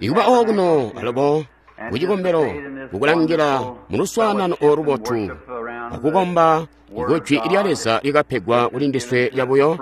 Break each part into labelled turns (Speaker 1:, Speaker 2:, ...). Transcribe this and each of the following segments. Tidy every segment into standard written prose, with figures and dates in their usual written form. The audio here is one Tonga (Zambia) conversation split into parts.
Speaker 1: Ikuba okuno alubo kucikombelo kukulangila muluswaanano olubotu akukomba kujwi lya Leza likapegwa kuli ndiswe lyabuyo.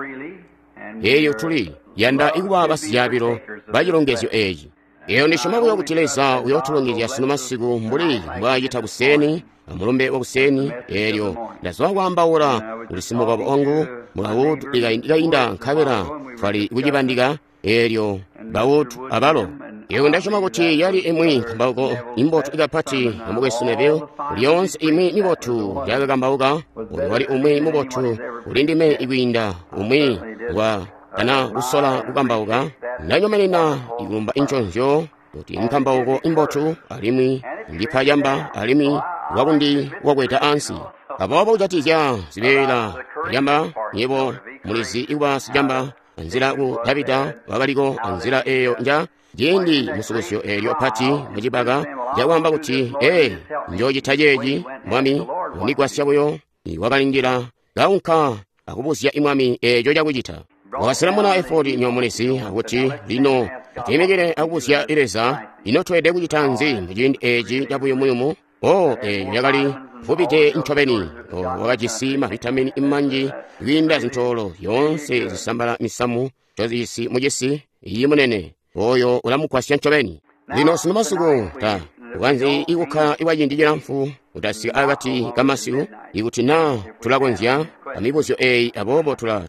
Speaker 1: Eeyo tuli yanda ikuba basizyabilo bacilongezyo eeci. Eyo ndisyoma buyo kuti Leza uyootulongezya sunu masiku mbuli mbwaacita kuseeni amulumbe wakuseeni. Eelyo ndazwa kwaambaula kuli simukabo wangu Mulaud ikainda nkabela twali kucibandika. Eelyo Baud abalo. Eyo ndasyoma kuti yali imwi nkambauko imbotu ikapati yamukwesu Neville. Lyoonse imwi mibotu yakakambauka, oyo wali umwi mubotu kuli ndime ikwiinda umwi ngwa kana kusola kukambauka. Ndanyomenena ikulumba inconzyo kuti nkambauko imbotu alimwi ndipa camba alimwi wakundi wakweta ansi. Aboobo kujatizya zibeela camba, nyebo mulizi ikuba sicamba anzila ku Davida wakaliko anzila eyo nja ciindi musukusyo eelyo pati mucibaka cakwaamba kuti ee njoocita ceeci mwami undigwasya buyo. Wakalindila kaunka akubuzya imwami eeco cakucita. Wakaselamuna efodi nyomulizi akuti lino atwimikile akubuzya Leza, ino tweelede kucita nzi muciindi eeci cabuyumuyumu? O eeyo yakali vubide ncobeni. O wakajisi mavitamini manji kwiinda zintoolo zyoonse zisambala misamu ncozijisi mucisi. Iyi munene oyo ulamugwasya ncobeni. Lino sunu masiku ta ukanzi ikukkala kwaciindi cilamfu utasika akati kamasiku ikuti naa tulakonzya amibuzyo eeyi. Aboobo tula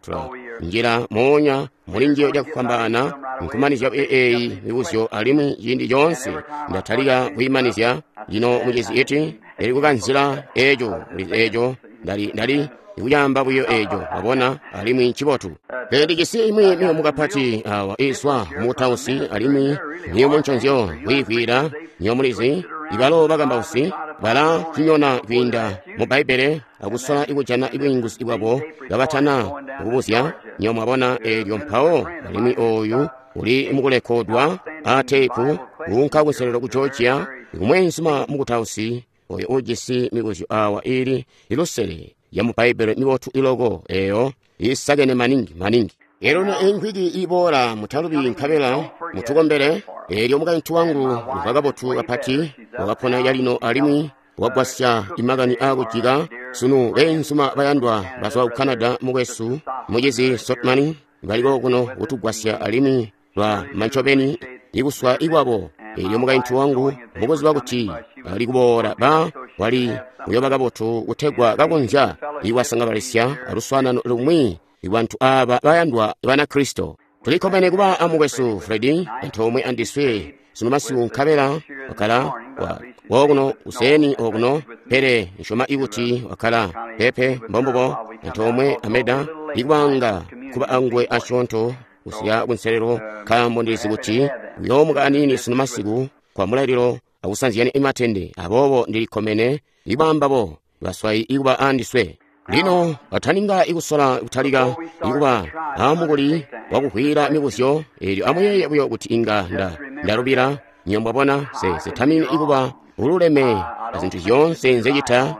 Speaker 1: njila moonya muli njiyo cakufwambaana nkumanizya eeyi mibuzyo, alimwi ciindi coonse ndatalika kuyimanizya. Lino mucizi iti ndali kukanzila eeco kuli eeco ndali ikucaamba buyo eeco, wabona, alimwi ncibotu. Pele ndijisi imwi miyumu kapati awa izwa mukutausi, alimwi miyumu nconzyo kwiivwiila. Nyomulizi ibalo bakambausi bala cinyona kwiinda mu Bbaibbele akusola ikujana bwiinguzi bwabo kabatana kubuzya. Nyo mwabona eelyo mpawo, alimwi ooyu uli mukulekodwa a teepu kuunka kunselelo ku Georgia kumweenzuma mukutausi oyo ujisi mibuzyo awa ili ilusele ya mu Bbaibbele mibotu iloko eyo isakene maningi maningi. Elyo no inkwiki iboola mutalubi nkabela mutukombele. Eelyo mukaintu wangu uva kabotu kapati wakapona calino alimwi wagwasya imakani aakujika. Sunu beenzuma bayandwa bazwa ku Canada, mukwesu mucizi Sotman baliko kuno kutugwasya alimwi lwa mancobeni ikuswa ikwabo. Eelyo mukaintu wangu mukuziba kuti ali kuboola ba wali kuyoba kabotu kutegwa kakonzya ikwasangabalisya aluswaanano lumwi ibantu aaba bayandwa Banakristo. Tulikkomene kuba amukwesu Fredi antoomwe andiswe sunu masiku nkabela wakala wokuno kuseeni okuno, pele nsyoma ikuti wakala pepe mbombubo antoomwe ameda ikubanga kuba angwe asyoonto kusika kunselelo, nkaambo ndilizi kuti uyoomuka aniini sunu masiku kwa mulaililo akusanzyani imatende. Aboobo ndilikkomene ikubambabo baswayi ikuba andiswe. Lino bataninga ikusola kutalika ikuba amukuli wakuhwila mibuzyo eelyo amuyeeye buyo kuti inga ndalubila. Nyo mwabona setamini ikuba ululeme azintu zyoonse nzecita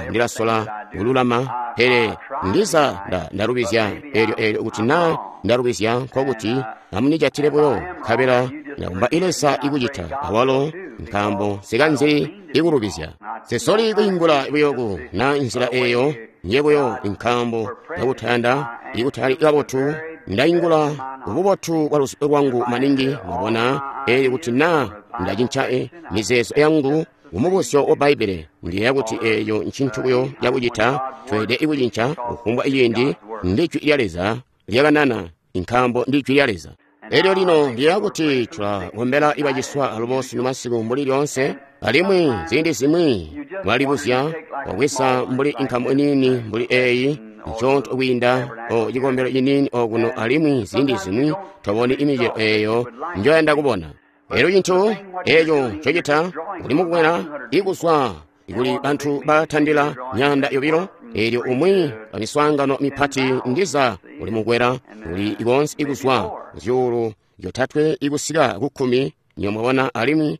Speaker 1: ndilasola kululama, pele ndiza ndalubizya. Eelyo kuti naa ndalubizya nkokuti amunijatile buyo nkabela ndakumba Leza ikucita awalo, nkaambo sikanzi ikulubizya. Sesoli kwiingula buyo ku na nzila eyo nje buyo, nkaambo ndakutayanda ikutali kabotu ndaingula ububotu bwa luzibo lwangu maningi. Mwabona, eelyo kuti naa ndacinca mizeezo yangu kumubuzyo wa Bbaibbele, ndiyeeya kuti eeyo ncintu buyo cakucita. Tweelede ikucinca kufumbwa ciindi ndi jwi lya Leza lyakanana, nkaambo ndi jwi lya Leza. Elyo lino ndiyeeya kuti tulakombela ibaciswa alubo sunu masiku mbuli lyoonse, alimwi ziindi zimwi mwalibuzya wabweza mbuli inkamu iniini mbuli eeyi nconto kwiinda o cikombelo ciniini okuno, alimwi ziindi zimwi toboni imicelo eeyo njoyanda kubona. Elyo cintu eeco ncocita uli mukukwela ikuzwa kuli bantu batandila 200. Eelyo umwi amiswaangano mipati ndiza uli mukwela uli konse ikuzwa 3,000 ikusika ku 10. Nyo mwabona, alimwi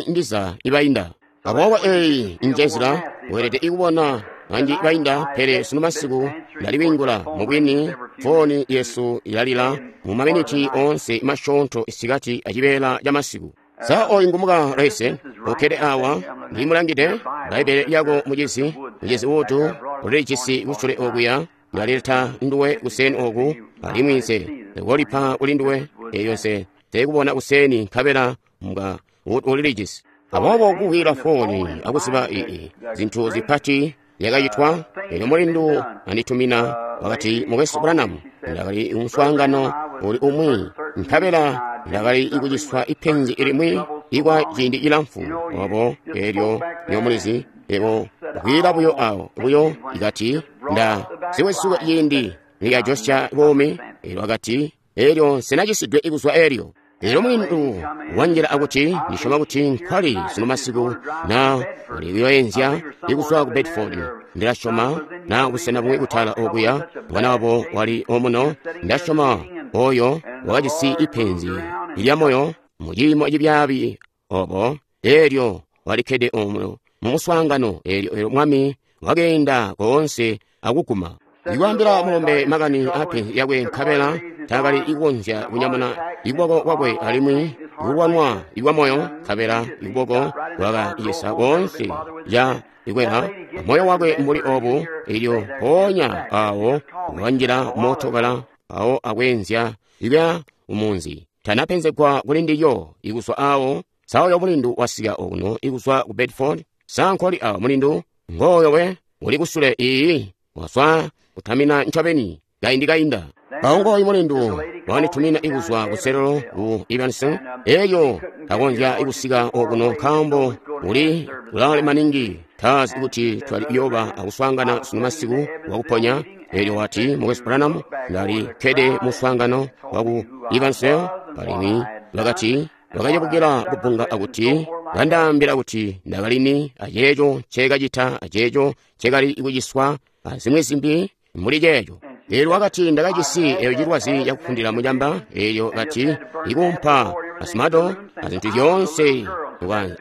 Speaker 1: ndiza ibainda. Aboobo eeyi njenzila weelede ikubona manji kainda, pele sunu masiku ndaliwiingula. Mubwini, fooni yesu ilalila mu maminiti oonse masyoonto isikati acibeela ca masiku. Sa oyu ngumuka Raise ukkede awa ndimulangide Bbaibbele lyako mucizi, mucizi Wood ulilijisi kusule okuya. Ndalileta nduwe kuseni oku, alimwi nse kolipa kuli nduwe. Eyo nse kubona kuseni nkabela mga Wood ulilijisi. Aboobo kukwila fooni akuziba ii zintu zipati zyakacitwa. Elyo mulindu anditumina wakati, Mukwesu Branham, ndakali muswaangano uli umwi nkabela ndakali kuciswa ipenzi limwi ikwa ciindi cilamfu obo. Elyo nyomulizi ebo kwila buyo awo buyo ikati nda siwesuka ciindi liyajosya buumi. Elyo akati elyo nsenacisidwe ikuzwa elyo. Elyo mulindu wanjila akuti, ndisyoma kuti nkwali sunu masiku na uli kuyoyenzya ikuzwa ku Bedford. Ndilasyoma na busena bumwi kutala okuya mwana wabo wali omuno. Ndasyoma oyo wakajisi ipenzi lya moyo mu ciimo cibyaabi obo. Elyo walikkede omuno mu muswaangano. Elyo mwami wakeenda koonse akuguma ikwaambila mulombe makani apenzi lyakwe, nkabela taakali kukonzya kunyamuna ikuboko kwakwe, alimwi ikulwanwa ikwa moyo, nkabela ikuboko kwakacisa koonse ca ikwela moyo wakwe mbuli obu. Elyo mpoonya awo wanjila mootokala awo akwenzya ikuya umunzi. Tanapenzegwa kuli ndilyo ikuzwa awo. Sa oyo mulindu wasika okuno ikuzwa ku Bedford? Sa nkwali awo mulindu? Ngooyo we uli kusule iyi waswa kutamina ncobeni kaindi kainda. Awo ngooyu mulindu wanditumina ikuzwa kuselelo ku Evanston. Elyo takonzya ikusika okuno nkaambo uli kulaale maningi, tazi kuti twali kuyoba akuswaangana sunu masiku wakuponya. Elyo wati, Mukwesu Branham, ndali kkede muswaangano waku Evanston, alimwi bakati bakacebukila kubbunga akuti bandaambila kuti ndakalini aceeco ncekacita aceeco ncekali kuciswa azimwi zimbi mbuli ceeco. Elyo wakati ndakajisi eyo cilwazi cakufundila mucamba. Elyo kati ikuumpa asimado azintu zyoonse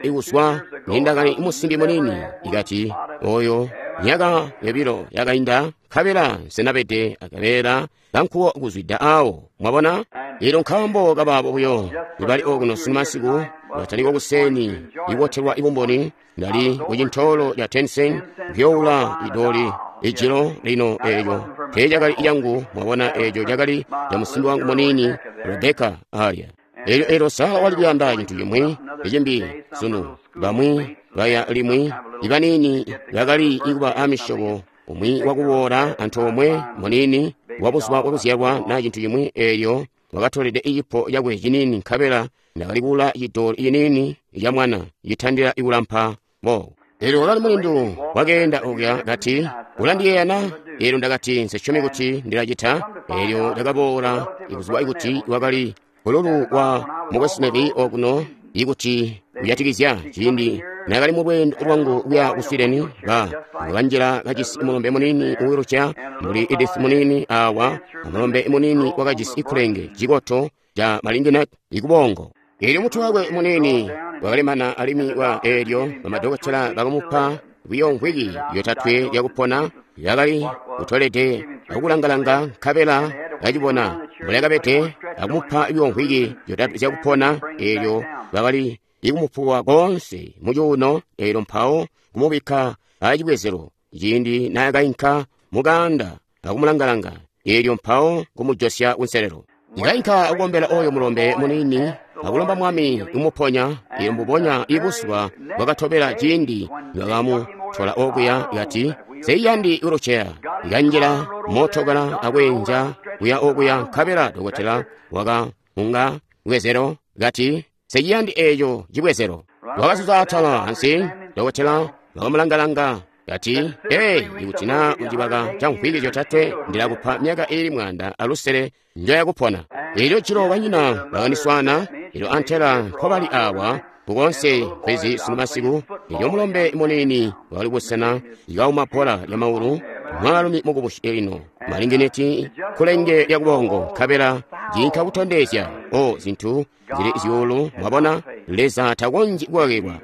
Speaker 1: ikuzwa nindakali musimbi munini. Ikati oyo myaka yobilo yakainda nkabela nsenabede akabeela kankuwo kuzwida awo. Mwabona? Elyo nkaambo kabaabo buyo ibali okuno sunu masiku bataliko kuseni ikubotelwa ibumboni. Ndali kucintoolo ca Tensen kuyoula idoli ijilo lino. Eeco teecakali cangu, mwabona, eeco cakali ca musimbi wangu munini Rebeka alya. Elyo elyo Sara wali kuyanda cintu cimwi icimbi sunu. Bamwi baya limwi ibanini bakali ikuba amisyobo umwi wakuboola antoomwe munini wa buzuba bwakuzyalwa na cintu cimwi. Elyo wakatolede icipo cakwe cinini, nkabela ndakali kuula cidoli cinini ca mwana citandila ikulampa bo. Elyo wakali mulindu wakeenda okuya kati, ulandiyeeya na? Elyo ndakati nsesyomi kuti ndilacita. Elyo ndakaboola ikuzuba ikuti wakali bululu wa Mukwesu Neville okuno ikuti kujatikizya ciindi nakali mu lweendo lwangu kuya ku Sweden. Ba wakanjila kajisi mulombe munini uwiluca mbuli Edith munini awa, amulombe munini wakajisi ikulenge cikoto ca malinginat ikubongo. Elyo mutwe wakwe munini wakalemana, alimwi wa elyo bamadokotela bakamupa buyo mvwiki yotatwe yakupona. Yakali kutolede akulangalanga nkabela kacibona mbulakabede, akumupa buyo mvwiki yotatwe zyakupona. Elyo bakali ikumupuwa koonse mucuuno, elyo mpawo kumubikka acibwezelo ciindi naakainka mukaanda akumulangalanga, elyo mpawo kumujosya kunselelo. Ndikainka akukombela oyo mulombe munini akulomba mwami kumuponya. Elyo mbubonya ibuzuba bwakatobela ciindi bakamutola okuya, kati seiyandi wheelchair. Ikanjila mootokala akwenja kuya okuya, nkabela dokotela wakaunga bwezelo kati seiyandi eeco cibwezelo. Wakazuza atala ansi, dokotela wakamulangalanga kati, ee, ikuti na mucibaka ca mvwiki zyotatwe ndilakupa myaka iili 150 njoyakupona. Elyo jilo banyina bakandiswaana, elyo antela mpobali awa kukonse kwezi sunu masiku. Elyo mulombe munini wakali kusena ikauma bbola lya maulu, mwaalumi mukubusi lino malingineti kulenge lya kubongo, nkabela cinka kutondezya o zintu zili zyuulu. Mwabona, Leza takonzyi kukakilwa,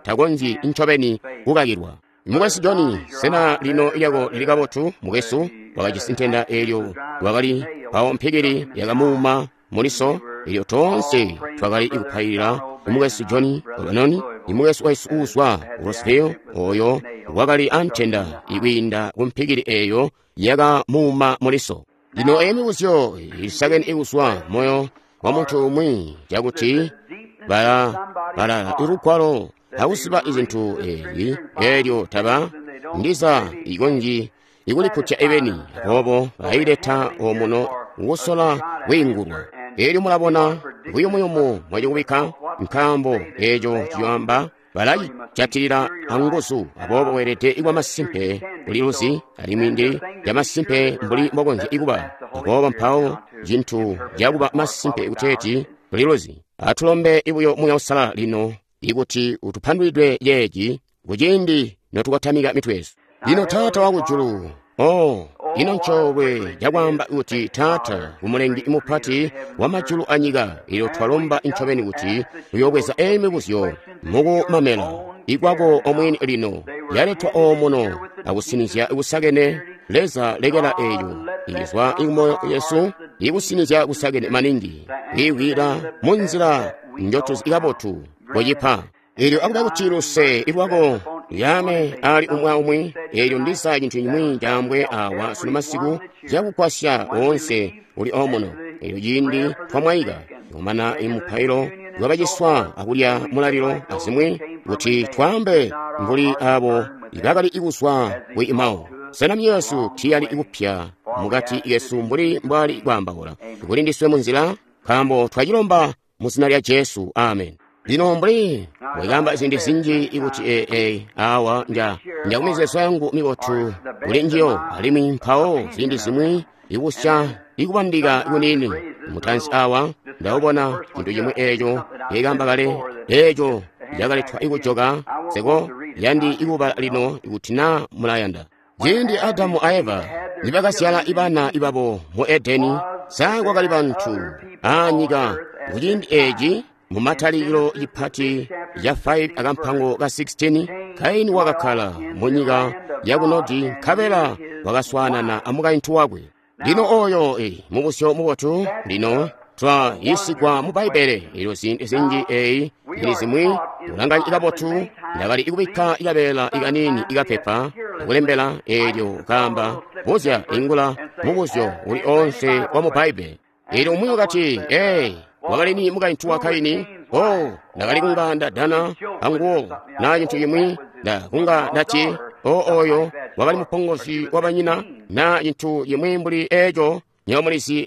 Speaker 1: takonzyi ncobeni kukakilwa. Mukwesu Johnny, sena lino lyako lili kabotu? Mukwesu wakajisi ntenda eelyo wakali mpawo mpikili yakamuuma muliso. Elyo toonse twakali kupailila mukwesu Johnny Obanoni, mukwesu wesu uuzwa ku Roseville, oyo wakali antenda ikwiinda ku mpikili eyo yakamuuma muliso. Lino eyi mibuzyo ilisakene ikuzwa moyo wa muntu umwi, cakuti bala lugwalo akusiba izintu eezi, eelyo taba ndiza ikonji ikulikkutya ebeni, aboobo baileta omuno kusola kwiingulwa. Eelyo mulabona buyumuyumu mwacikubikka, nkaambo eeco ciyoamba balacijatilila anguzu. Aboobo weelede kuba masimpe uliluzi, alimwi ndi yamasimpe mbuli mbokonzya kuba. Aboobo mpawo cintu cakuba masimpe kuteeti uliluzi. Atulombe buyo Muuya Uusalala lino ikuti utupandulidwe yeeci kuciindi notukotamika mitwe yesu. Lino Taata wakujulu, oh, ino ncoolwe cakwaamba kuti Taata Umulengi mupati wa majulu anyika, ilyo twalomba ncobeni kuti uyoobweza eyi mibuzyo mukumamela ikwako omwini lino yaletwa omuno akusinizya kusakene. Leza lekela eyo ikizwa ikumoyo yesu ikusinizya kusakene maningi kwiiwila munzila njotuzi kabotu kucipa. Elyo akuba kuti luse ilwako luyame ali umwi aumwi. Elyo ndiza cintu cimwi caambwe awa sunu masiku cakugwasya woonse uli omuno. Elyo ciindi twamwaika kumana imupailo lwabaciswa akulya mulalilo azimwi, kuti twaambe mbuli abo ibakali ikuzwa ku Emau. Sena myoyo tiyali ikupya mukati kesu mbuli mbwali kwaambaula kuli ndiswe munzila? Nkaambo twacilomba mu zina lya Jesu, amen. Lino mbuli mbwekaamba ziindi zinji ikuti awa njakumizeezo yangu mibotu kuli njiyo, alimwi mpawo ziindi zimwi ikusya ikubandika kunini mutansi awa ndawubona cintu cimwi eeco nkekamba kale eeco cakaletwa ikujoka seko yandi ikubala lino ikuti naa mulayanda. Ciindi Adamu a Eva nibakazyala ibana ibabo mu Edeni, sa kwakali bantu aanyika kuciindi eeci? Mumatalikilo cipati ca 5 akampango ka 16, Kaini wakakkala mu nyika yaku Nodi, nkabela wakaswaanana amukaintu wakwe. Lino oyo mubuzyo mubotu. Lino twayiisigwa mu Bbaibbele elyo ziindi zinji eyi ili zimwi kulanganya kabotu. Ndakali ikubikka ikabeela ikanini ikapepa akulembela eelyo kaamba buzya ingula mubuzyo uli onse wa mu Bbaibbele. Eelyo umwi wakati, ee, wakali ni mukaintu wa Kaini? Oh, ndakali kunga ndadana anguwo na cintu cimwi, ndakunga ndati, oh, oyo wakali mupongozi wa banyina na cintu cimwi mbuli eeco, nyomulizi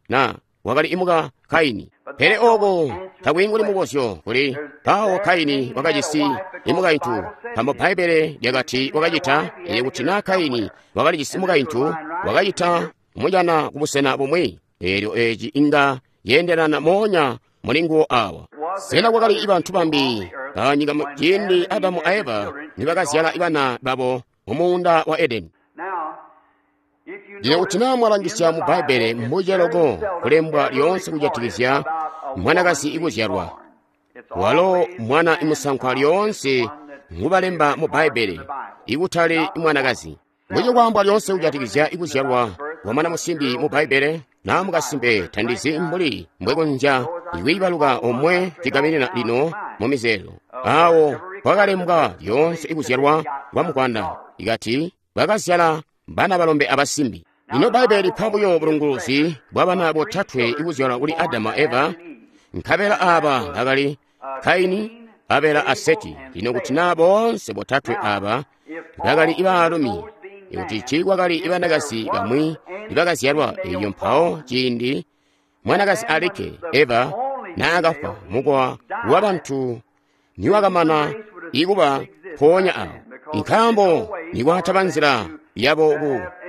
Speaker 1: na wakali imuka Kaini. Pele oko takwiinguli mubuzyo kuli mpawo Kaini wakajisi imukaintu, nkaambo Bbaibbele lyakati wakacita. Elyo kuti naa Kaini wakalijisi mukaintu, wakacita kumujana kubusena bumwi. Eelyo eeci inga yeendelana moonya mulinguwo awa. Sena kwakali ibantu bambi anyika ciindi Adamu a Eva nibakazyala ibana babo mu muunda wa Edeni? Lino kuti naa mwalangisya mu Bbaibbele, mbuce loko kulembwa lyoonse kujatikizya mwanakazi ikuzyalwa. Walo mwana imusankwa lyoonse ngubalemba mu Bbaibbele, ikutali mwanakazi. Mbuce kwaambwa lyoonse kujatikizya ikuzyalwa kwa mwana musimbi mu Bbaibbele, naa mukasimpe tandizi mbuli mbwekonzya ikwiibaluka omwe cigaminina lino mu mizeezo. Awo kwakalembwa lyoonse ikuzyalwa kwa mukwanda, ikati bakazyala bana balombe abasimbi. Lino Bbaibbele lipa buyo bulunguluzi bwa bana botatwe ikuzyalwa kuli Adamu a Eva, nkabela aaba bakali Kaini, Abela a Seti. Lino kuti naa boonse botatwe aaba bakali ibaalumi, ikuti tiikwakali ibanakazi bamwi ibakazyalwa, elyo mpawo ciindi mwanakazi alikke Eva naakafwa, mukowa wabantu niwakamana ikuba mpoonya awo, nkaambo nikwataba nzila yabo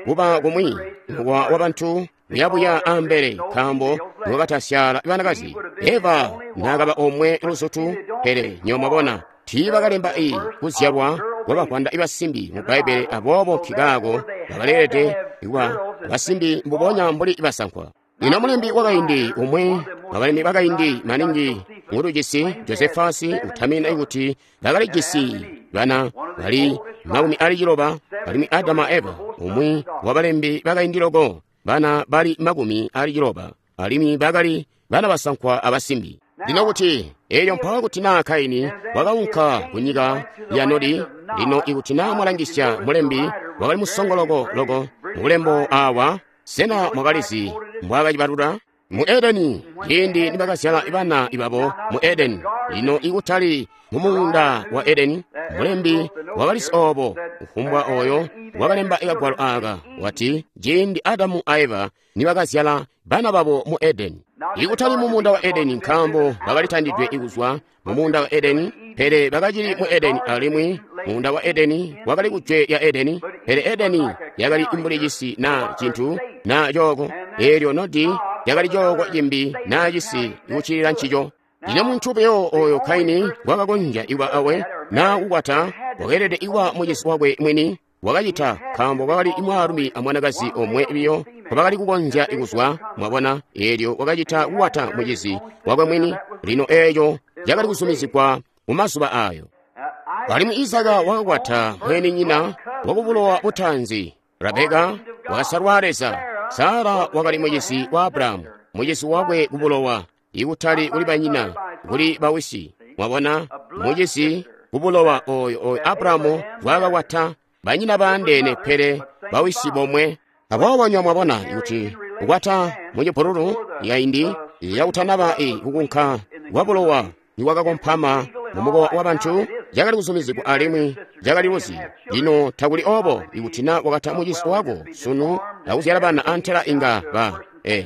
Speaker 1: kuba kumwi mukowa wabantu uyabuya ambele, nkaambo niwakatasyala banakazi. Eva naakaba omwe luzutu. Pele nyomwabona tiibakalemba kuzyalwa kwabavwanda ibasimbi mu Bbaibbele, aboobo nkikaako bakaleelede kuba basimbi mbubonya mbuli basankwa. Lino mulembi wakaindi umwi wabalemi bakaindi maningi ngutujisi, Josefasi, utamina kuti bakalijisi Bana bali 60, alimwi Adamu a Eva, umwi wabalembi bakaindi loko, bana bali 60, alimwi bakali bana basankwa abasimbi. Lino kuti elyo mpawo kuti naa Kaini wakaunka ku nyika ya Nodi. Lino ikuti naa mwalangisya mulembi wakali musongoloko loko mulembo awa, sena mwakalizi mbwaakacibalula? Mu Edeni, ciindi nibakazyala bana babo mu Edeni, lino ikutali mu muunda wa Edeni, mulembi wakalisi oobo, kufumbwa oyo wakalemba kagwalo aaka wati ciindi Adamu a Eva nibakazyala bana babo mu Edeni, ikutali mu muunda wa Edeni, nkaambo bakalitandidwe kuzwa mu muunda wa Edeni, pele bakacili mu Edeni, alimwi muunda wa Edeni wakali kujwe lya Edeni, pele Edeni yakali mbuli cisi naa cintu naa cooko, eelyo Nodi yakali cooko cimbi naa cisi kuccilila ncico. Lino muntu buyo oyo Kaini wakakonzya kuba awe naa kukwata wakeelede kuba mucisi wakwe mwini, wakacita nkaambo kwakali mwaalumi amwanakazi omwe biyo nkobakali kukonzya kuzwa, mwabona, eelyo wakacita kukwata mucizi wakwe mwini. Lino eeco cakali kuzumizigwa mu mazuba ayo. Alimwi Izaka wakakwata mweeninyina wakubulowa butaanzi, Rabeka wakasalwa Leza. Sara wakali mucizi wa Abrahamu, mucizi wakwe kubulowa, ikutali kuli banyina, kuli bawisi. Mwabona, mucizi kubulowa oyo Abrahamu wakakwata banyina baandeene pele bawisi bomwe. Aboobo nywa mwabona kuti kukwata mucipululu yaindi yakutanaba kukunka kwa bulowa nikwakakompama mu mukowa wa bantu, cakali kuzumizigwa alimwi cakali luzi. Lino takuli obo ikuti na wakata mucizi wako sunu akuzyala bana antela inga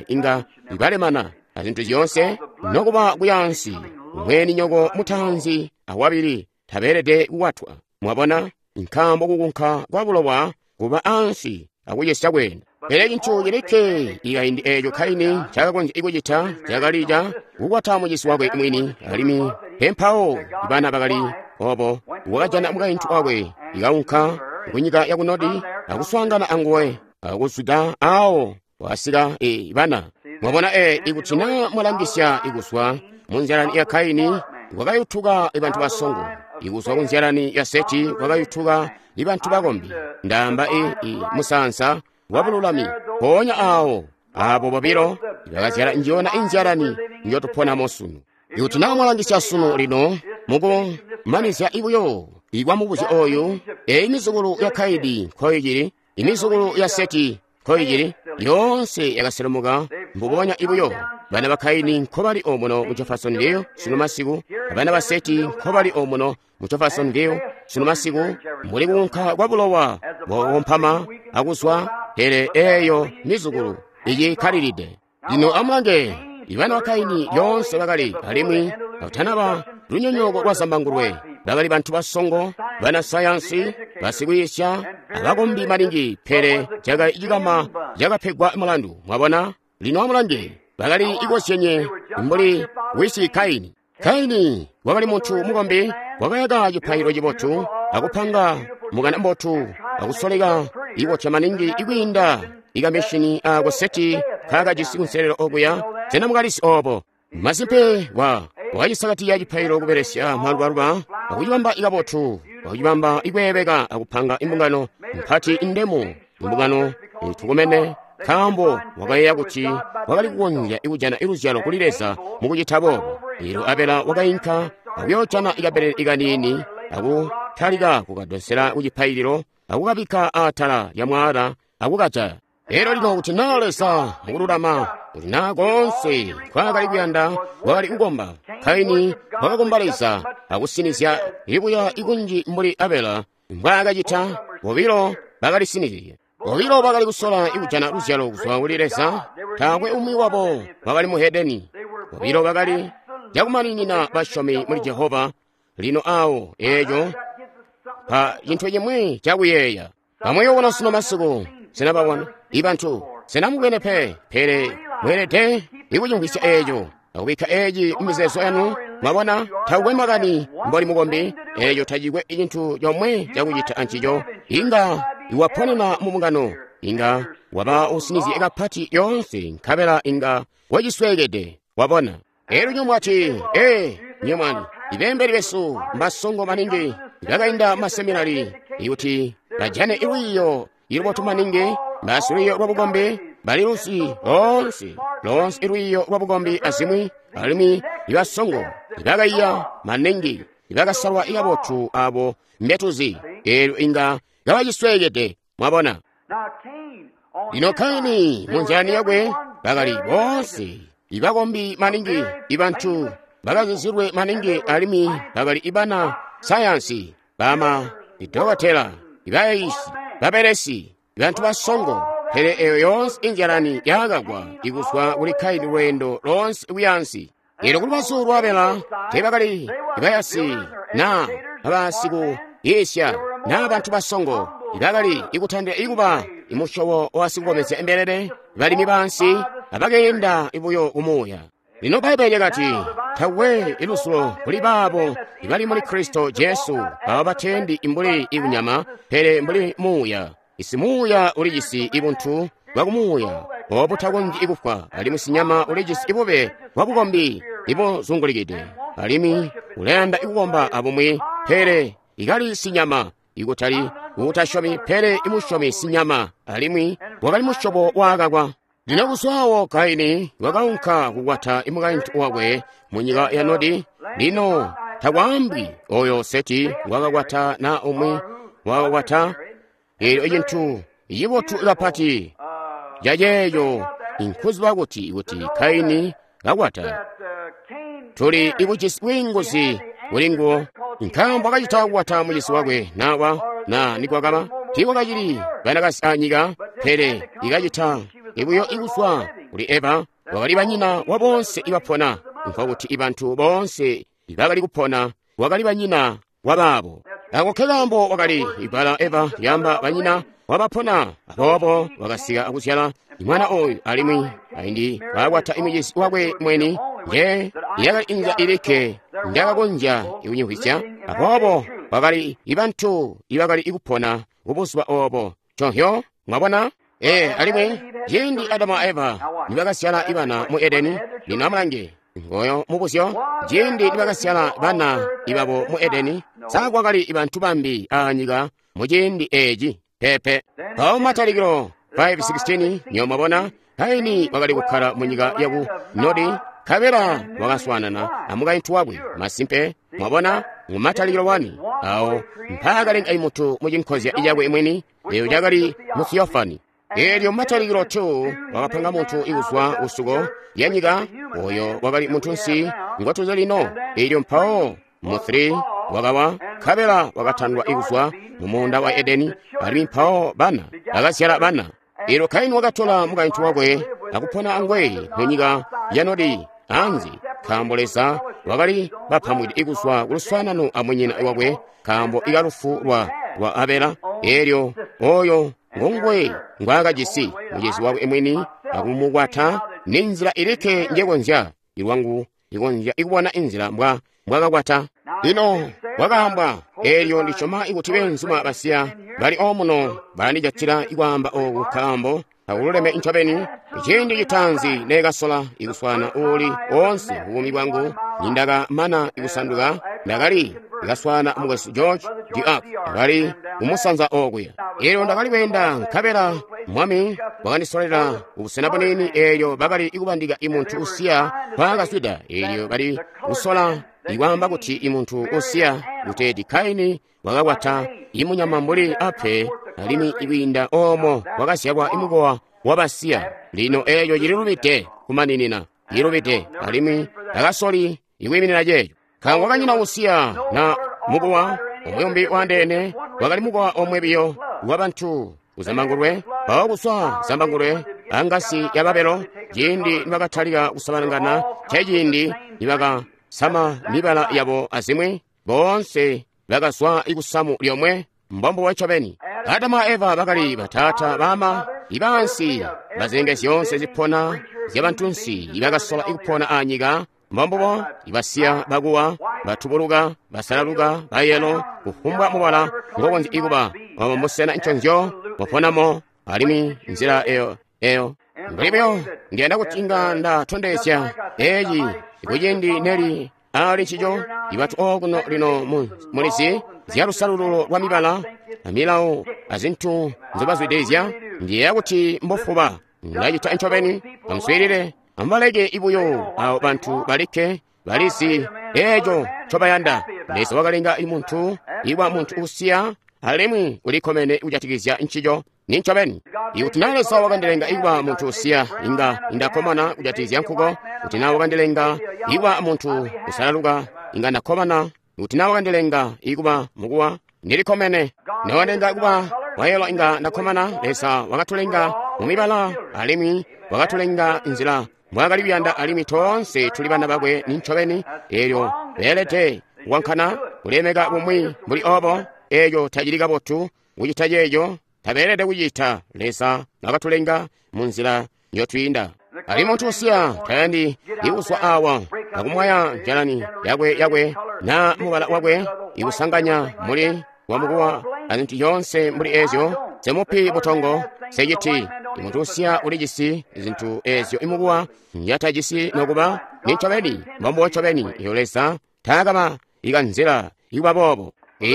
Speaker 1: inga balemana azintu zyoonse nokuba kuyaansi mweni nyoko mutaanzi awabili tabeelede kukwatwa. Mwabona, nkaambo kukunka kwa bulowa kuba ansi akucesya kwenda. Pele cintu cilikke ikaindi eeco Kaini ncaakakonzya kucita cakali ca kukwata mucizi wakwe mwini, alimwi pempawo bana bakali obo. Wakajana mukaintu wakwe ikaunka kunyika ya ku Nodi akuswaangana anguwe, akuzwida awo wasika bana. Mwabona, ikuti naa mwalangisya ikuzwa mu nzyalani ya Kaini kwakayutuka bantu basongo, ikuzwa ku nzyalani ya Seti kwakayutuka bantu bakombi, ndaamba musaansa wabululami. Mpoonya awo abo bobilo bakazyala njiyona inzyalani njotuponamo sunu. Ikuti naa mwalangisya sunu lino mukumanizya ibuyo ikwa mubuzyo oyu, eyi mizukulu ya Kaini nkoicili, imizukulu ya Seti nkoicili, yoonse yakaselemuka mbubonya ibuyo. Bana ba Kaini nkobali omuno mu Jeffersonville sunu masiku, abana ba Seti nkobali omuno mu Jeffersonville sunu masiku, muli kuunka kwa bulowa bwakukompama akuzwa, pele eeyo mizukulu icikkalilide. Lino amulange, ibana ba Kaini lyoonse bakali, alimwi batanaba lunyonyooko lwa zambangulwe, bakali bantu basongo, bana sayansi, basikwiisya, abakombi maningi, pele cakali cikama cakapegwa mulandu. Mwabona? Lino amulange, bakali ikozyenye mbuli wisi Kaini. Kaini wakali muntu mukombi, wakayaka cipaililo cibotu, akupanga mukana mbotu, akusoleka ikotya maningi ikwiinda ikamishini ako Seti kaakajisi kunselelo okuya. Sena mukalisi obo? Masimpe wakacisakatiya cipaililo kubelesya malubaluba, akucibamba ikabotu, akucibamba ikweebeka, akupanga imbungano mpati indemu, imbungano itukumene, nkaambo wakayeeya kuti wakali kukonzya kujana luzyalo kuli Leza mukucita boobo. Eelyo Abela wakainka akuyoojana ikabelele ikaniini, akutalika kukadonsela ku cipaililo, akukabikka atala lya mwaala, akukajaya. Elyo lino kuti naa Leza mukululama, kuti naa koonse nkwaakali kuyanda wakali kukomba, Kaini wakakomba Leza akusinizya ibuya ikunji mbuli Abela mbwaakacita. Bobilo bakalisinizye. Bobilo bakali kusola ikujana luzyalo kuzwa kuli Leza. Taakwe umwi wabo wakali muhedeni. Bobilo bakali cakumaninina basyomi muli Jehova. Lino awo eeco pa cintu cimwi cakuyeeya. Bamuyobona sunu masiku, sena babona ibantu, sena mubwene pe, pele mweelede ikucimvwisya eeco akubikka eeci mumizeezo yanu. Mwabona, takukwe makani mboli mukombi, eeco tacikwe cintu comwe cakucita ancico. Inga iwaponena mu mbungano, inga waba usinizye kapati yoonse, nkabela inga wacisweekede. Wabona? Elyo nyomwati, nyomwani, ibembeli besu mbasongo maningi, Bakainda maseminari kuti bajane lwiiyo ilubotu maningi, basilwiiyo lwabukombi, bali lusi loonse, loonse lwiiyo lwabukombi azimwi, alimwi ibasongo, ibakaiya maningi, ibakasalwa ikabotu abo mbetuzi, eelyo inga kabacisweekede, mwabona. Lino Kaini munzilani yakwe bakali boonse ibakombi maningi, ibantu bakazizilwe maningi, alimwi bakali ibana sayansi, bama idokotela, ibayiisi, babelesi, bantu basongo. Pele eyo yoonse inzalani yakagwa ikuzwa kuli Kaini lweendo loonse kuyansi. Eelyo kulubazu lwa Abela teebakali ibayasi na abasikuyiisya na bantu basongo, ibakali ikutandila ikuba imusyobo wasikukomezya imbelele, balimi bansi abakeenda buyo kumuuya. Lino Bbaibbele lyakati, takwe ilusulo kuli baabo ibali muli Kristo Jesu, abo batendi mbuli ikunyama, pele mbuli muuya. Isi muuya ulijisi ibuntu bwakumuuya obutakonzyi kufwa, alimwi sinyama ulijisi ibube bwabukombi ibuzungulikide, alimwi ulayanda ikukomba abumwi, pele ikali sinyama, ikutali uutasyomi, pele imusyomi sinyama, alimwi wakali musyobo waakakwa. Lino kuzwawo Kaini wakaunka kukwata imukaintu wakwe munyika ya Nodi. Lino takwaambi oyo Seti wakakwata na umwi wakakwata. Eelyo icintu cibotu kapati caceeco inkuziba kuti Kaini kakwata, tuli ikujisi bwiinguzi kuli nguwo, nkaambo akacita kukwata mucisi wakwe nawa na nikwakaba tiikwakacili banakazi anyika, pele ikacita ibuyo ikuzwa kuli Eva, wakali banyina wa bonse ibapona, nkokuti ibantu bonse ibakali kupona wakali banyina wa baabo. Ako kekaambo wakali ibbala Eva lyamba banyina wabapona. Aboobo wakasika akuzyala mwana oyu, alimwi aindi waakwata imucisi wakwe mweni, nje yakali inzila ilikke njakakonzya ikunyihwisya. Aboobo wakali ibantu ibakali ikupona kubuzuba obo. Chonhyo, mwabona? Alimwi ciindi Adamu a Eva nibakasyala ibana mu Edeni, lino amulange ngoyo mubuzyo, ciindi nibakasyala bana ibabo mu Edeni, sa kwakali ibantu bambi anyika muciindi eeci? Pepe. Mpawo Matalikilo 5:16 niyo mwabona Kaini wakali kukkala munyika yaku Nodi, nkabela wakaswaanana amukaintu wakwe. Masimpe, mwabona mu Matalikilo 1 awo mpaakalenga imuntu mucinkozya cakwe mwini, eyo cakali mu Theophany. Eelyo Matalikilo 2 wakapanga muntu ikuzwa kusuko lya nyika, oyo wakali muntunsi ngotuzi lino. Eelyo mpawo mu 3 wakawa, nkabela wakatandwa ikuzwa mu muunda wa Edeni, alimwi mpawo bana bakazyala bana. Eelyo Kaini wakatola mukaintu wakwe akupona angwe munyika ya Nodi anzi, nkaambo Leza wakali bapamwide ikuzwa kuluswaanano amunyina wakwe, nkaambo ikalufu lwa Abela. Eelyo oyo ngonguwe ngwaakajisi mucisi wakwe mwini akumukwata, ninzila ilikke njekonzya ilwangu ikonzya ikubona inzila mbwakakwata. Lino wakaambwa, eelyo ndisyoma ikuti beenzuma basiya bali omuno balandijatila ikwaamba ooku, nkaambo takululeme ncobeni. Ciindi citaanzi neekasola ikuswaana uuli oonse buumi bwangu, nindakamana ikusanduka, ndakali ikaswaana mukwesu George Deark, ndakali kumusanza okuya. Eelyo ndakali kweenda, nkabela Mwami wakandisolela kubusena bunini. Eelyo bakali ikubandika imuntu usiya mpaakazwida. Eelyo bali kusola ikwaamba kuti imuntu usiya kuteeti Kaini wakakwata imunyama mbuli ape, alimwi ikwiinda oomo wakazyalwa imukowa wabasiya. Lino eeco cililubide kumaninina, cililubide, alimwi akasoli ikwiiminina ceeco. Nkaambo wakanyina usiya na mukowa umwi waandeene, wakali mukowa omwe biyo wabantu kuzambangulwe. Mpawo kuzwa zambangulwe angasi ya Babelo, ciindi nibakatalika kusabalangana, ceciindi nibakasama mibala yabo azimwi, boonse bakazwa ikusamu lyomwe, mbombo ncobeni. Adamu a Eva bakali bataata bama ibansi bazilenge zyoonse zipona zyabantunsi ibakasola ikupona anyika, mbombubo ibasiya bakuwa, batubuluka, basalaluka, bayelo, kufumbwa mubala ngokonzya ikuba omo musena nconzyo muponamo, alimwi nzila eyo mbuli buyo ndiyanda kuti inga ndatondezya eeci kuciindi neli ali ncico. Ibatu okuno lino mulizi zya lusalululo lwa mibala amilawo azintu nzobazwidilizya. Ndiyeeya kuti mbofuba ndacita ncobeni. Amuswiilile, amubaleke ibuyo abo bantu balikke balizi eeco ncobayanda. Leza wakalenga muntu iwa muntu usiya alimwi ulikkomene kujatikizya ncico. Nincobeni, ikuti na Leza wakandilenga ikuba muntu usiya, inga ndakkomana kujatikizya nkuko. Kuti na wakandilenga ikuba muntu usalaluka, inga ndakkomana. Kuti na wakandilenga ikuba mukuwa, ndilikkomene. Na wakandilenga kuba wayelo, inga ndakkomana. Leza wakatulenga mumibala alimwi wakatulenga nzila mbwaakali kuyanda, alimwi toonse tuli bana bakwe. Nincobeni, eelyo beelede kukankana kulemeka bumwi mbuli obo. Eeco tacili kabotu kucita ceeco, tabeelede kucita. Leza wakatulenga munzila njotwiinda. Ali muntu usiya tayandi ikuzwa awa akumwaya njalani yakwe na mubala wakwe, ikusanganya muli wamukuwa azintu yonse mbuli ezyo. Semupi butongo seciti muntu usiya ulijisi zintu ezyo imukuwa njatajisi nokuba. Nincobeni, mbombo ncobeni iyo Leza taakaba ikanzila ikuba boobo.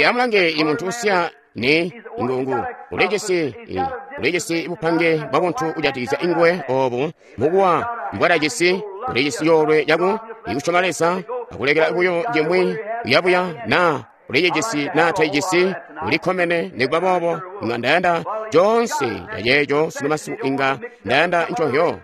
Speaker 1: Amulange, imuntu usiya ni ingungu ulijisi bupange bwa buntu kujatikizya inguwe obu mukuwa mbwadajisi. Ulijisi yoolwe yaku ikusyoma Leza akulekela buyo jimwi uyabuya, na ulijisi na taijisi, ulikkomene nikuba boobo. Inga ndayanda coonse caceeco sino masiku, inga ndayanda nconhyo.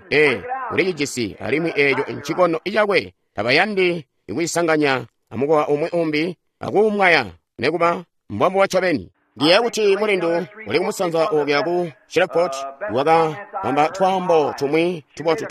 Speaker 1: Ulijisi alimwi eeco ncikono icakwe. Tabayandi ikucisanganya amukowa umwi umbi akuumwaya nikuba mbwambo wa ncobeni. Ndiyeeya kuti mulindu uli kumusanza okuya ku Shreveport wakabamba twaambo tumwi tubotu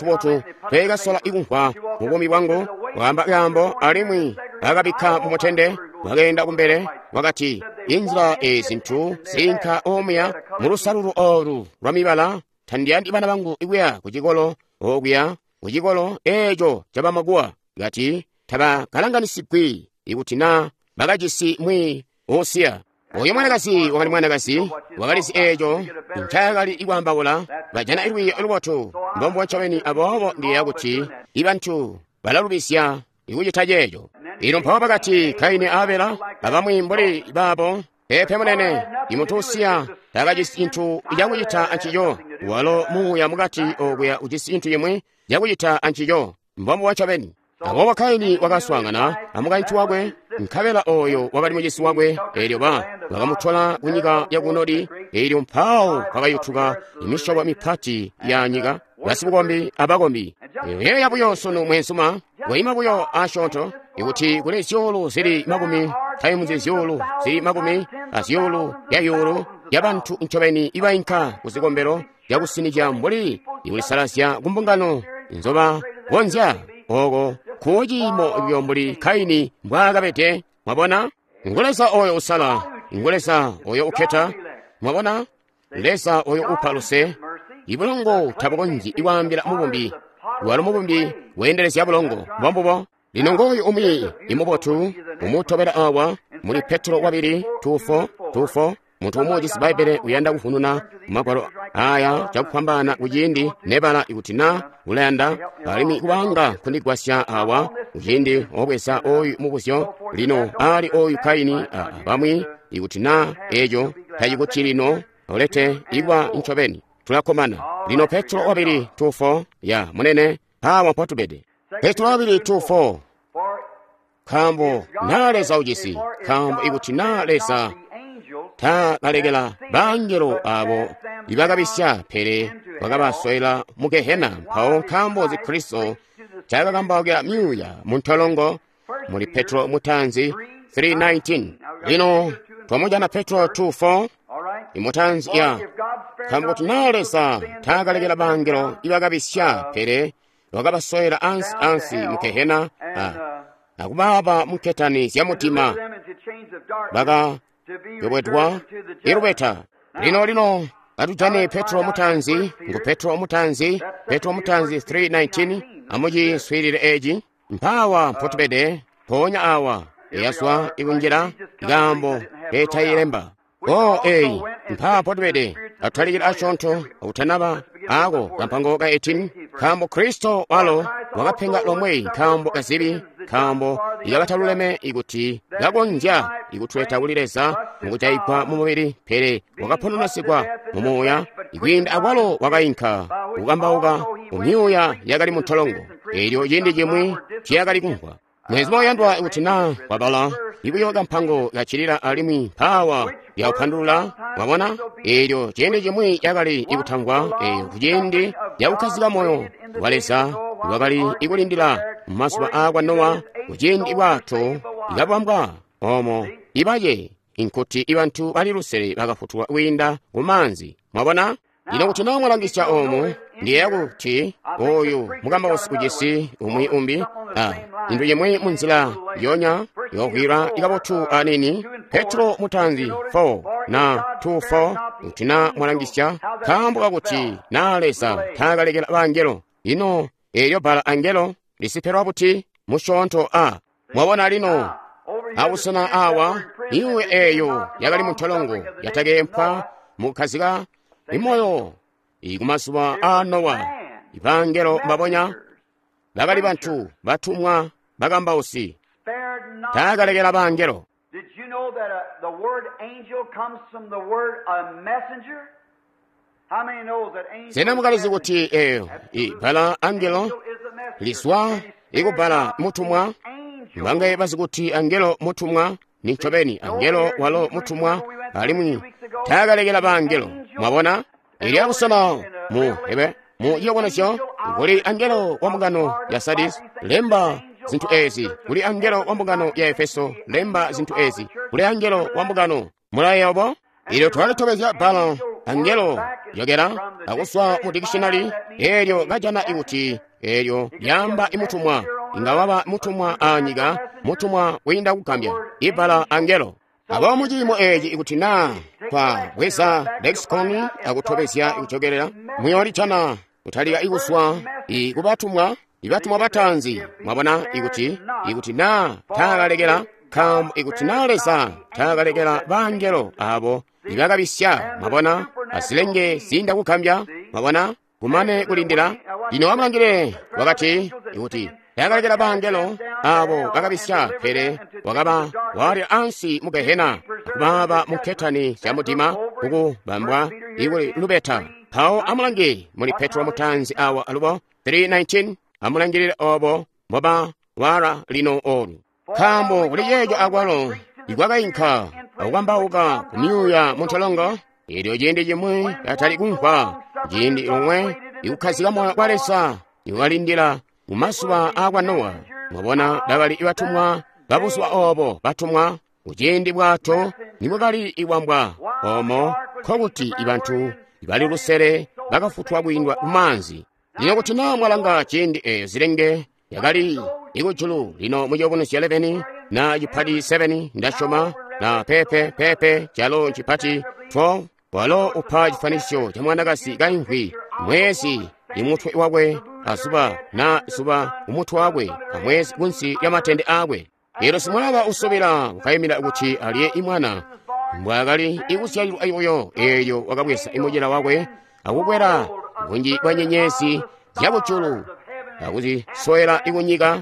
Speaker 1: tweekasola ikumvwa mu buumi bwangu. Wakaamba kaambo alimwi akabikka mumutende, wakeenda kumbele, wakati, inzila ezi zintu ziinka omuya mulusalulu olu lwa mibala. Tandiyandi bana bangu ikuya kucikolo okuya kucikolo eeco cabamakuwa. Kati tabakalanganisigwi ikuti na bakajisi mwi usiya. Oyo mwanakazi wakali mwanakazi wakalizi eeco ncaakali ikwaambaula. Bajana ilwiiyo lubotu mbombo ncobeni. Aboobo ndiyeeya kuti ibantu balalubisya ikucita ceeco. Ino mpawo bakati Kaini a Abela abamwi mbuli baabo. Peepe munene, imuntu usiya takajisi cintu cakucita ancico. Walo muuya mukati okuya ujisi cintu cimwi cakucita ancico. Mbombo ncobeni. Aboobo Kaini wakaswaangana amukaintu wakwe, nkabela oyo wakali mucisi wakwe. Eelyo bakamutola kunyika yaku Nodi. Eelyo mpawo kwakayutuka imisyobo mipati ya nyika, basibukombi abakombi. Yeeya buyo sunu mweenzuma, waima buyo asyoonto, ikuti kuli zyuulu zili makumi taimuzi zyuulu zili makumi azyuulu ya yuulu yabantu ncobeni ibainka kuzikombelo zyakusinikya mbuli ikulisalazya kumbungano nzoba konzya oko kuciimo buyo mbuli Kaini mbwaakabede. Mwabona, ngu Leza oyo usala, ngu Leza oyo ukketa. Mwabona, Leza oyo upa luse. Ibulongo tabukonzyi ikwaambila mubumbi, walo mubumbi weendelezya bulongo. Mbombubo. Lino ngooyu umwi imubotu umutobela awa muli Petro wabili 2:4. Muntu umwi ujisi Bbaibbele uyanda kuvununa magwalo aya cakufwambaana kuciindi nebala ikuti na ulayanda, alimwi kubanga kundigwasya awa kuciindi obweza oyu mubuzyo. Lino ali oyu Kaini abamwi, ikuti na eeco tacikuti lino olete ikuba ncobeni tulakkomana. Lino Petro wabili 2:4 ya munene awa mpotubede. Petro wabili 2:4. Nkaambo na Leza ujisi, nkaambo ikuti na Leza takalekela bangelo abo ibakabisya pele bakabaswela mu Gehena, mpawo nkaambo zi Kristo cakakambaukila myuuya muntolongo. Muli Petro mutanzi 3:19. Lino twamujana Petro 2:4 imutanzi ya nkaambo kuti na Leza takalekela bangelo ibakabisya pele wakabaswela ansi ansi mu Gehena akubaaba munketani zya mutima bakayobwedwa ilubeta. Lino katujane Petro mutanzi, ngu Petro mutanzi, Petro mutanzi 3:19. Amuciswiilile eci. Mpaawa mpotubede, mpoonya awa eyazwa ikunjila ikaambo keetayilemba. Eyi mpaa mpotubede. Atutalikile asyoonto akutanaba ako kampango ka 18. Nkaambo Kristo walo wakapenga lomwe nkaambo kazibi, nkaambo ikabataluleme ikuti kakonzya ikutuleta kuli Leza mukujaigwa mu mubili, pele wakapononesigwa mu muuya, ikwiinda akwalo wakayinka kukambauka mu myuuya yakali mu ntolongo, eelyo ciindi cimwi tiyakali kumvwa. Mwezi moyandwa ikuti naa wabala ibuyo kampango kacilila alimwi mpaawa yakupandulula, mwabona, eelyo ciindi cimwi yakali ikutamvwa, eeyo kuciindi yakukkazika moyo wa Leza wakali ikulindila mumazuba aakwa Nowa, kuciindi bwato ikabambwa omo ibaye inkuti ibantu bali lusele bakafutulwa kwiinda ku maanzi. Mwabona? Lino kuti naa mwalangisya oomu, ndiyeeya kuti oyu mukambausi ujisi umwi umbi, cintu cimwi munzila yonya yovwila ikabotu anini, Petro mutaanzi 4 na 2:4, kuti naa mwalangisya, nkaambo kakuti naa Leza taakalekela bangelo. Ino eelyo bbala angelo lisipelwa buti musyoonto a? Mwabona lino abusena awa, iwe eeyo yakali mu ntolongo yatakeempwa mukukkazika imoyo ikumazuba aa Nowa, ibangelo mbabonya bakali bantu batumwa bakambausi, taakalekela bangelo.
Speaker 2: Did you know that the word angel comes from the word a messenger? How many knows that angel
Speaker 1: Sena
Speaker 2: is
Speaker 1: mukalizi
Speaker 2: messenger?
Speaker 1: kuti eeyo ibbala angelo
Speaker 2: Angel is a messenger.
Speaker 1: liswa
Speaker 2: And he
Speaker 1: ikubbala
Speaker 2: spared not
Speaker 1: mutumwa?
Speaker 2: the angels.
Speaker 1: Mbangaye bazi kuti angelo mutumwa ni ncobeni angelo walo mutumwa, alimwi taakalekela bangelo. Mwabona? Ili akusana mu ebe mu ciyobonesyo kuli angelo wa mbungano ya Sardis, lemba zinthu ezi. Kuli angelo wa mbungano ya Efeso, lemba zinthu ezi. Kuli angelo wa mbungano mulayeya obo. Ilyo twalitobezya bbala angelo yokera akuswa mu dictionary, eelyo kajana ikuti eelyo lyamba imutumwa, inga waba mutumwa anyika, mutumwa kwiinda kugambya ibbala angelo. Abo muciimo eeci ikuti naa kwa bweza lexicon akutobezya ikujokelela, muyoolijana kutalika ikuswa ikubatumwa, ibatumwa bataanzi. Mwabona ikuti naa taakalekela, nkaambo ikuti naa Leza taakalekela bangelo abo ibakabisya, mwabona, azilenge ziinda kugambya, mwabona, kumane kulindila. Lino amulangile wakati ikuti taakalekela bangelo abo bakabisya, pele wakaba walya ansi mu Gehena, akubaaba mu nketani zya mudima kukubambwa ikuli lubeta. Mpawo amulange muli Petro mutaanzi awa alubo 3:19, amulangilile obo mboba wala lino olu. Nkaambo kuli ceeco akwalo ikwakayinka akukambauka ku myuuya mu ntolongo, eelyo ciindi cimwi katali kumvwa, ciindi lomwe ikukkazika moyo kwa Leza ikwalindila mu mazuba aakwa Nowa. Mwabona, bakali batumwa babuzuba obo, batumwa kuciindi bwato nibwakali ibwambwa omo, nkokuti ibantu ibali lusele bakafutwa kwiindwa ku maanzi. Lino kuti naa mwalanga ciindi eeyo zilenge yakali ikujulu, lino muciyobonesyo 11 na cipati 7 ndasyoma na pepe pepe calo cipati 12, walo upa chifanisyo cha mwanakazi kaimvwi, mwezi imutwe wakwe azuba na zuba umutwe wakwe amwezi kunsi lya matende akwe. Elo simwalaba usubila ukayimira kuti aliye imwana mbwakali ikusyalilwa ibuyo, eelyo wakabweza imucila wakwe akukwela bunji bwa nyenyezi zyakujulu akuzisowela ikunyika.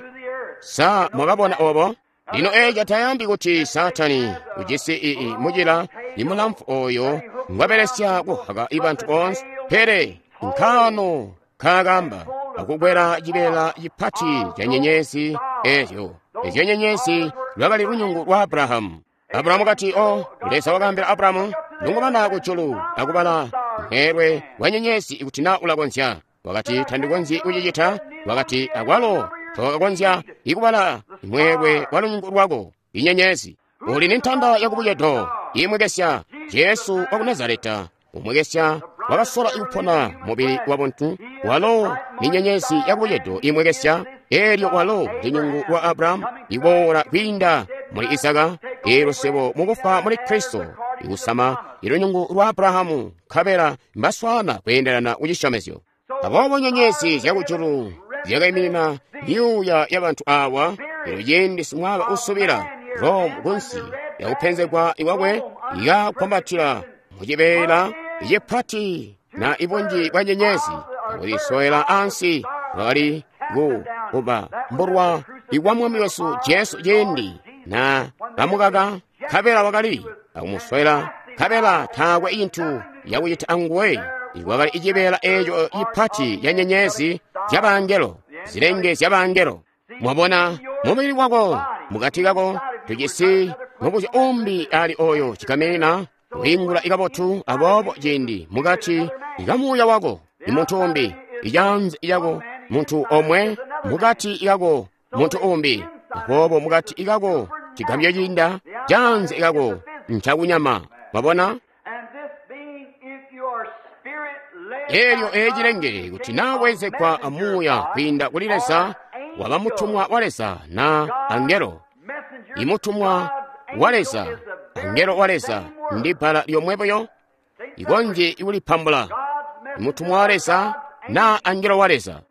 Speaker 1: Sa mwakabona obo? Lino eeco tayambi kuti Saatani ujisi ii mucila imulamfu oyo ngwabelesya kuhaka ibantu boonse, pele nkaano kaakamba akukwela cibeela cipati ca nyenyezi eezyo. Ezyo nyenyezi lwakali lunyungu lwa Abrahamu. Abrahamu kati, o Leza wakaambila Abrahamu, lungumana kujulu akubala mweelwe wa nyenyezi ikuti naa ulakonzya. Wakati, tandikonzyi kucicita. Wakati, akwalo tokakonzya ikubala mweelwe wa lunyungu lwako inyenyezi. Uli ni ntanda yakubucedo imwekesya, Jesu wa ku Nazareta umwekesya wakasola ikupona mubili wa buntu, walo ni nyenyezi yakubucedo imwekesya, eelyo walo lunyungu lwa Abrahamu iboola kwiinda muli Isaka, eelyo swebo mukufa muli Kristo ikusama ilunyungu lwa Abrahamu, nkabela mbaswaana kweendelana kucisyomezyo. Aboobo nyenyezi zyakujulu zyakaiminina myuuya yabantu awa, elyo ciindi simwaba usubila Rome kunsi yakupenzegwa iwakwe ikakwambatila mucibeela cipati na ibunji bwa nyenyezi akuzisowela ansi, lwakali ku kuba mbulwa ikwa Mwami wesu Jesu ciindi na kamukaka, nkabela wakali akumuswela, nkabela taakwe cintu yakucita anguwe. Ikwakali icibeela eeco cipati ca nyenyezi zyabangelo, zilenge zyabangelo. Mwabona, mubili wako mukati kako tujisi mubuzyo umbi ali oyo cikamena kwiingula ikabotu. Aboobo ciindi mukati ikamuuya wako imuntu umbi, icanze yako muntu omwe, mukati ikako muntu umbi. Aboobo mukati ikako cigambyo ciinda canze ikako ncakunyama. Mwabona? Elyo ecilengele kuti nawezekwa amuuya kwiinda kuli Leza, waba mutumwa wa Leza na angelo. Imutumwa wa Leza, angelo wa Leza, ndi bbala lyomwe buyo ikonje ikulipambula. Imutumwa wa Leza na angelo wa Leza.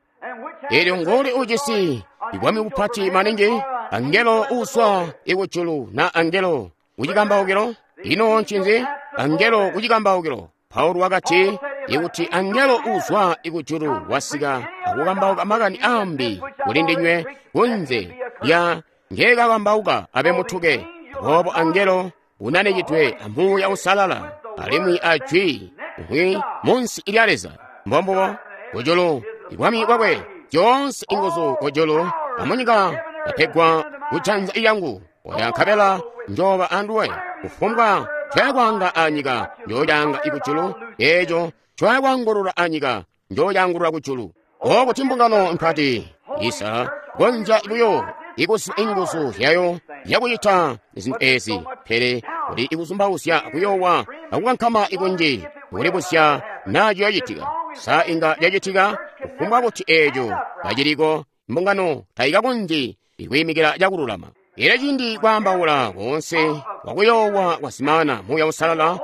Speaker 1: Elyo ngoli ujisi ibwami bupati maningi, angelo uuswa ikujulu na angelo kucikambaukilo? Ino ncinzi angelo kucikambaukilo? Paulo wakati, ikuti angelo uuzwa ikujulu wasika akukambauka makani ambi kuli ndinywe kunze lya ngeekakambauka abe mutuke. Aboobo angelo unanikidwe amuuya usalala alimwi ajwi umwi munsi lya Leza. Mbombubo kujulu ibwami bwakwe zyoonse inguzu kujulu amunyika yapegwa kujanza lyangu. Oya nkabela njoba anduwe kufumbwa ncoyakwanga anyika njoyanga ikujulu, eeco ncoyakwangulula anyika njoyangulula kujulu. Okuti mbungano mpati isa konja buyo ikuziba inguzu zyayo zyakucita zintu ezi, pele kuli ikuzumbauzya kuyoowa akukankama ikunji kulibuzya naa ciyoocitika. Sa inga lyacitika? Kufumbwa kuti eeco kaciliko, mbungano taikakonzyi ikwiimikila cakululama. Elyo ciindi kwaambaula koonse kwakuyoowa kwasimana, Muuya Uusalala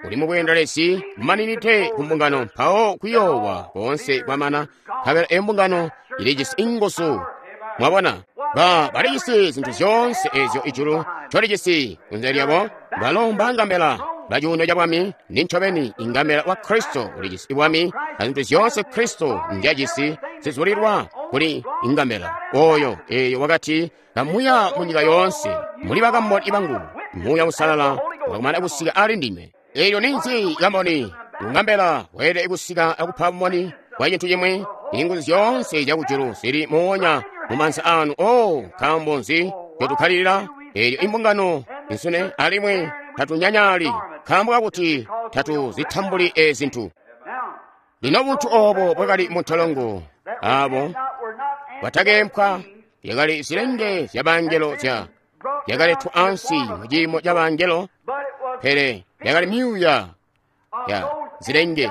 Speaker 1: uli mubweendelezi bumaninide ku mbungano, mpawo kuyoowa koonse kwamana, nkabela embungano ilijisi inguzu. Mwabona, balijisi zintu zyoonse ezyo ijulu ncolijisi kunze lyabo. Balo mbangambela bacuuno ca bwami, nincobeni ingambela wa Kristo ulijisi bwami, azintu zyoonse Kristo nzyajisi zizulilwa kuli ingambela oyo. Eyo wakati, kamuya munyika yoonse muli bakamboni bangu. Muuya Uusalala wakumana kusika ali ndinywe. Elyo ninzi kamboni? Ungambela weelede kusika akupa bumoni bwa cintu cimwi. Inguzu zyoonse zyakujulu zili moonya mumansa anu. O, nkaambo nzi ncotukkalilila? Elyo imbungano insune alimwi tatunyanyali, nkaambo kakuti tatuzitambuli ezi zintu. Lino buntu obo bwakali muntolongo, abo batakempwa, yakali zilenge zyabangelo zyakaletwa ansi muciimo ca bangelo, pele yakali myuuya ya zilenge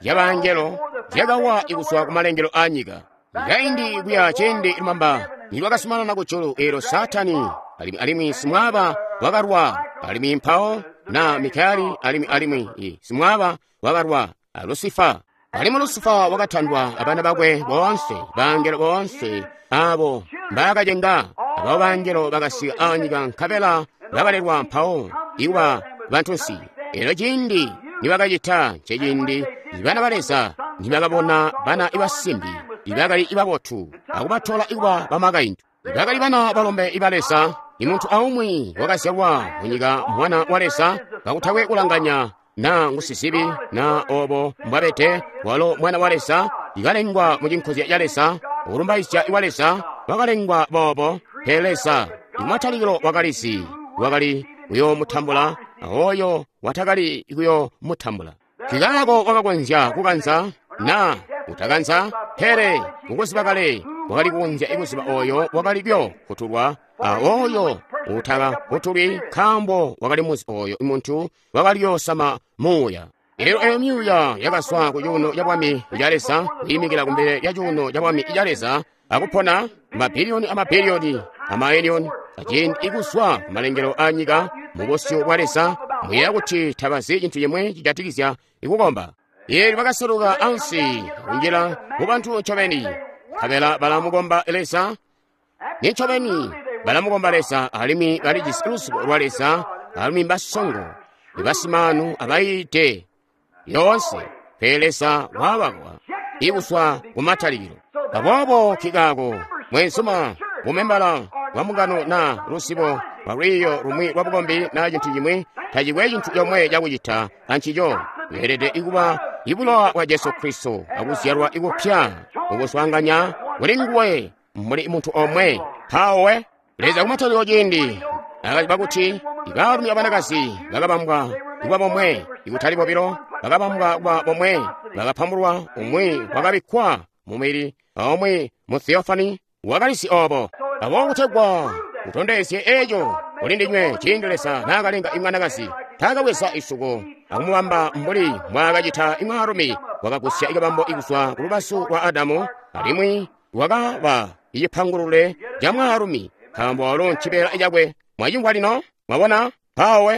Speaker 1: zyabangelo zyakawa ikuzwa kumalengelo anyika. Kaindi kuya ciindi lumamba nilwakasumanana kujulu, eelyo Saatani alimwi simwaaba wakalwa, alimwi mpawo na Mikayeli alimwi simwaaba wakalwa a Lusifa. Alimwi Lusifa wakatandwa abana bakwe boonse, bangelo boonse abo mbaakacenga. Abo bangelo bakasika anyika nkabela bakalelwa mpawo ikuba bantunsi. Elyo ciindi nibakacita nceciindi bana ba Leza nibakabona bana ibasimbi ibakali ibabotu akubatola ikuba bamakaintu. Bakali bana balombe iba Leza. Imuntu aumwi wakazyalwa munyika mwana wa Leza, kakutakwe kulanganya na ngusizibi na obo mbwabete, walo mwana wa Leza ikalengwa mu cinkozya ca Leza, ukulumbaizya wa Leza, wakalengwa boobo. Pele Leza imatalikilo wakalizi wakali kuyoomutambula oyo watakali kuyoomutambula. Nkikaako wakakonzya kukanza na kutakanza, pele mukuziba kale wakali kukonzya ikuziba oyo wakali kuyofutulwa a oyo utakafutulwi, nkaambo wakali muzi oyo muntu wakali kuyoosama muuya. Elyo eyo myuuya yakazwa ku cuuno ca bwami ca Leza, kwiimikila kumbele lya cuuno ca bwami ca Leza, akupona mabiliyoni amabiliyoni amailiyoni aciindi ikuzwa kumalengelo anyika mubusyu bwa Leza. Muyeeya kuti tabazi cintu cimwe cijatikizya ikukomba. Eelyo bakaseluka ansi akunjila mu bantu ncobeni, nkabela balamukomba Leza. Nincobeni balamukomba Leza, alimwi balijisi luzibo lwa Leza, alimwi mbasongo, ibasimaanu abayiide yoonse. Pele Leza wabakwa ikuzwa kumatalikilo. Aboobo kikaako mwenzuma bumembala bwa mbungano na luzibo lwa lwiiyo lumwi lwa bukombi na cintu cimwi, tacikwe cintu comwe cakucita ancico. Weelede kuba ibulowa bwa Jesu Kristo akuzyalwa ikupya ukuswaanganya kuli nguwe muli muntu omwe. Mpawo Leza kumatalikilo ciindi akaziba kuti ibaalumi abanakazi bakabambwa kuba bomwe, ikutali bobilo, bakabambwa kuba bomwe, bakapambulwa, umwi wakabikkwa mumubili aumwi mu theophany wakalizi obo. Aboobo kutegwa kutondezye eco kuli ndinywe, ciindi Leza naakalenga imwanakazi, taakabweza isuko akumubamba mbuli mbwaakacita imwaalumi, wakagusya ikabambo ikuzwa ku lubazu lwa Adamu, alimwi wakaba icipangulule ca mwaalumi, nkaambo walo ncibeela cakwe. Mwacimvwa lino? Mwabona? Mpawo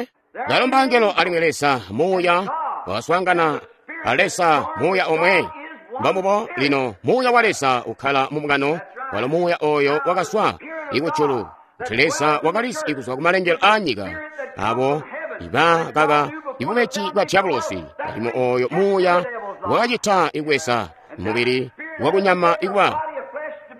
Speaker 1: balo mbangelo, alimwi Leza Muuya wakaswaangana a Leza Muuya omwe. Mbambubo lino Muuya wa Leza ukkala mu mbungano, walo Muuya oyo wakazwa ikujulu, kuti Leza wakalizi ikuzwa kumalengelo aanyika abo ibakaka ibubeji bwa diabolosi, alimwi oyo Muuya wakacita ikweza mubili wakunyama ikuba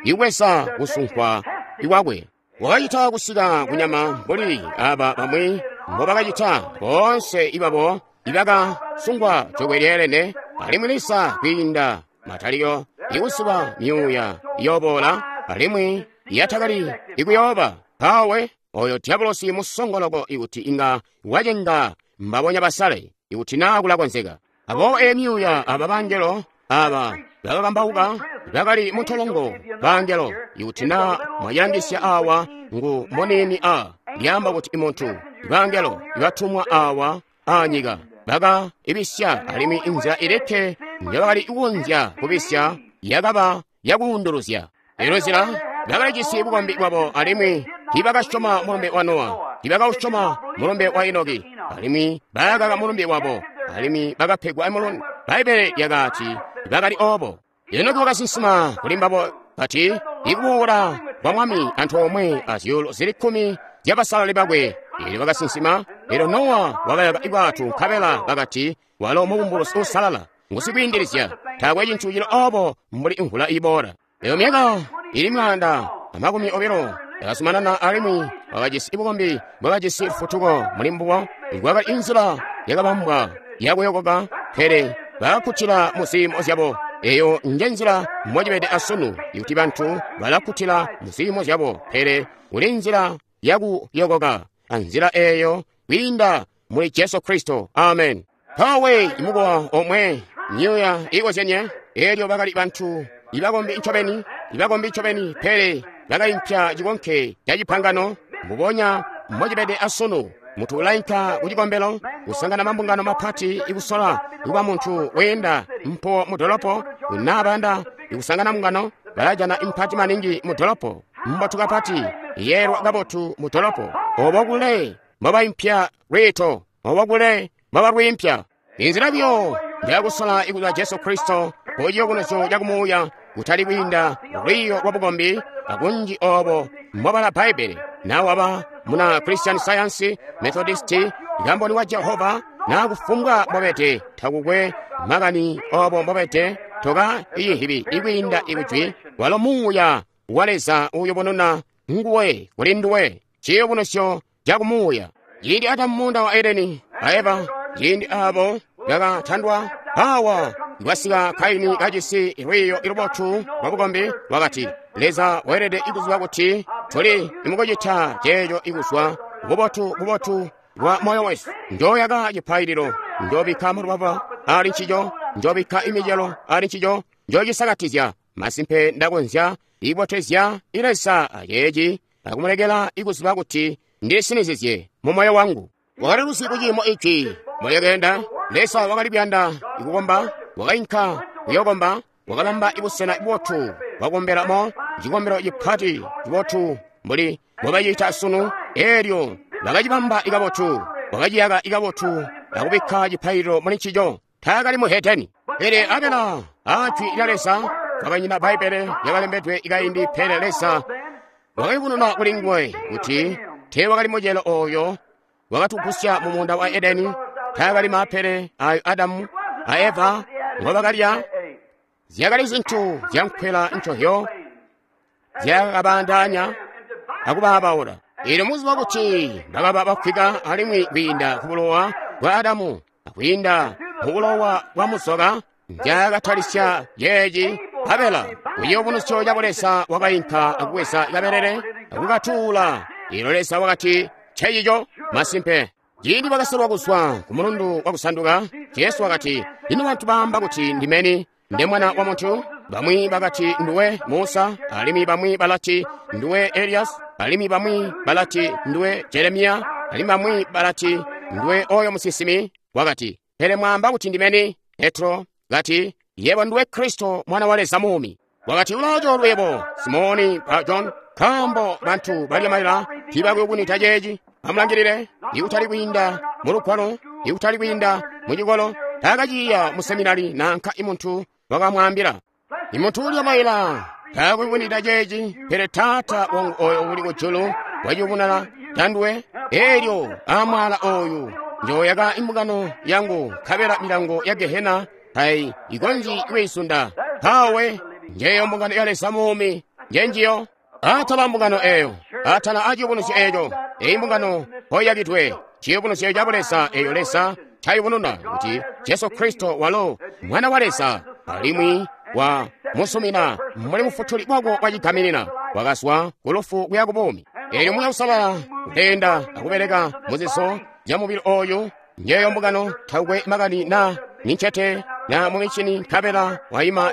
Speaker 1: ikweza kusunkwa ikwakwe. Wakacita kusika kunyama mbuli aba bamwi mbobakacita boonse ibabo ibakasungwa jokwe lyeelene, alimwi Leza kwiinda matalikilo ikusiba myuuya iyoboola alimwi yatakali ikuyooba. Mpawe oyo diabolosi musongoloko ikuti inga wacenga mbabonya basale ikuti naa kulakonzeka. Aboobo eyi myuuya aba bangelo aba bakakambauka bakali muntolongo bangelo, ikuti naa mwacilangisya awa ngu muniini a lyaamba kuti imuntu bangelo ibatumwa awa anyika baka ibisya, alimwi inzila ilikke njabakali kukonzya kubisya yakaba yakuunduluzya. Elo nzila bakalijisi bukombi bwabo, alimwi tiibakasyoma mulumbe wa Nowa, tiibakausyoma mulumbe wa Enoki, alimwi bakaka mulumbe wabo, alimwi bakapegwa mulumbe. Bbaibbele lyakati bakali obo. Enoki wakasinsima kuli mbabo kati, ikuboola kwa Mwami antoomwe azyuulu zili 10 zyabasalali bakwe. Eelyo bakasinsima. Elyo Nowa wakayaka ibwato, nkabela bakati walo mubumbulusi uusalala, ngusikwiindilizya, taakwe cintu cili obo mbuli imvula iboola. Eyo myaka ili 120 yakazumanana, alimwi wakajisi bukombi bwakajisi lufutuko muli mbubo. Kwakali inzila yakabambwa yakuyokoka, pele bakakkutila mu ziimo zyabo. Eyo nje nzila mbocibede asunu, ikuti bantu balakkutila mu ziimo zyabo, pele kuli nzila yakuyokoka, anzila eyo kwiinda muli Jesu Kristo. Amen. Mpawe imukowa omwe, myuuya iikozyenie. Elyo bakali bantu ibakombi ncobeni, ibakombi ncobeni, pele bakaimpya cikonke ca cipangano. Mbubonya mbocibede asunu, muntu ulainka kucikombelo, kusangana mambungano mapati, ikusola kuba muntu weenda mpo mudolopo, nabayanda ikusangana mbungano, balajana impati maningi mudolopo, mbotu kapati, yeelwa kabotu mudolopo. Obo kule mbobaimpya lwiito, obo kule mbobalwiimpya. Inzila buyo njakusola ikuza Jesu Kristo kuciyubunuzyo cakumuuya, kutali kwiinda lwiiyo lwa bukombi akunji obo mbobala Bbaibbele. Nawe waba muna Christian Science, Methodist, kamboni wa Jehova, na kufumbwa mbobete, takukwe makani obo mbobete, toka iyihibi ikwiinda ikujwi, walo Muuya wa Leza uyubununa nguwe kuli nduwe, ciyubunuzyo cakumuuya. Ciindi Adamu muunda wa Edeni a Eva, ciindi abo bakatandwa, awa kwasika Kaini kajisi lwiiyo lubotu lwa bukombi, wakati Leza weelede ikuziba kuti tuli imukucita ceeco ikuzwa bubotu bubotu bwa moyo wesu. Njoyaka cipaililo, njobikka malwaba ali ncico, njobikka imicelo ali ncico, njocisakatizya. Masimpe ndakonzya ibotezya Leza aceeci akumulekela ikuziba kuti ndisinizizye mu moyo wangu. Wakali luzi kuciimo ici mbolyakeenda. Leza wakali kuyanda ikukomba, wakainka kuyokomba, wakabamba ibusena bubotu bwakukombelamo, cikombelo cipati cibotu mbuli mbobacita sunu. Eelyo bakacibamba ikabotu, wakaciyaka ikabotu akubikka cipaililo muli ncico. Taakali muhedeni, pele Abela ajwi lya Leza. Kwakanyina Bbaibbele lyakalembedwe ikaindi, pele Leza wakayubununa kuli nguwe kuti teewakali mucelo oyo wakatugusya mu muunda wa Edeni. Taakali maapele ayo Adamu a Eva ngobakalya, zyakali zintu zyankwela ncohyo. zyakabaandaanya akubaabaula. Eelyo muziba kuti bakaba bafwika alimwi kwiinda ku bulowa bwa Adamu akwiinda mu bulowa bwa muzoka nzyakatalisya yeeci Abela kuciyubunuzyo ca Leza wakainka akubweza kabelele akukatuula. Eelyo Leza wakati ncecico masimpe. Ciindi bakasolwa kuzwa ku mulundu wakusanduka, Jesu wakati, ino bantu baamba kuti ndimeni nde mwana wa muntu? Bamwi bakati nduwe Musa, alimwi bamwi balati nduwe Elias, alimwi bamwi balati nduwe Jeremiya, alimwi bamwi balati nduwe oyo musinsimi. Wakati, pele mwaamba kuti ndimeni? Petro kati, yebo nduwe Kristo mwana wa Leza muumi. Wakati, ulaacoolwe yebo Simoni ba John, nkaambo bantu balya malila tiibakuyubunwida ceeci. Amulangilile, ikutali kwiinda mu lugwalo, ikutali kwiinda mu cikolo, taakaciiya mu seminari nanka imuntu wakamwaambila. Imuntu ulya maila taakuyubunwida ceeci, pele Taata wangu oyo uli kujulu waciyubununa tanduwe. Eelyo amwaala oyu njooyaka imbungano yangu, nkabela milango ya Gehena tayikonzyi kwiisunda. Mpawe njeyo mbungano ya Leza muumi, njenjiyo. Atala mbungano eyo, atala aciyubunuzyo eeco, eyi mbungano mpoiyakidwe, ciyubunuzyo ca Leza eyo Leza ncayubununa kuti Jesu Kristo walo Mwana wa Leza, alimwi wa musumina muli mufutuli wako wacigaminina, wakazwa ku lufu kuya ku buumi. Eelyo Muuya Uusalala uleenda akubeleka muzizo zya mubili oyu, njeyo mbungano takwe makani na nincete na mumicini, nkabela waima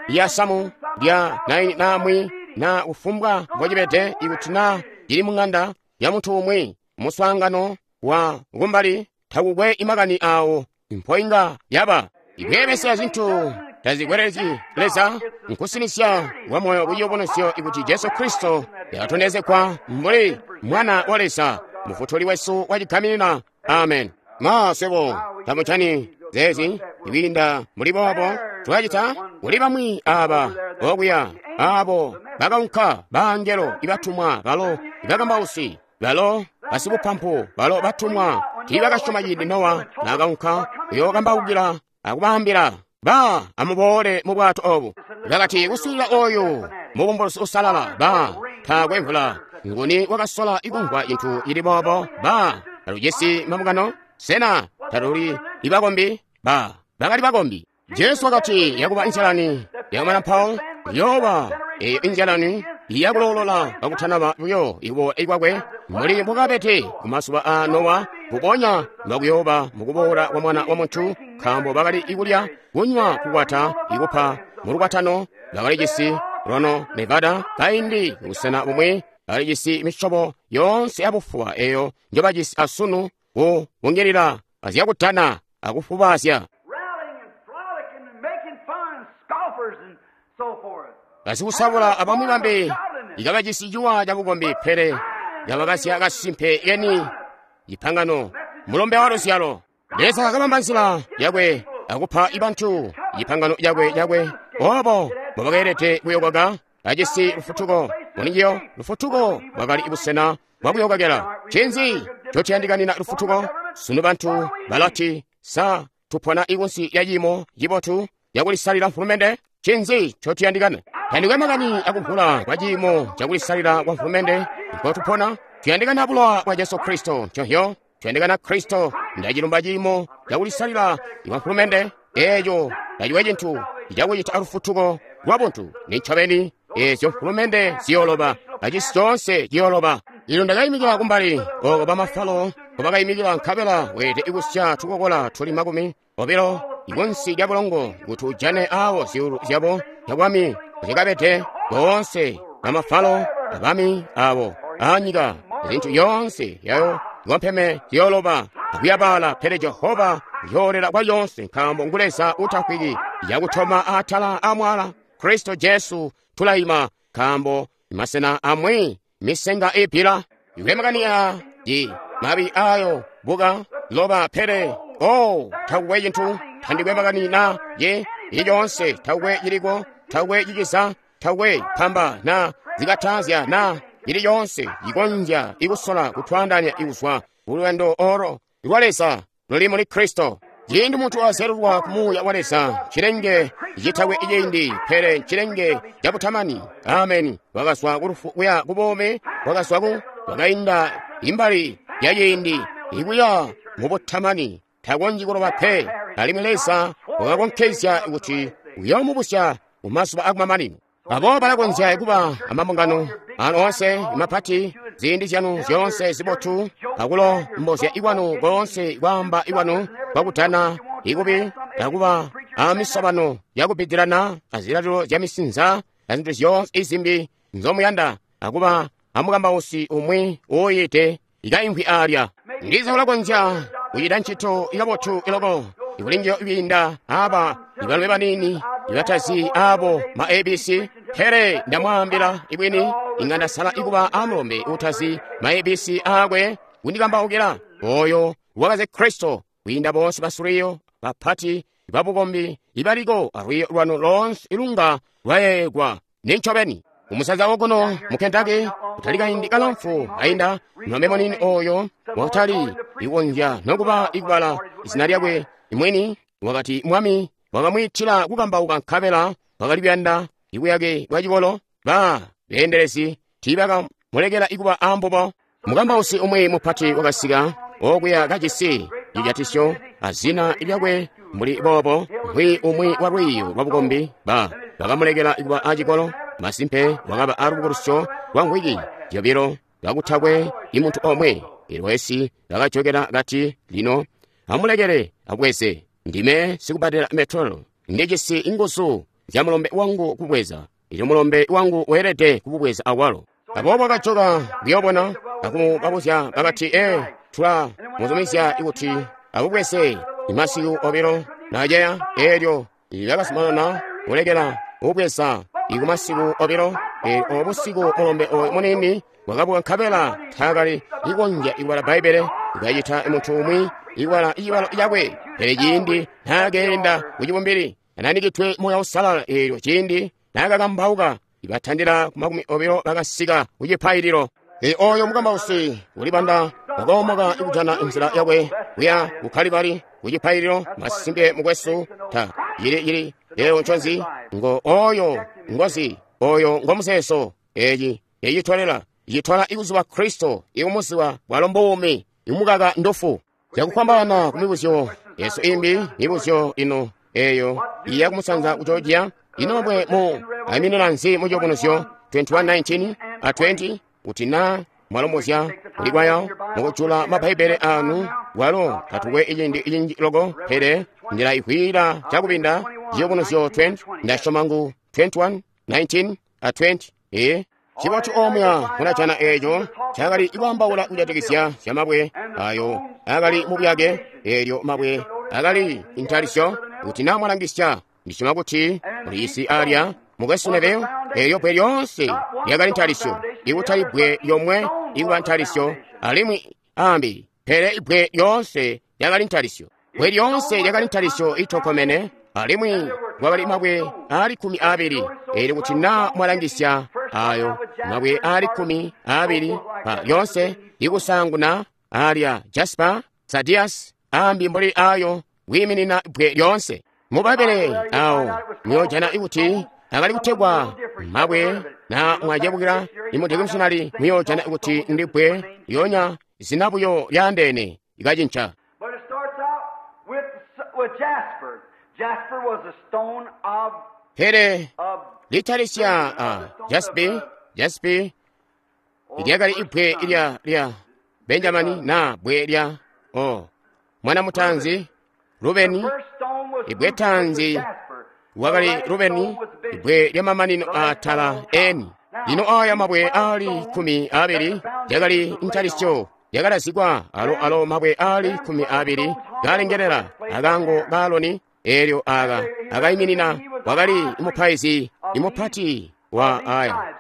Speaker 1: lya samu lya naini namwi na kufumbwa mbocibede, ikuti na cili mung'anda ya muntu umwi muswaangano wa kumbali, takukwe imakani awo mpoinga yaba. Ikweebesya zintu tazikwelezi Leza nkusinisya kwa moyo kuciyubunuzyo ikuti Jesu Kristo yakatondezegwa mbuli Mwana wa Leza, Mufutuli wesu wacigaminina. Amen. Ma swebo tamucani zeezi ikwiinda muli boobo twacita kuli bamwi aba okuya abo bakaunka baangelo ibatumwa balo ibakambausi balo basibupampu balo batumwa tiibakasyoma ciindi Nowa naakaunka kuyookambaukila akubaambila ba amuboole mu bwato obu. Bakati kuswiilila oyu mubumbulusi usalala ba taakwe mvula. Nguni wakasola ikumvwa cintu cili boobo? Ba talujisi mabungano? Sena taluli ibakombi? Ba bakali bakombi. Jesu wakati yakuba inzyalani yakumana mpawo yooba eyo inzyalani yakuloolola kakutanaba buyo ikuboola kwakwe mbuli mbukabede kumazuba a Nowa, mbubonya mbakuyooba mukuboola kwa Mwana wa Muntu, nkaambo bakali ikulya, kunywa, kukwata, ikupa mulukwatano, bakalijisi Rono Nevada kaindi kubusena bumwi, bakalijisi misyobo yoonse yabufuba eyo njobajisi asunu kubungilila azyakutana akufubaazya. Basikusabula abamwi bambi ikabajisi ciwa cabukombi, pele kabakasya kasimpe keni cipangano mulombe wa luzyalo. Leza akabamba nzila yakwe akupa ibantu cipangano cakwe obo mbobakeelede kuyokoka ajisi lufutuko. Mulinjiyo lufutuko bwakali busena bwakuyokokela. Ncinzi ncotuyandikanina lufutuko? Sunu bantu balati, sa tupona ikunsi ya ciimo cibotu cakulisalila mfulumende? Ncinzi ncotuyandikana? Tandikwe makani akuvula kwa ciimo cakulisalila kwa mfulumende nkotupona. Tuyandikana bulowa bwa Jesu Kristo. Nconhyo tuyandikana Kristo. Ndacilumba ciimo cakulisalila kwa mfulumende eeco taciwe cintu cakucita lufutuko lwa buntu. Nincobeni eezyo mfulumende ziyooloba, acisi coonse ciyooloba. Ilo ndakayimikila kumbali oko bamafalo nkobakayimikila, nkabela weelede kusya tukokola tuli 20 ikunsi lya bulongo kuti ujane awo zyuulu zyabo zyabwami zyakabede boonse bamafalo abami abo anyika. Zintu yoonse yayo ikompeme ziyooloba akuyabala, pele Jehova uyoolela kwa yoonse, nkaambo ngu Leza utafwiki. Yakutoma atala amwala Kristo Jesu tulayima, nkaambo masena amwi misenga ipila. Iwe makani a mabi ayo buka loba, pele oh takukwe cintu tandikwe makani na ye ilyonse takukwe ciliko takukwe ciciza takukwe pamba na zikatazya na ili yonse ikonzya ikusola kutwandanya ikuzwa kuluyando olo lwa Leza luli muli Kristo. Ciindi muntu azyalulwa ku Muuya wa Leza, cilenge citakwe ciindi, pele cilenge cabutamani. Ameni. Wakazwa ku lufu kuya ku buumi, wakazwa ku wakainda imbali ya ciindi ikuya mu butamani. Takonzyi kuloba pe. Alimwi Leza wakakonkezya kuti uyoomubusya mu mazuba akumamanino. Aboobo balakonzya kuba amambungano anu oonse mapati, ziindi zyanu zyoonse zibotu, akulombozya ikwanu koonse kwaamba ikwanu kwakutana ikubi, akuba amisobano yakubidilana azilalilo zya misinza azintu zyoonse izimbi nzomuyanda, akuba amukambausi umwi uuyiide ikaimvwi alya. Ndiza ulakonzya kucita ncito ikabotu iloko ikulinjiyo kwiinda aba ibalumi baniini ibatazi abo ma ABC, pele ndamwaambila ibwini, inga ndasala ikuba amulombe utazi ma ABC aakwe kundikambaukila oyo wakaze Kristo kwiinda bonse basulwiyo bapati babukombi ibaliko alwiyo lwanu lonse ilunga lwayeegwa. Nincobeni umusaza wokuno mu Kentucky kutali kaindi kalamfu ainda mulombe munini oyo wakatali ikonzya nokuba ikubala izina lyakwe imwini, wakati Mwami wakamwiitila kukambauka nkabela wakali kuyanda ibuyake bwa cikolo. Ba beendelezi tiibakamulekela ikuba ambubo. Mukambausi umwi mupati wakasika okuya kajisi cijatisyo azina lyakwe mbuli boobo, mbwi umwi wa lwiiyo lwa bukombi. Ba bakamulekela ikuba acikolo. Masimpe wakaba alubukulusyo lwa mvwiki zyobilo kakutakwe imuntu omwe. Ilwesi lakajokela kati, lino amulekele abweze, ndime sikubadela metolo, ndijisi inguzu zya mulombe wangu kubweza, ilyo mulombe wangu weelede kububweza awalo. Aboobo akajoka kuyoobona akumubabuzya bakati, tula muzumizya kuti abubweze imasiku obilo naceya. Eelyo lakazumanana kulekela ubweza ikumasiku obilo. Eelyo obusiku mulombe oyo munini wakabuka nkabela taakali ikonzya ikubala Bbaibbele, ikacita muntu umwi ikubala icibalo cakwe. Pele ciindi naakeenda kucibumbili ananikidwe Muuya Uusalala, eelyo ciindi naakakambauka ibatandila ku 20 bakasika kucipaililo. Oyo mukambausi ulibanda wakoomoka ikujana inzila yakwe kuya ku Kalibali kucipaililo. Masimpe mukwesu, ta yili leo nconzi ngo oyo ngozi oyo ngomuseso. Eci ecitolela icitola ikuzuba Kristo ikumuziwa bwalo mbuumi imukaka ndufu. Cakufwambaana ku mibuzyo yesu imbi, mibuzyo ino eyo iya kumusanza ku Georgia. Ino mabwe mu ayiminira nzi mu ciyubunuzyo 21:19 a 20 kuti na mwalombozya kulikwaya mukujula mabhaibhele anu walo tatukwe icindi icinji loko, pele ndila ihwira cakubinda ciyubunuzyo 20 ndasyoma ngu 21:19 a 20. Cibotu omya munajana eeco cakali ikwaambaula kujatikizya zya mabwe ayo akali mubuyake. Eelyo mabwe akali intalisyo kuti na mwalangisya, ndisyoma kuti muliisi alya mukwesu Neville. Eelyo bbwe lyoonse lyakali ntalisyo, ikutali bbwe lyomwe ikuba ntalisyo alimwi ambi, pele ibbwe lyoonse lyakali ntalisyo. Bbwe lyoonse lyakali ntalisyo itokomene, alimwi kwakali mabwe aali 12. Eelyo kuti na mwalangisya ayo mabwe aali 12 pa lyonse, ikusanguna alya jasper, sardius, ambi mbuli ayo kwiiminina bbwe lyonse. Mu Bbaibbele awo muyojana ikuti akali kutegwa mabwe, na mwacebukila imudikimishonali muyojana ikuti ndi bbwe lyonya zina buyo lyaandeene ikacinca.
Speaker 2: But it starts out with jasper. Jasper was a stone of
Speaker 1: Pele litalisya jaspi, jaspi lyakali ibbwe lya Benjamini na bbwe lya mwana mutanzi Rubeni. Ibbwe tanzi wakali Rubeni, ibbwe lya mamanino atala eni. Lino aya mabwe aali 12 lyakali ntalisyo lyakalazikwa alo mabwe aali 12 kalengelela akaango ka Aloni. Eelyo aka akayiminina wakali mupaizi imupati wa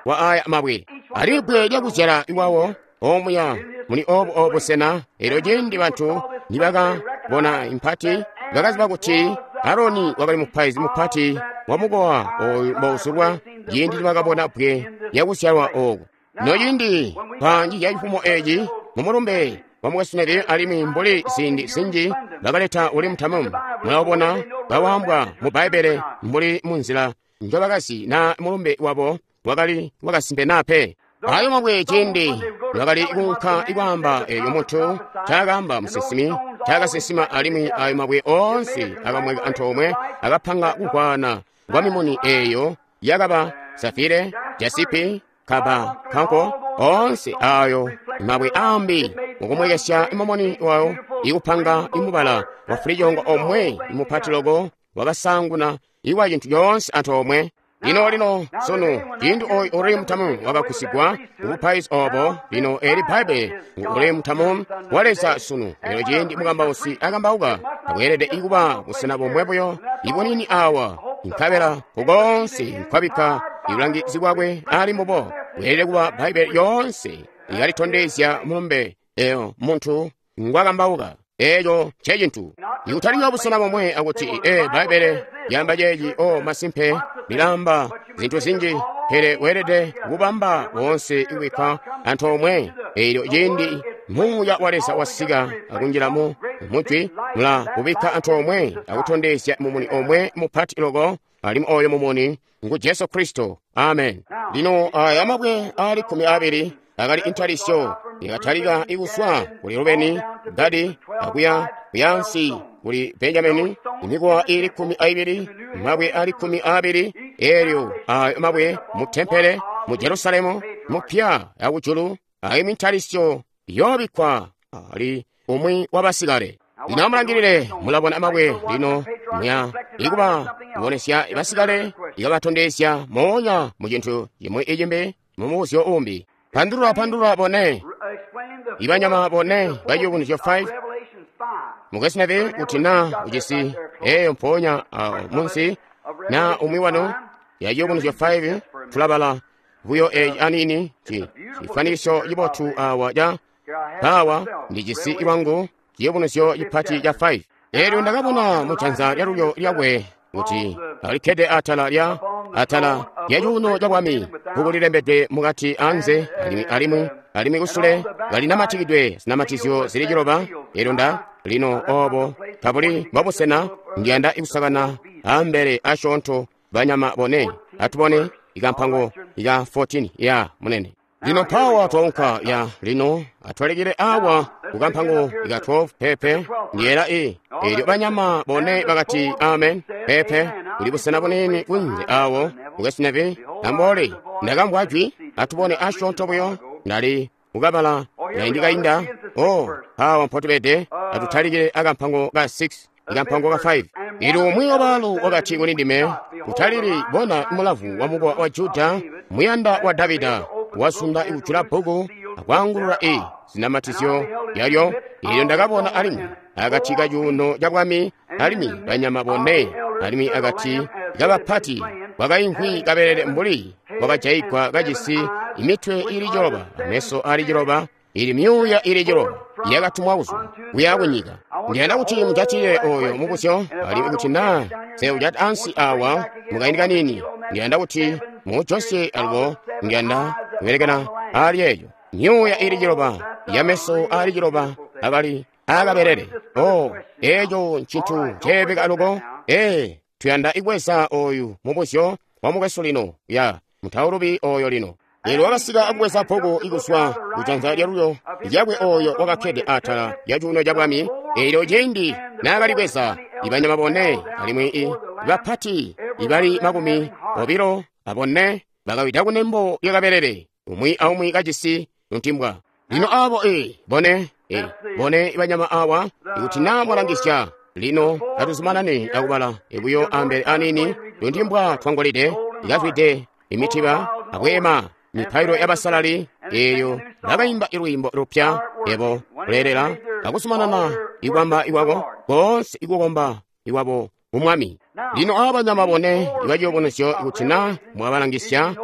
Speaker 1: aya mabwe. Ali bbwe lyakuzyala iwawo omuya muli obu obusena. Eelyo ciindi bantu nibakabona impati bakaziba kuti Aroni wakali mupaizi mupati wa mukowa oyu mbouzulwa ciindi nibakabona bbwe lyakuzyalwa oku. Nociindi panji ya cifumo eci mumulumbe wa Mukwesu Neville, alimwi mbuli ziindi zinji bakaleta Urimu Tamamu. Mulabona bawambwa mu Bbaibbele mbuli munzila njobakazi na mulumbe wabo wakali wakasimpe naa pe. Ayo mabwe ciindi lwakali kuunka ikwaamba eeyo muntu ncaakaamba musinsimi ncaakasinsima, alimwi ayo mabwe oonse akamweka antoomwe akapanga kukwana kwa mimuni eeyo yakaba safire, jasipi, kaba kanko, oonse ayo mabwe ambi mukumwekesya imumuni wayo ikupanga imubala wa fulijongo omwe imupati loko wakasanguna iwa cintu coonse antoomwe. Lino lino sunu ciindi oyu Urimu Tamamu wakagusigwa kubupaizi obo. Lino eli Bbaibbele ngu Urimu Tamamu wa Leza sunu. Lino ciindi mukambausi akambauka akweelede ikuba busena bomwe buyo ibunini awa, nkabela kukoonse nkwabikka ibulangizi bwakwe ali mbubo. Bweelede kuba Bbaibbele yoonse ikalitondezya mulumbe eyo muntu ngwakambauka. Eeco ncecintu. Ikutalinywa busena bomwe akuti Bbaibbele lyamba ceeci, o masimpe lilamba zintu zinji, pele weelede kubamba woonse ikubikka antoomwe. Eelyo ciindi Muuya wa Leza wasika akunjila mu mujwi, mula kubikka antoomwe akutondezya mumuni omwe mupati loko, alimwi oyo mumuni ngu Jesu Kristo. Amen. Lino aya mabwe ali 12 akali intalisyo yakatalika ikuswa kuli Rubeni, Gadi, akuya kuyansi kuli Benjamini, imikowa ili 12, mabwe ali 12, elyo ayo mabwe mu tempele mu Jerusalemu mupya yakujulu, ayo mintalisyo yobikkwa ali umwi wabasikale. Lino amulangilile, mulabona mabwe lino muya ikuba kubonesya basikale ikabatondezya moonya mu cintu cimwi icimbi mu mubuzyo umbi. Pandulula bone ibanyama bone ba Ciyubunuzyo 5. Mukwesu Neville, kuti na ujisi eyo mpoonya munsi na umwi wano ya Ciyubunuzyo 5, tulabala buyo eeci aniini cifanikiso cibotu awa ca pawa ndijisi ilwangu Ciyubunuzyo cipati ca 5. Eelyo ndakabona mujanza lyalulyo lyakwe kuti alikkede atala lya atala lya cuuno ca bwami, bbuku lilembedwe mukati anze alimwi kusule kalinamatikidwe zinamatizyo zili 9. Eelyo nda lino obo tabuli mbobusena ndiyanda ikusakana ambele asyoonto banyama bone. Atubone ikampango ika 14 ya munene. Lino pawa twaunka ya lino atwalekele awa kukampango ika 12 pepe ndiyela i. Eelyo banyama bone bakati amen pepe kuli busena bunini kunze awo. Mukwesu Neville ambole ndakamvwa jwi. Atubone asyoonto buyo ndali kukabala kaindi kainda. O awa mpotubede atutalikile akampango ka 6 ikampango ka 5. Eelyo umwi wabaalu wakati kuli ndime, utalili bona mulavu wa mukowa wa Juda, muyanda wa Davida, wasunda ikujula bbuku akwaangulula zinamatizyo yalyo. Eelyo ndakabona alimwi akati ka cuuno ca bwami alimwi banyama bone, alimwi akati kabapati kwakaimvwi kabelele mbuli kwakajaigwa kajisi imitwe ili 9 ameso ali 9, ili myuuya ili 9 yakatumwa kuzwa kuya kunyika. Ndiyanda kuti mujatile oyo mubuzyo, alimwi kuti na seujata ansi awa mukaindi kanini, ndiyanda kuti mujosye alubo ndiyanda kubelekana ali eyo myuuya ili 9 yameso ali 9 akali akabelele. O eco ncintu ceebeka alubo. Tuyanda ikweza oyu mubuzyo wa mukwesu lino ya mutaulubi oyo lino. Eelyo wakasika akubweza bbuku ikuswa kujanza lyalulyo lyakwe oyo wakakkede atala lya cuuno ca bwami. Eelyo ciindi naakalibweza ibanyama bone alimwi bapati ibali 24 bakawida kunembo lyakabelele, umwi aumwi kajisi luntimbwa. Lino abo bone ibanyama awa, ikuti na mwalangisya lino atuzumanane akubala buyo ambele anini. Luntimbwa twangolide ikazwide imitiba abwema mipailo yabasalali. Eyo bakayimba ilwiimbo lupya, ebo kuleelela akuzumanana ikwamba ikwako konse ikukomba ikwabo kumwami. Lino abanyama bone ibaciyubunuzyo, ikuti na mwabalangisya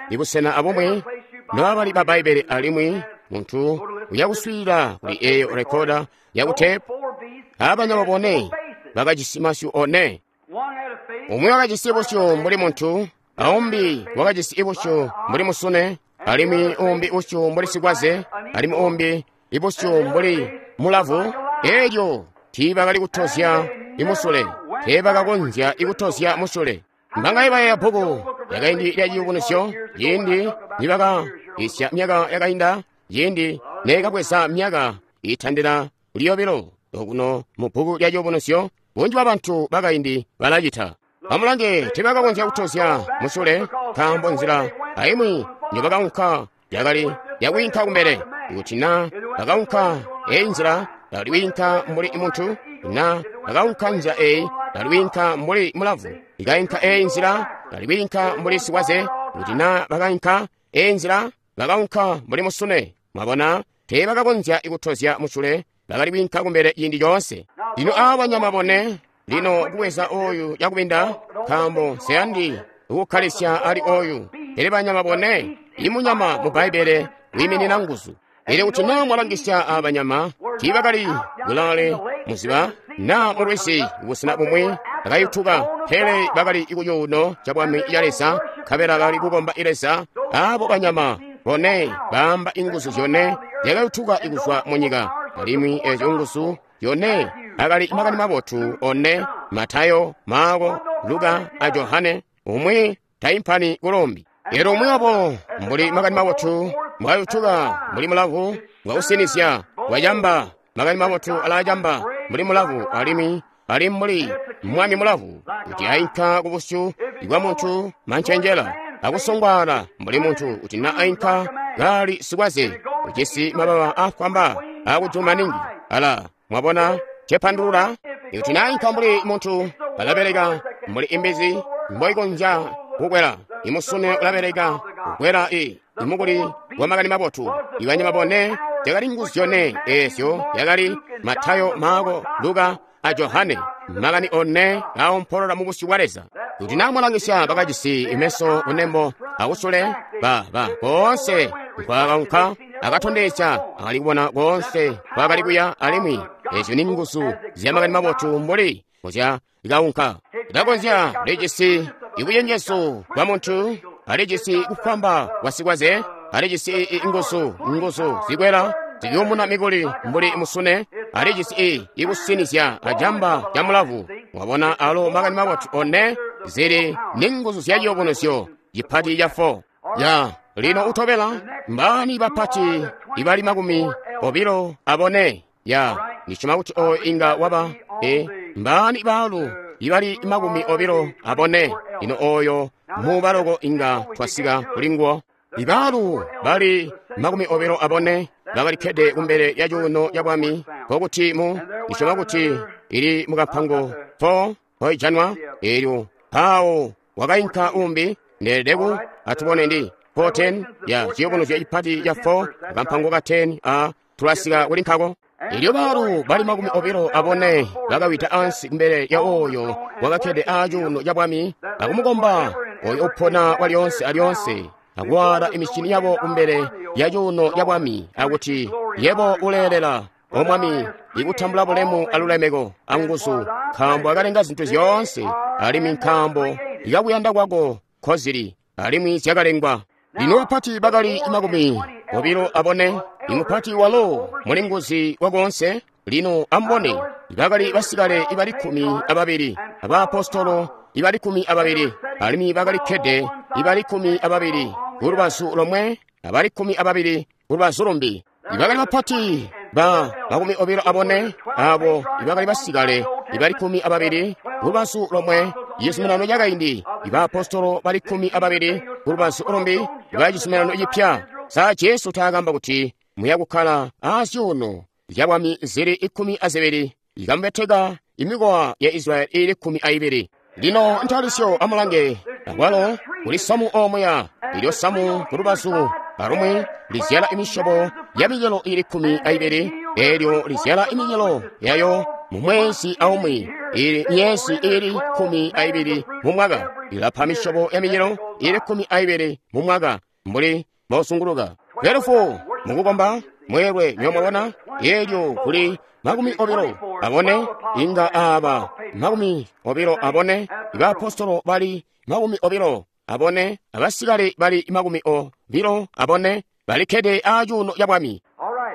Speaker 1: ibusena abumwe nobabali ba Bbaibbele, alimwi muntu uyakuswiilila kuli eyo rekoda yakutepu, abanyama bone bakajisi masyu one. Umwi wakajisi busyu mbuli muntu, aumbi wakajisi busyu mbuli musune, alimwi umbi busyu mbuli sikwaze, alimwi umbi ibusyu mbuli mulavu, elyo tiibakali kutozya imusule, teebakakonzya ikutozya musule. Mbangaye bayeeya bbuku lyakaindi lya Ciyubunuzyo, ciindi nibaka isya myaka yakainda, ciindi neekabweza myaka iitandila kuli yobilo okuno mu bbuku lya Ciyubunuzyo, bunji bwa bantu bakaindi balacita. Amulange, teebakakonzya kutozya musule, nkaambo nzila aimwi njobakaunka yakali yakwiinka kumbele. Kuti na bakaunka eyi nzila, bakali kwiinka mbuli muntu, na bakaunka nzila eyi, bakali kwiinka mbuli mulavu. Ikainka eyi nzila, bakali kwiinka mbuli sikwaze. Kuti na bakainka eyi nzila, bakaunka mbuli musune. Mwabona, teebakakonzya kutozya musule, bakali kwiinka kumbele ciindi coonse. Lino aaba banyama bone, lino kubweza oyu cakubinda, nkaambo nseyandi kukkalisya ali oyu. Pele banyama bone, imunyama mu Bbaibbele wiiminina nguzu. Pele kuti naa mwalangisya aaba banyama, tiibakali kulaale muziba naa mulwizi kubusena bumwi bakayutuka, pele bakali kucuuno cabwami ca Leza, nkabela bakali kukomba Leza. Aabo banyama bone baamba inguzu zyone zyakayutuka kuzwa munyika, alimwi ezyo nguzu zyone akali makani mabotu one: Matayo, Maako, Luka a Johane. Umwi taimpani kulombi. Elyo umwi wabo mbuli makani mabotu mbwayutuka mbuli mulavu, bwakusinizya bwacamba. Makani mabotu alacamba mbuli mulavu, alimwi ali mbuli mwami mulavu, kuti ainka kubusyu bwa muntu mancenjela akusongwaala mbuli muntu, kuti na ainka kali sikwaze ujisi mababa afwamba akujulu maningi. Ala, mwabona cepandulula? Ikuti na ainka mbuli muntu, alabeleka mbuli imbizi mboikonzya kukwela. Imusune ulabeleka kukwela imukuli wa makani mabotu. Ibanyama bone zyakali nguzu zyone ezyo yakali Matayo, Maako, Luka a Johane, makani one aompolola mu busyu bwa Leza. Kuti namwalangisya bakajisi imeso kunembo akusule, ba koonse nkwakaunka akatondezya akali kubona koonse nkwakali kuya, alimwi ezyo ni nguzu zya makani mabotu mbuli kuzya kaunka. Ikakonzya lijisi ibucenjezu bwa muntu, alijisi kufwamba kwa sikwaze, alijisi nguzu zikwela ziyumuna mikuli mbuli musune, alijisi ikusinizya acamba ca mulavu. Mwabona alo makani mabotu one zili ni nguzu zya ciyubunuzyo cipati ca 4. Ya lino utobela mbani bapati ibali 24. Ya ndisyoma kuti oyo inga waba mbani baalu ibali 24. Lino oyo mubaloko inga twasika kulinguwo. Ibaalu bali 24 bakalikkede kumbele lya cuuno ca bwami, nkokuti mu ndisyoma kuti ili mukapango 4 mpoijanwa. Eelyo mpawo wakainka umbi ndeelede atubone ndi 4:10 ya ciyubunuzyo cipati ca 4 kampango ka 10 a tulasika kuli nkako. Elyo baalu bali 24 bakawida ansi kumbele lya oyo wakakkede acuuno ca bwami akumukomba oyo upona walyoonse alyoonse, akuwaala imicini yabo kumbele ya cuuno ca bwami akuti, yebo uleelela, O Mwami, ikutambula bulemu alulemeko anguzu, nkaambo akalenga zintu zyoonse, alimwi nkaambo ikakuyanda kwako nkozili, alimwi zyakalengwa. Lino bapati bakali 24, imupati walo mulinguzi wakoonse. Lino amubone, bakali basikale ibali 12, abaapostolo ibali 12, alimwi bakalikkede ibali 12 kulubazu lomwe, abali 12 kulubazu lumbi. Ibakali bapati ba 24, abo ibakali basikale ibali 12 kulubazu lomwe, cizuminano cakaindi, ibaapostolo bali 12 kulubazu lumbi, iba cizuminano cipya. Sa Jesu taakamba kuti muya kukkala azyuuno zyabwami zili 12, ikamubeteka imikowa ya Israyeli ili 12. Lino ntalisyo amulange, akwalo kuli samu omuya, ilyo samu kulubazu alumwi lizyala imisyobo ya micelo ili 12, elyo lizyala imicelo yayo mu mwezi aumwi, ili myezi ili 12 mu mwaka, ilapa misyobo ya micelo ili 12 mu mwaka, mbuli mosunguluka. 12 mukukomba mweelwe nyomwabona, elyo kuli 24 inga aba 24, ibaapostolo bali 24, abasikale bali 24, balikkede acuuno ca bwami.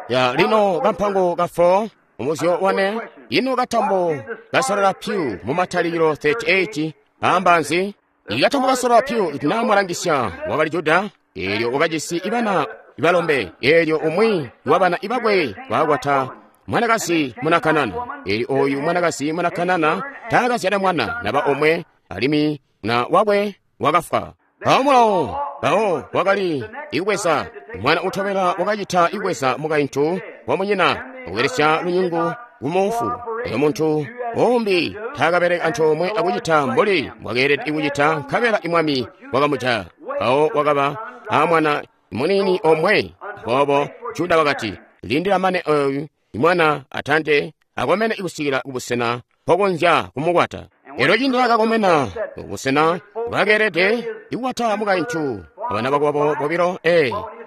Speaker 1: Ya lino kampango ka 4 mubuzyo wane, ino katambo kasalala pyu mu Matalikilo 38 aamba nzi? Ikatambo kasalala pyu ikuti naa mwalangisya wakali Juda, eelyo wakajisi ibana ibalombe, eelyo umwi wabana ibakwe waakwata mwanakazi muna Kanana. Eelyo oyu mwanakazi muna Kanana taakazyala mwana naba omwe, alimwi na wakwe wakafwa. Mpawo mulawo mpawo wakali ikubweza mwana utobela wakacita ikubweza mukaintu wamunyina akubelesya lunyungu kumufu. Oyo muntu umbi taakabeleka antoomwe akucita mbuli mbwakeelede kucita, nkabela imwami wakamujaya. Mpawo wakaba amwana muniini omwe. Aboobo Juda wakati, lindila mane oyu imwana atante akomene kusikila kubusena mpokonzya kumukwata. Elyo cindi nakakomena kubusena bwakeelede ikukwata mukaintu abana bakwabo bobilo,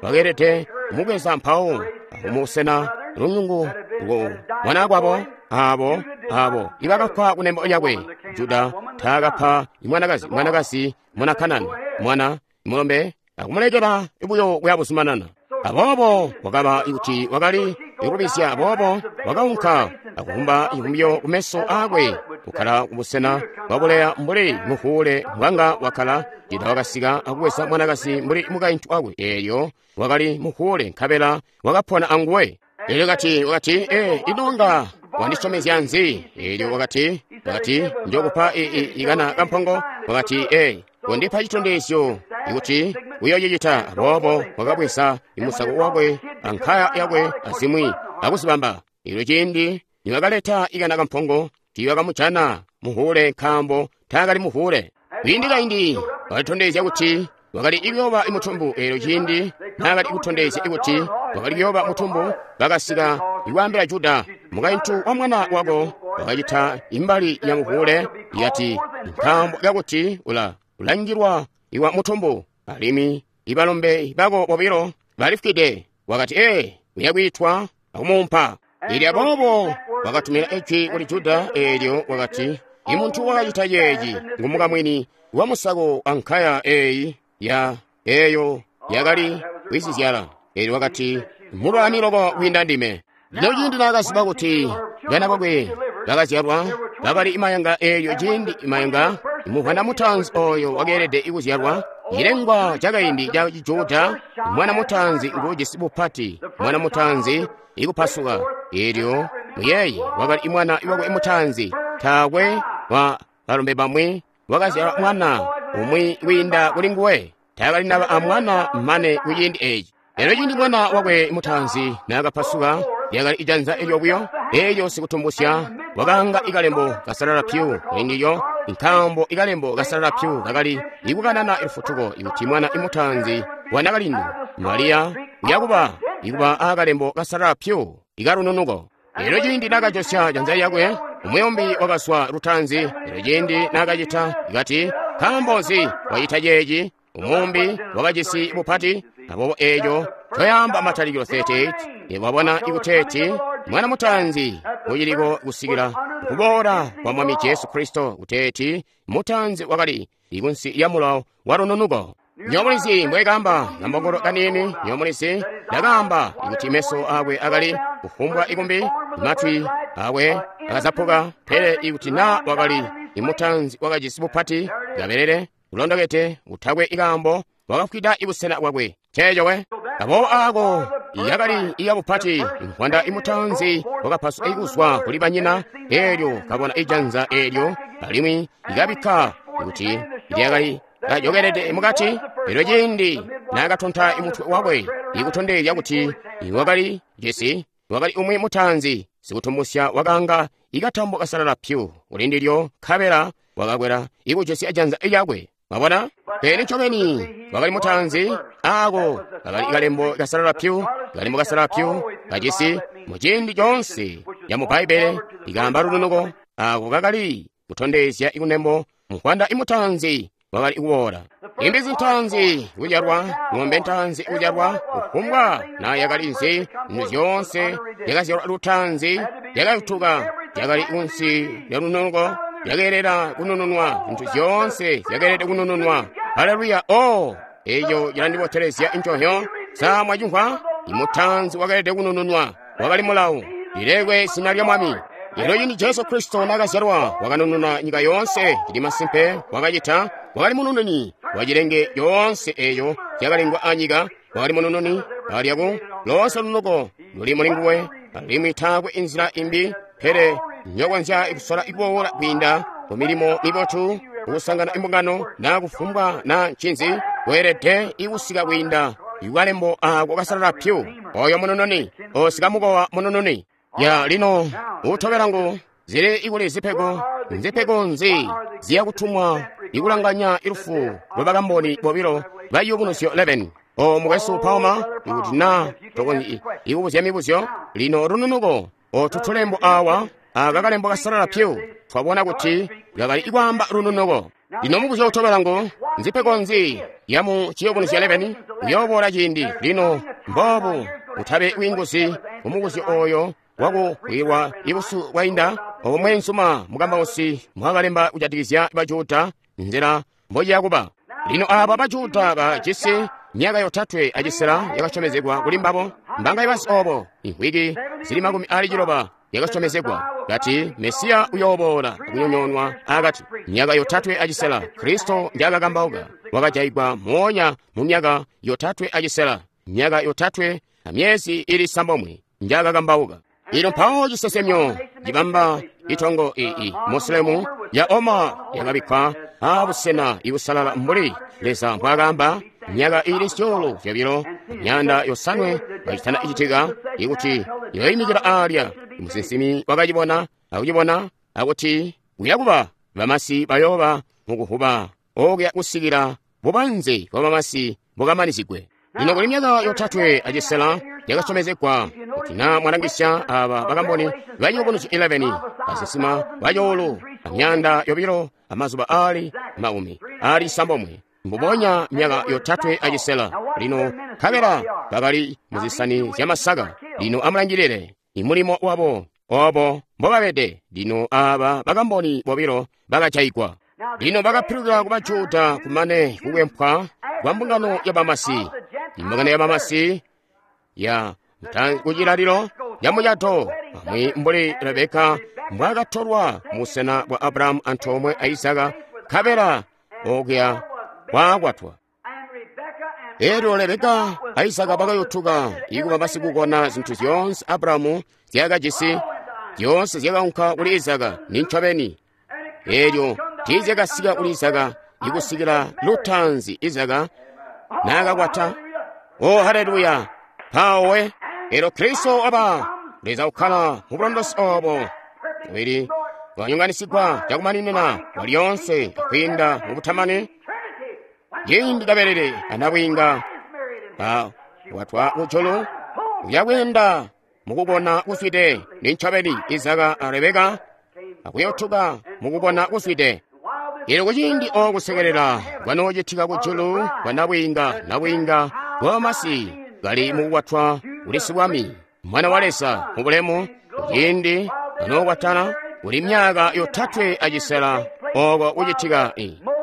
Speaker 1: bakeelede kumubweza mpawo akumusena lunyungu mwanakwabo abo ibakafwa kunembo lyakwe. Juda taakapa mwanakazi muna Kanana mwana mulombe akumulekela buyo kuya buzumanana. Aboobo wakaba kuti wakali ikulubizya, aboobo wakaunka akuvumba ivumbyo kumeso aakwe, kukkala kubusena bwabuleya mbuli muhuule mbwanga wakkala. Juda wakasika akubweza mwanakazi mbuli mukaintu wakwe, eelyo wakali muhuule nkabela wakapona anguwe. Eelyo wakati, ino nga wandisyomezya nzi? Eelyo wakati, njokupa ikana kampongo. Wakati, kondipa citondezyo ikuti uyoocicita. Aboobo wakabweza imusako wakwe ankaya yakwe azimwi akuzibamba. Eelyo ciindi nibakaleta ikana kampongo, tiibakamujana muhuule nkaambo taakali muhuule. Kwiindi kaindi wakalitondezya kuti wakali kuyooba mutumbu. Eelyo ciindi naakali kutondezya kuti wakali kuyooba mutumbu, bakasika ikwaambila Juda, mukaintu wa mwana wako wakacita imbali ya muhuule, yati nkaambo kakuti ulangilwa iwa mutumbu, alimwi ibalombe bako bobilo balifwide. Wakati, uyakwiitwa akumuumpa. Eelyo aboobo wakatumira ijwi kuli Juda, eelyo wakati, imuntu wakacita ceeci ngumukamwini wa musako ankaya eeyi ya eeyo yakali kwizizyala. Eelyo wakati, mulwani loko kwiinda ndime. Lino ciindi naakaziba kuti bana bakwe bakazyalwa bakali imayanga, eelyo ciindi imayanga muvwana mutaanzi oyo wakeelede kuzyalwa, cilengwa cakaindi ca Juda, mwana mutaanzi nguujisi bupati, mwana mutaanzi ikupasuka. Eelyo muyeeye wakali mwana wakwe mutaanzi, taakwe wa balombe bamwi wakazyala mwana umwi kwiinda kuli nguwe, taakali naba amwana mane kuciindi eeci. Eelyo ciindi mwana wakwe mutaanzi naakapasuka, lyakali ijanza elyo buyo, eelyo sikutumbusya wakaanga ikalembo kasalala pyu kulindilyo, nkaambo ikalembo kasalala pyu kakali ikukanana lufutuko ikuti mwana imutaanzi wa nakalindu Mariya uyakuba ikuba aakalembo kasalala pyu ikalununuko. Eelyo ciindi naakajosya janza lyakwe, umuyombi wakazwa lutaanzi. Eelyo ciindi naakacita, ikati, nkaambo nzi wacita ceeci? Umumbi wakajisi bupati. Aboobo eeco toyamba Matalikilo 38, wabona ikuteeti mwana mutaanzi uciliko kusikila kuboola kwa Mwami Jesu Kristo, kuteeti mutaanzi wakali ikunsi lya mulawo wa lununuko. Nyomulizi mbwekamba kambongolo kaniini, nyomulizi ndakaamba ikuti meso akwe akali kufumbwa ikumbi, matwi akwe akazapuka, pele ikuti naa wakali imutaanzi wakajisi bupati kabelele ulondokete utakwe ikaambo, wakafwida ibusena bwakwe. Ceeco we. Aboobo aako yakali iyabupati nkwanda imutaanzi wakapaswa ikuzwa kuli banyina, eelyo kabona ijanza eelyo alimwi ikabikka kuti lyakali kajokelede mukati. Eelyo ciindi naakatonta imutwe wakwe ikutondezya kuti wakali jesi wakali umwi mutaanzi, sikutumbusya wakaanga ikatambo kasalala pyu kulindilyo, nkabela wakakwela ikujesi janza lyakwe. Mwabona? Pele ncobeni wakali mutaanzi, aako kakali kalembo kasalala pyu, kalembo kasalala pyu kajisi muciindi coonse ya mu Bbaibbele ikaamba lununuko, aako kakali kutondezya ikunembo nkwanda imutaanzi wakali kuboola. Imbizi ntaanzi kuzyalwa, ng'ombe ntaanzi kuzyalwa, kufumbwa na yakali nzi, zintu zyoonse yakazyalwa lutaanzi, yakayutuka, yakali kunsi lya lununuko, yakeelela kunununwa, zintu zyoonse zyakeelede kunununwa. Haleluya! Oh, eco cilandibotelezya nconzyo. Sa mwacimvwa? Imutaanzi wakalede kunununwa wakali mulawu. Lilekwe zina lya Mwami. Lino cindi Jesu Kristo nakazyalwa, wakanununa nyika yoonse. Cili masimpe, wakacita. Wakali munununi wa cilenge yoonse eyo yakalengwa anyika. Wakali munununi alyaku loonse lunuko luli muli nguwe, alimwi taakwe inzila imbi pele nyokonzya kusola kuboola kwiinda ku milimo mibotu, kukusangana imbungano na kufumbwa na ncinzi. Weelede ikusika kwiinda ikalembo ako kasalala pyu. Oyo munununi osika mukowa munununi ya lino utobela ngu zili ikuli zipego. Nzipego nzi ziyakutumwa ikulanganya ilufu lwa bakamboni bobilo ba Ciyubunuzyo 11. O mukwesu Palmer, ikuti na tokonzyi ikubuzya mibuzyo lino lununuko otu tulembo awa aka kalembo kasalala pyu twabona kuti kakali ikwaamba lununuko. Lino mubuzyo utobela ngu nzipego nzi yamu Ciyubunuzyo 11 uyooboola ciindi lino mboobu utabe bwiinguzi kumubuzyo oyo wakukwilwa ibusu bwainda obo mweenzuma mukambausi mwakalemba kujatikizya Bajuda nzila mbociya kuba. Lino aaba Bajuda bajisi myaka 3 acisela yakasyomezegwa kuli mbabo. Mbanga ibasi obo imvwiki zili 60 yakasyomezegwa kati Mesiya uyooboola akunyonyoonwa akati. Myaka 3 acisela Kristo njakakambauka wakajayigwa moonya mu myaka 3 acisela, myaka 3 amyezi ili 9 njakakambauka. Ilo mpawo cisesemyo cibamba itongo ii Musulemu ya Omar yakabikkwa abusena ibusalala mbuli Leza mbwaakaamba myaka ili 200 500 kacitana icitika ikuti yoyimikila alya. Musinsimi wakacibona akucibona akuti kuyakuba bamasi bayooba mukuvuba okuya kusikila bubanze bwa bamasi bukamanizigwe. Lino kuli myaka 3 acisela yakasyomezegwa kuti na mwalangisya aba bakamboni ba Ciyubunuzyo 11 basinsima bacoulu amyanda 2 amazuba ali 90 mbubonya myaka 3 acisela. Lino nkabela bakali muzisani zyamasaka. Lino amulangilile imulimo wabo obo mbobabede. Lino aba bakamboni bobilo bakajayigwa. Lino bakapilukila ku Bajuda kumane kukwempwa kwa mbungano ya bamasi. Imbungano ya bamasi ya kucilalilo ya mucato amwi mbuli Rebeka mbwaakatolwa musena bwa Abrahamu antoomwe a Isaka, nkabela okuya waakwatwa. Elyo Rebeka a Isaka bakayotuka ikuba basikukona zinthu zyoonse Abrahamu zyakajisi, zyoonse zyakaunka kuli Isaka nincobeni. Elyo tiizyakasika kuli Isaka ikusikila lutaanzi Isaka naakakwata. O haleluya! Mpawe elyo Kristo waba Leza ukkala mu bulondosi obo mubili wanyonganisigwa cakumaninina walyoonse kwiinda mu butamani. Ciindi kabelele anabwiinga watwa kujulu uyakwiinda mukubona kuzwide nincobeni Isaka a Rebeka akuyotuka mukubona kuzwide. Elyo kuciindi okusekelela kwanoocitika kujulu kwa nabwiinga, nabwiinga bwamasi kali mukukwatwa kuli sibwami mwana wa Leza mu bulemu. Kuciindi anookwatana kuli myaka 3 acisela oko kucitika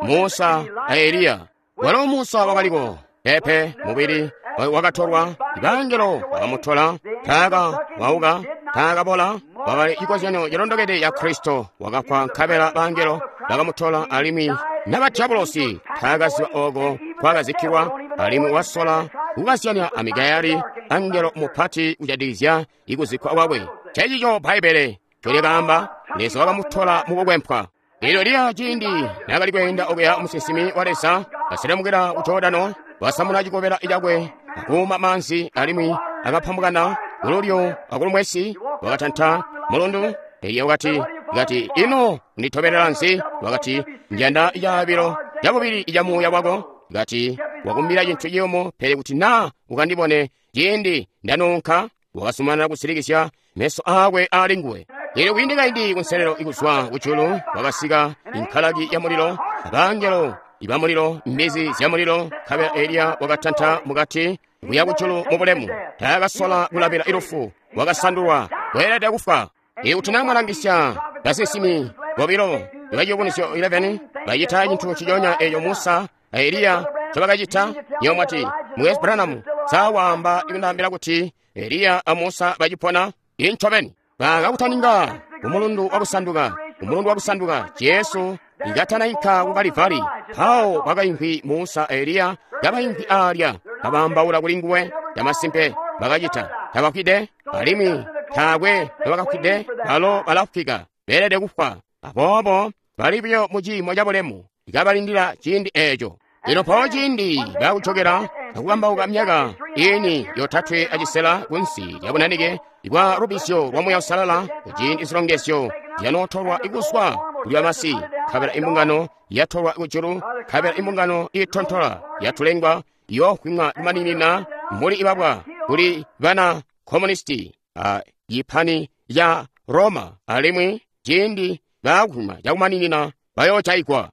Speaker 1: Musa a Eliya. Walo Musa wakaliko pepe mubili wakatolwa, ibangelo bakamutola, taaka wauka, taakabola. Wakali cikozyanyo cilondokede ya Kristo wakafwa, nkabela bangelo bakamutola, alimwi naba diabolosi taakaziba oko kwakazikkilwa, alimwi wasola kukazyanya a Mikayeli angelo mupati kujatikizya ikuzikkwa kwakwe. Ncencico Bbaibbele ncolyakaamba, Leza wakamutola mukukwempwa. Elyo liya ciindi naakali kweenda okuya musinsimi wa Leza kaselemukila ku Jordano, wasamuna cikobela cakwe akuuma maanzi, alimwi akapambukana kululyo akulumwesi, wakatanta mulundu. Eliya wakati, kati, ino unditobelela nzi? Wakati, njanda icaabilo cabubili ica muuya wako. Kati, wakumbila cintu ciyumu, pele kuti na ukandibone ciindi ndanunka. Wakazumanana kusilikisya meso aakwe ali nguwe. Elyo kwiindi kaindi kunselelo ikuzwa kujulu wakasika inkalaki ya mulilo, abangelo iba mulilo, mbizi zya mulilo, nkabela Eliya wakatanta mukati kuya kujulu mu bulemu. Taakasola kulabila ilufu, wakasandulwa, weelede kufwa. Ikuti na mwalangisya basinsimi bobilo ba Ciyubunuzyo 11 bacita cintu nciconya eco Musa a Eliya ncobakacita, nywebo mwati, Mukwesu Branham, Sa waamba ikundaambila kuti Eliya a Musa bacipona? Incobeni. Bakakutaninga kumulundu wakusanduka, kumulundu wakusanduka, Jesu ikatanainka ku Kalivari. Mpawo kwakaimvwi Musa a Eliya kabaimvwi aalya, kabaambaula kuli nguwe. Camasimpe bakacita. Tabafwide, alimwi taakwe nobakafwide, balo balafwika, beelede kufwa. Aboobo bali buyo mu ciimo cabulemu, kabalindila ciindi eeco. Lino mpawo ciindi baakujokela akukambauka myaka ini 3.5 kunsi lya bunanike bwa lubizyo lwa Muuya Uusalala, kuciindi zilongezyo zyanootolwa kuzwa kuli bamasi, nkabela imbungano yatolwa kujulu, nkabela imbungano iitontola yatulengwa iyoofwimwa kumaninina mbuli ibabwa kuli bana komunisti a yipani ya Roma, alimwi ciindi baakufwima cakumaninina bayoojaigwa.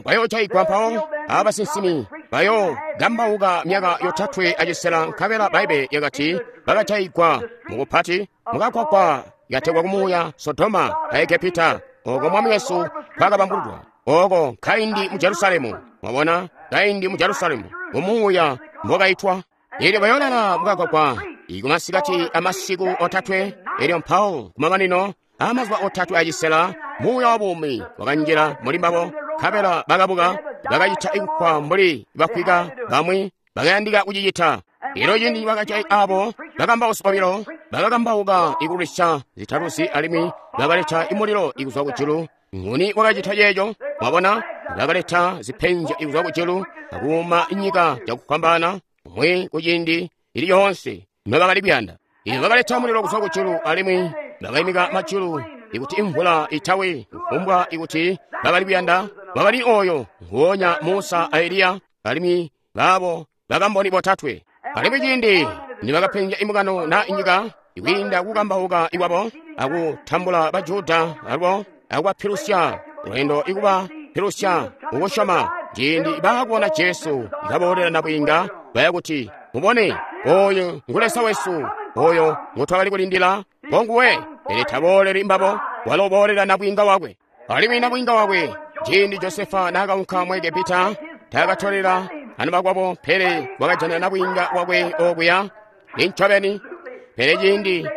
Speaker 1: Bayoojaigwa mpawo abasinsimi bayookambauka myaka 3.5, nkabela Bbaibbele lyakati bakajaigwa mukupati mukakwakwa kategwa kumuuya Sodoma a Egepita, oko Mwami wesu kwakabambululwa, oko kaindi mu Jerusalemu. Mwabona, kaindi mu Jerusalemu mumuuya mbokaitwa. Elyo bayoolala mukakwakwa ikumasikati amasiku otatwe. Elyo mpawo kumamanino amazuba 3.5 muuya wa buumi wakanjila muli mbabo, nkabela bakabuka, bakacita ikufwa mbuli bafwika bamwi bakayandika kucicita. Elyo ciindi bakajai abo bakambausi bobilo bakakambauka ikulwisya zitaluzi, alimwi bakaleta imulilo ikuzwa kujulu. Nguni wakacita ceeco? Mwabona, bakaleta zipenzyo ikuzwa kujulu akuuma nyika cakufwambaana umwi kuciindi ili yoonse nobakali kuyanda. Elyo bakaleta mulilo kuzwa kujulu, alimwi bakaimika majulu ikuti imvula itawi, kufumbwa ikuti bakali kuyanda. Bakali oyo nguonya Musa a Eliya, alimwi baabo bakamboni botatwe. Alimwi ciindi nibakapenzya imbungano na inyika ikwiinda kukambauka ikwabo akutambula Bajuda alubo akubapilusya lwendo ikubapilusya kukusyoma, ciindi baakubona Jesu kaboolela nabwiinga, baya kuti, mubone, oyo ngu Leza wesu, oyo ngutwakali kulindila, ngonguwe. Pele tabooleli mbabo, walo uboolela nabwiinga wakwe. Alimwi nabwiinga wakwe, ciindi Josefa naakaunka mu Egepita, taakatolela anabakwabo, pele wakajana nabwiinga wakwe okuya. Incobeni. Pele ciindi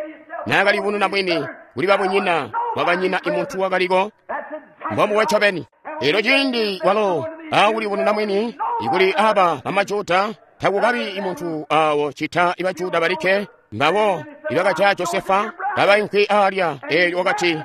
Speaker 1: naakalibununa mwini kuli babunyina, wakanyina imuntu wakaliko. Mbombuwe ncobeni. Elyo ciindi walo aakulibununa mwini ikuli aba bamajuda, takukabi imuntu awo cita ibajuda balikke mbabo ibakajaya Josefa kabaimvwi aalya. Elyo wakati,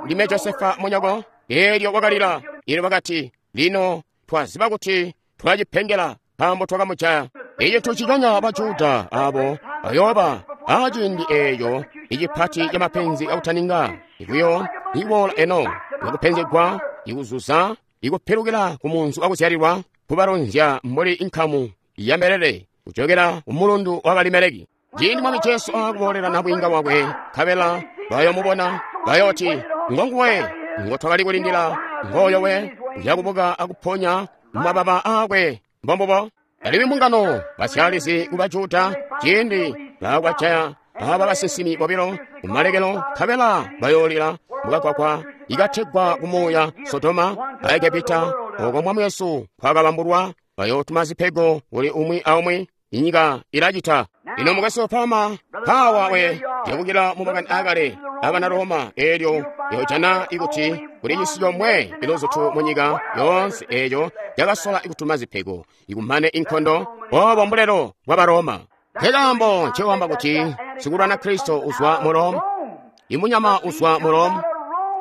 Speaker 1: ndime Josefa munyoko. Elyo wakalila. Elyo bakati, lino twaziba kuti twacipengela nkaambo twakamujaya. Eco tucikanya Bajuda abo bayooba aciindi eeco icipati camapenzi akutaninga ikuyo ikuboola eno ikupenzegwa ikuzuza ikupilukila ku munzi wakuzyalilwa kubalonzya mbuli inkamu ya mbelele kujokela kumulundu wa Kalimeleki. Ciindi Mwami Jesu aakuboolela nabwiinga wakwe, nkabela bayomubona, bayooti, ngonguwe ngotwakali kulindila, ngooyo we uyakubuka akuponya mumababa aakwe. Mbombubo. Alimwi mbungano basyalizi ku Bajuda ciindi baakubajaya aba basinsimi bobilo kumalekelo, nkabela bayoolila mukakwakwa ikategwa kumuuya Sodoma a Egepita, oko Mwami wesu kwakabambulwa. Bayootuma zipego kuli umwi aumwi, inyika ilacita. Lino mukwesu Palma mpawa we yakukila mu makani aakale abana Roma, eelyo yojana ikuti kuli cisi comwe iluzutu mu nyika yoonse eeco cakasola ikutuma zipego ikumane inkondo. Obo mbulelo bwa Baroma. Nkekaambo ncewamba kuti sikulwana Kristo uzwa mu Rome, imunyama uzwa mu Rome,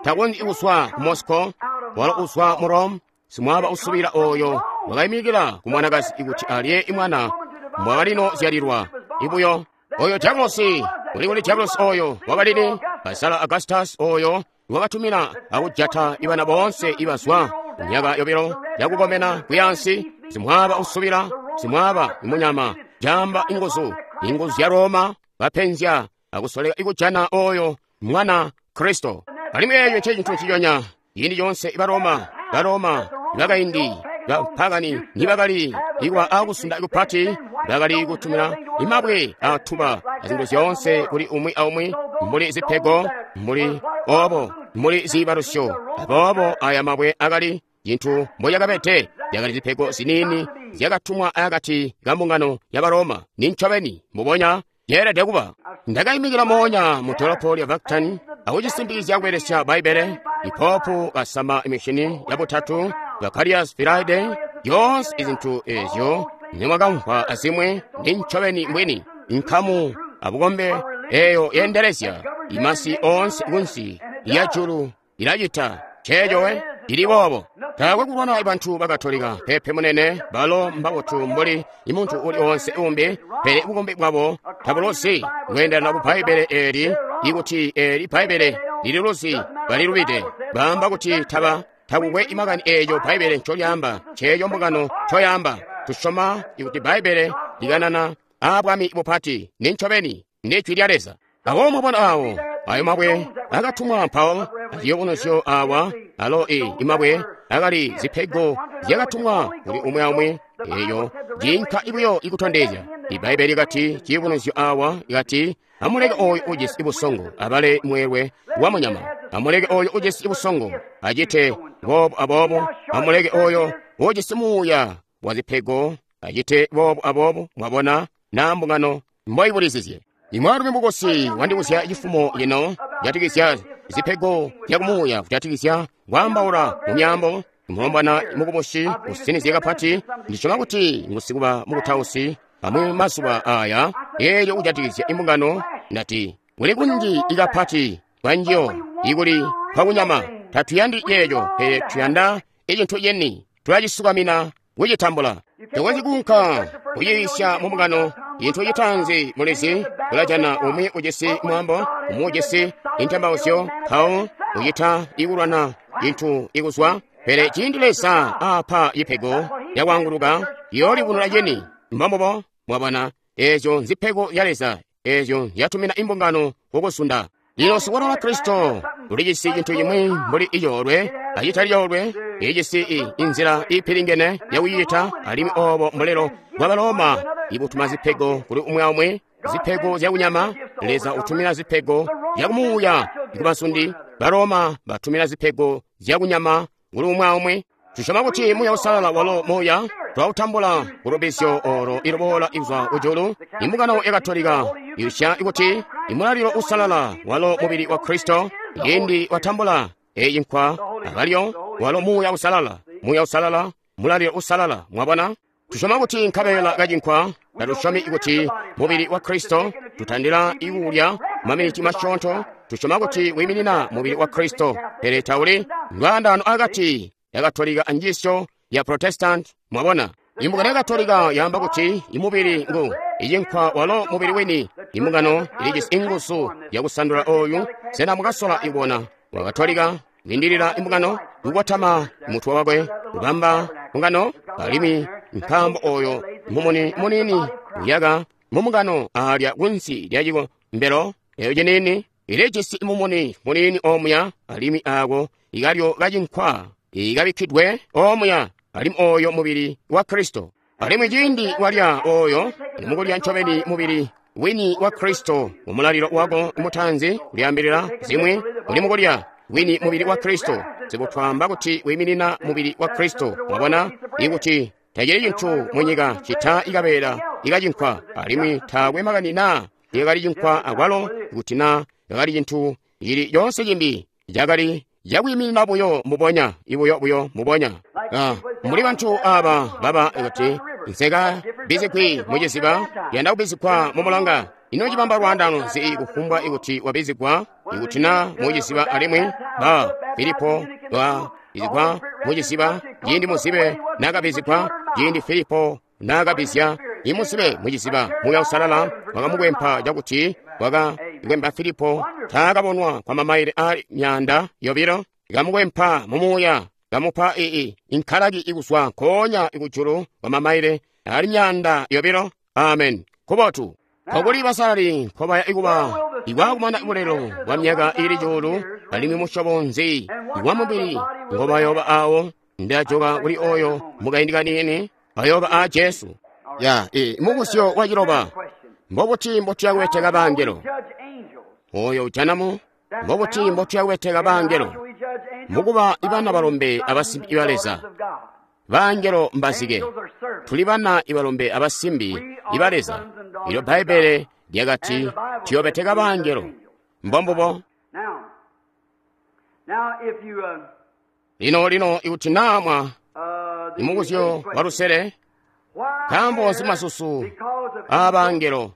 Speaker 1: takonzyi kuzwa ku Moscow, walo uzwa mu Rome. Simwaba usubila oyo wakaimikila ku mwanakazi ikuti alye imwana mwakalino zyalilwa ibuyo. Oyo Diabulosi uli kuli Diabulosi oyo wakalini Kaisara Augustus oyo wakatumina akujata ibana boonse ibazwa myaka yobilo yakukomena kuyansi. Simwaba usubila, simwaba imunyama, jamba inguzu, inguzu zya Roma bapenzya akusoleka ikujana oyo mwana Kristo. Alimwi eeyo ncecintu nciconya ciindi coonse ibaroma, baroma bakaindi bapagani nibakali ikwa akusunda kupati, bakali kutumina imabwe atuba azintu zyoonse kuli umwi aumwi mbuli zipego, mbuli obo, mbuli ziibalusyo. Aboobo aya mabwe akali Cintu mbo cakabede zyakali zipego ziniini zyakatumwa akati ka mbungano ya Baroma. Nincobeni mbubonya yeelede kuba. Ndakaimikila moonya mu dolopo lya Vatican akucisimpikizya kubelesya Bbaibbele. Ipopu kasama imishini yabutatu Vicarius Filii, yoonse izintu ezyo nimwakamvwa azimwi nincobeni mbwini. Nkamu abukombe eyo yendelezya imasi oonse kunsi ya julu ilacita ceecowe ili boobo. Taakwe kulwana bantu bakatolika pepe munene, balo mbabotu mbuli imuntu uli onse umbi, pele bukombi bwabo tabulozi kweendelana ku Bbaibbele eli. Ikuti eli Bbaibbele lililuzi, balilubide. Baamba kuti takukwe imakani eeco Bbaibbele ncolyaamba, ceeco mbungano ncoyaamba. Tusyoma ikuti Bbaibbele likanana aa bwami bupati, nincobeni ndi Jwi lya Leza. Awo mwabona awo ayo mabwe akatumwa mpawo aziyubunuzyo awa alo imabwe akali zipego zyakatumwa kuli umwi aumwi, eyo jinka ibuyo ikutondezya. Ibbaibbele likati ciyubunuzyo awa ikati, amuleke oyo ujisi busongo abale mweelwe wa munyama, amuleke oyo ujisi busongo acite boobo aboobo, amuleke oyo ujisi muuya wa zipego acite boobo aboobo. Mwabona na mbungano mboibulizizye. Imwaalumi mukosi wandibuzya cifumo lino kujatikizya zipego zyakumuuya, kujatikizya kwaambaula mu myaambo. Mulombwana mukubusi usinizye kapati, ndisyoma kuti ngusikuba mukutausi amwi mazuba aya. Eelyo kujatikizya imbungano, ndati kuli kunji ikapati kwanjiyo ikuli kwakunyama. Tatuyandi yeeyo, pele tuyanda icintu ceni, tulacisukamina kucitambula. Tokonzyi kuunka kuyiisya mu mbungano cintu citaanzi mulizi, ulajana umwi ujisi mwaambo, umwi ujisi intembauzyo, mpawo ucita ikulwana cintu ikuzwa. Pele ciindi Leza aapa cipego yakwaanguluka, yoolibunula ceni. Mbambubo, mwabona, ezyo nzipego zya Leza, ezyo nzyatumina imbungano kukusunda. Lino sikulwana wa Kristo ulijisi cintu cimwi mbuli icoolwe acitali coolwe, ijisi inzila iipilingene yakucicita, alimwi obo mbulelo bwa Baloma ibutuma zipego kuli umwi aumwi, zipego zyakunyama. Leza utumina zipego zyakumuuya kubasundi, Baloma batumina zipego zyakunyama kuli umwi aumwi. Tusyoma kuti Muuya Uusalala walo Muuya twautambula kulubizyo olo iluboola izwa kujulu. Imbungano ya Katolika isya kuti imulalilo usalala walo mubili wa Kristo. Ciindi watambula eyi nkwa akalyo walo Muuya Uusalala, Muuya Uusalala, mulalilo usalala. Mwabona, tusyoma kuti nkabeela kacinkwa, tatusyomi kuti mubili wa Kristo. Tutandila ikulya maminiti masyoonto. Tusyoma kuti wiiminina mubili wa Kristo, pele tauli lwaandaano akati ya Katolika anjiisyo ya Protestant. Mwabona, imbungano ya Katolika yaamba kuti imubili ngu icinkwa walo mubili wini. Imbungano ilijisi inguzu yakusandula oyu. Sena mukasola ibona wa Katolika lindilila imbungano kukwatama mutwe wakwe kubamba mbungano, alimwi nkaambo oyo mumuni munini uyaka mumbungano alya kunsi lya cikombelo eyo ciniini ilijisi mumuni munini omuya, alimwi ako ikalyo kacinkwa ikabikkidwe omuya, alimwi oyo mubili wa Kristo. Alimwi ciindi walya oyo, mukulya ncobeni mubili wini wa Kristo mumulalilo wako mutanzi kulyaambilila zimwi uli mukulya wini mubili wa Kristo. Sikutwaamba kuti wiiminina mubili wa Kristo. Mwabona ikuti tacili cintu munyika cita ikabeela ikacinkwa, alimwi taakwe makani naa ikakali cinkwa akwalo kuti naa kakali cintu cili coonse cimbi, cakali cakwiiminina buyo mbubonya, ibuyo buyo mbubonya. Mbuli bantu aba baba kuti nseka bizigwi muciziba, yanda kubizigwa mu mulonga. Ino cibamba lwaandano nzi kufumbwa ikuti wabizigwa ikuti naa muciziba? Alimwi ba Filipo wabizigwa muciziba ciindi muzibe nakabizigwa, ciindi Filipo nakabizya imuzibe muciziba, Muuya Uusalala wakamukwempa cakuti wakakwempa Filipo taakabonwa kwa mamaile ali 200, kamukwempa mumuuya, kamupa inkalaki ikuzwa nkoonya ikujulu kwa mamaile ali 200. Amen. Kubotu. Nkokuli basalali nkobaya ikuba ikwakumana bulelo bwa myaka ili cuulu, alimwi musyobo nzi wa mubili ngobayoba awo? Ndajoka kuli oyo mukaindi kaniini bayoba a Jesu. Ya mubuzyo wa ciloba, mbobuti mbotuya kubeteka bangelo? Oyo ujanamu, mbobuti mbotuya kubeteka bangelo? Mukuba ibana balombe abasimbi iba Leza. Baangelo mbazike. Tuli bana ibalombe abasimbi iba Leza. Ilyo Bbaibbele lyakati tuyobeteka baangelo. Mbombubo. Lino lino ikuti naa mwa imubuzyo walusele, nkaambo nzi masusu aabangelo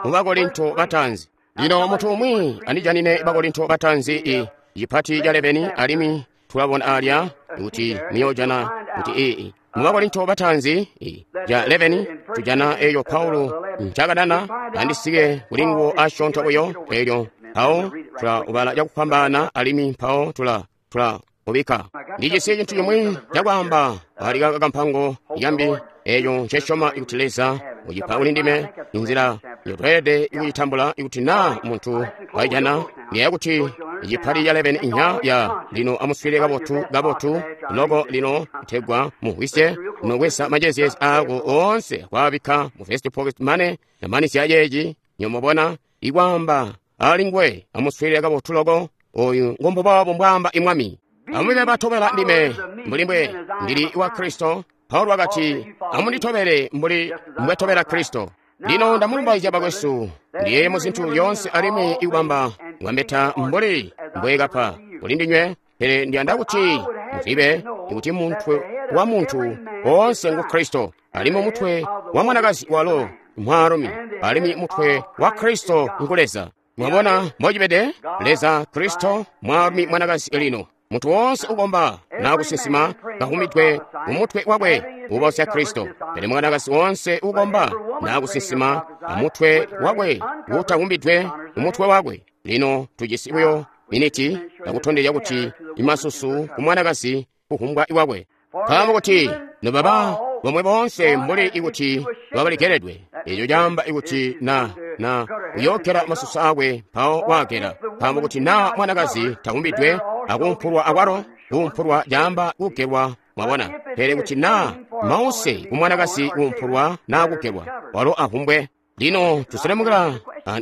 Speaker 1: mu Bakorinto bataanzi? Lino muntu umwi andijanine Bakorinto bataanzi i cipati ca 11, alimwi tulabona alya kuti muyojana kuti ii mu Bakorinto bataanzi i ca 11 tujana eyo Paulo ncakanana andisike kuli nguwo asyoonto buyo elyo mpawo tula ubala cakufwambaana alimwi mpawo tula ubika. Ndijisi cintu cimwi cakwaamba ali kampango yambi eyo ncesyoma kuti Leza ucipa kuli ndime inzila yotweelede kucitambula ikuti naa muntu waijana ndiyeeya kuti icipati ca 11 inya ya lino amuswile kabotu kabotu loko lino kutegwa muhwisye nokwesa majezyezi aako oonse kwaabikka mu first pocket mane namanizya ceeci nyomubona ikwaamba ali nguwe amuswile kabotu loko oyu ngombubobo mbwaamba imwami. Amube batobela ndime mbuli mbwe ndili wa Kristo. Paulo wakati amunditobele mbuli mbwetobela Kristo. Lino ndamulumbaizya bakwesu ndiye mu zintu zyoonse alimwi ikubamba ngwambeta mbuli mbwekapa kuli ndinywe, pele ndiyanda kuti muzibe kuti mutwe wa muntu woonse ngu Kristo, alimwi mutwe wa mwanakazi walo mwaalumi, alimwi mutwe wa Kristo ngu Leza. Mwabona mbocibede? Leza, Kristo, mwaalumi, mwanakazi lino. Muntu woonse ukomba na kusinsima kahumidwe umutwe wakwe ubosya Kristo, pele mwanakazi woonse ukomba na kusinsima amutwe wakwe utahumbidwe umutwe wakwe. Lino tujisi buyo miniti yakutondezya kuti imasusu ku mwanakazi kuhumbwa iwakwe. Nkaambo kuti nobaba bomwe boonse mbuli ikuti babalekeledwe, eco caamba ikuti na uyookela masusu akwe mpawo waakela. Nkaambo kuti naa mwanakazi tahumbidwe akuumpulwa akwalo, kuumpulwa caamba kugelwa, mwabona. Pele kuti naa mause kumwanakazi kuumpulwa naa kugelwa, walo ahumbwe. Lino tuselemukila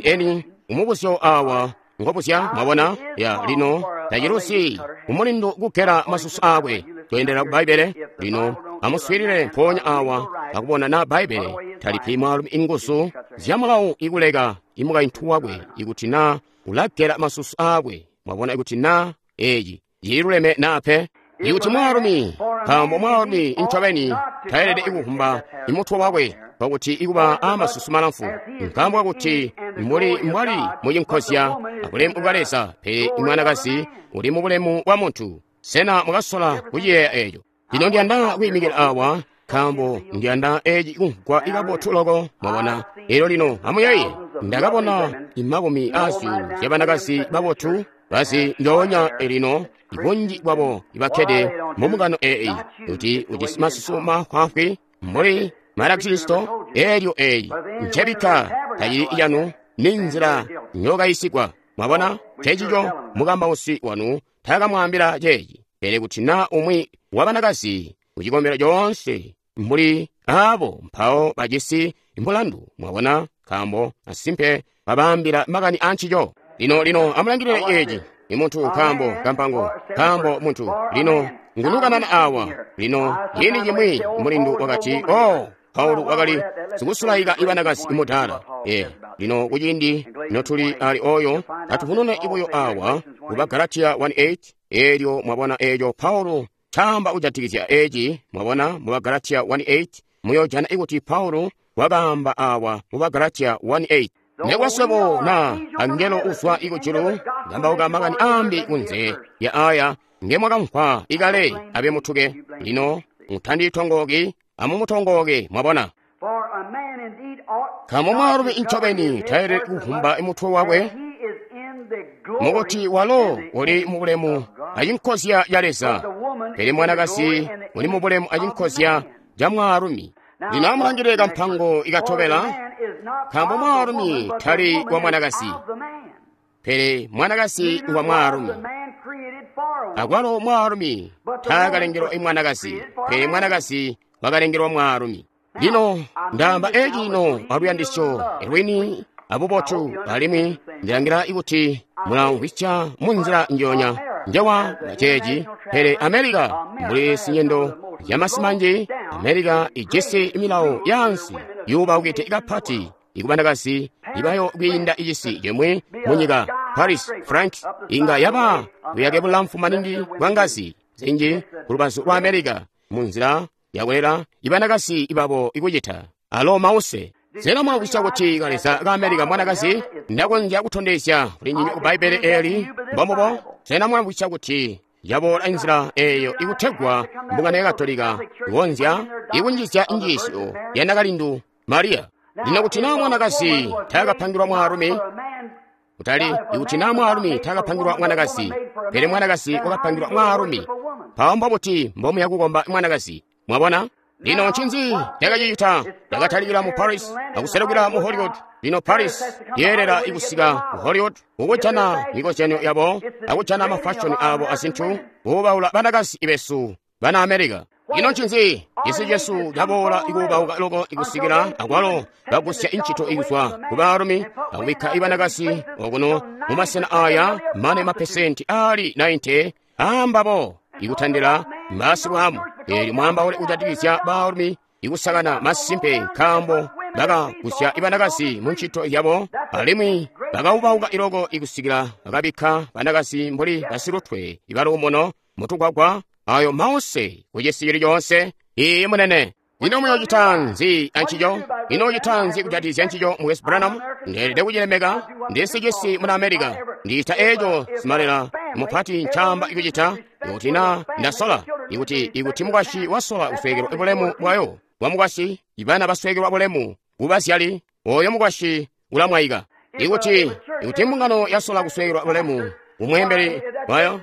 Speaker 1: eni umubuzyo awa ngobuzya, mwabona ya lino tacilusi kumulindu kugela masusu akwe. Toendera ku Bbaibbele lino amuswiilile mpoonya awa akubona na Bbaibbele talipi mwaalumi inguzu zya mulawu ikuleka imukaintu wakwe ikuti naa ulagela masusu akwe. Mwabona ikuti naa eeci cililuleme naa pe. Ikuti mwaalumi, nkaambo mwaalumi incobeni tayelede ikuhumba imutwe wakwe pakuti ikuba amasusu malamfu, nkaambo kakuti mbuli mbwali mucinkozya abulemu bwa Leza, pele imwanakazi uli mu bulemu bwa muntu. Sena mukasola kuciyeeya eeco? Lino ndiyanda kwiimikila awa nkaambo ndiyanda eeci kumvwa ikabotu loko, mwabona. Elyo lino amuyeeye, ndakabona imakumi azyuulu zyabanakazi babotu bazi njoonya elino ibunji bwabo ibakkede mumungano eeyi kuti ujisi masusu mafwaafwi mbuli Banakristo. Elyo eeyi ncebikka tacili yanu, ni nzila nyokayisigwa. Mwabona, cecico mukambausi wanu taakamwaambila ceeci. Pele kuti naa umwi wa banakazi kucikombelo coonse mbuli aabo mpawo bajisi mulandu, mwabona, nkaambo asimpe babaambila makani ancico. Lino lino amulangilile eeci imuntu nkaambo kampango nkaambo muntu lino ngunukanana awa. Lino ciindi cimwi mulindu wakati, oh, Paulo wakali sikusulaika ibanakazi imudala. Lino kuciindi notuli ali oyo atuvunune ibuyo awa ku Bagalatia 1:8. Elyo mwabona eeco Paulo caamba kujatikizya eeci, mwabona mu Bagalatia 1:8 muyojana ikuti Paulo wakaamba awa mu Bagalatia 1:8. Nekuba swebo na angelo uzwa ikujulu kambauka makani aambi kunze ya aya ngemwakamvwa ikale abe mutuke. Lino mutanditongooki, amumutongoke, mwabona. Nkaambo mwaalumi incobeni tayelede kuhumba imutwe wakwe, mukuti walo uli mu bulemu acinkozya ca Leza, pele mwanakazi uli mu bulemu acinkozya ca mwaalumi. Lino amulangilile kampango ikatobela. Nkaambo mwaalumi tali wa mwanakazi, pele mwanakazi wa mwaalumi. Akwalo mwaalumi taakalengelwa imwanakazi, pele mwanakazi wakalengelwa mwaalumi. Lino ndaamba eeci lino aluyandisyo lwini abubotu, alimwi ndilangila ikuti mulamvwisya munzila njoonya. njewa ceeci, pele America mbuli sinyendo zyamasi manji, America ijisi milawo yaansi yuubaukide kapati ikubanakazi ibayo kwiinda icisi cimwi munyika. Paris, Frank inga yaba buyake bulamfu maningi bwa ngazi zinji kulubazu lwa America munzila yakulela ibanakazi ibabo ikucita alo mause. Sena mwamvwisya kuti kaleza ka America mwanakazi? Ndakonzya kutondezya kuli ndinywe ku Bbaibbele eli mbombubo. Sena mwamvwisya kuti yaboola inzila eyo ikutegwa mbungano ya Katolika ikonzya ikunjizya njiisyo ya nakalindu Mariya? Lino kuti naa mwanakazi taakapangilwa mwaalumi, kutali ikuti naa mwaalumi taakapangilwa mwanakazi, pele mwanakazi wakapangilwa mwaalumi, mpawo mbobuti mbomuya kukomba mwanakazi? Mwabona? Lino ncinzi cakacicita? Cakatalikila mu Paris akuselukila mu Hollywood. Lino Paris yeelela ikusika ku Hollywood kukujana mikozyanyo yabo akujana mafashoni abo azintu, kuubaula banakazi besu bana America. Ino ncinzi? Cisi cesu caboola ikuubauka loko ikusikila akwalo bagusya incito ikuzwa ku baalumi akubikka ibanakazi okuno mumasena aya mane mapesenti ali 90 aambabo ikutandila mbasibwamu. Eelyo mwaambaule kujatikizya baalumi ikusakana masimpe, nkaambo bakagusya ibanakazi mu ncito yabo alimwi bakaubauka iloko ikusikila bakabikka banakazi mbuli basilutwe ibaluumuno mutugwagwa. Ayo mause kucisi cili coonse. Iye munene. Ino muyocita nzi ancico? Ino ucita nzi kujatikizya ncico, Mukwesu Branham? Ndeelede kucilemeka. Ndisi cisi muna America. Ndicita eco simalela mupati ncaamba ikucita. Ikuti na ndasola, ikuti mukwasyi wasola kusweekelwa bulemu bwayo bwa mukwasyi, ibana basweekelwa bulemu kubazyali, oyo mukwasyi ulamwaika. Ikuti mbungano yasola kusweekelwa bulemu kumweembeli wayo,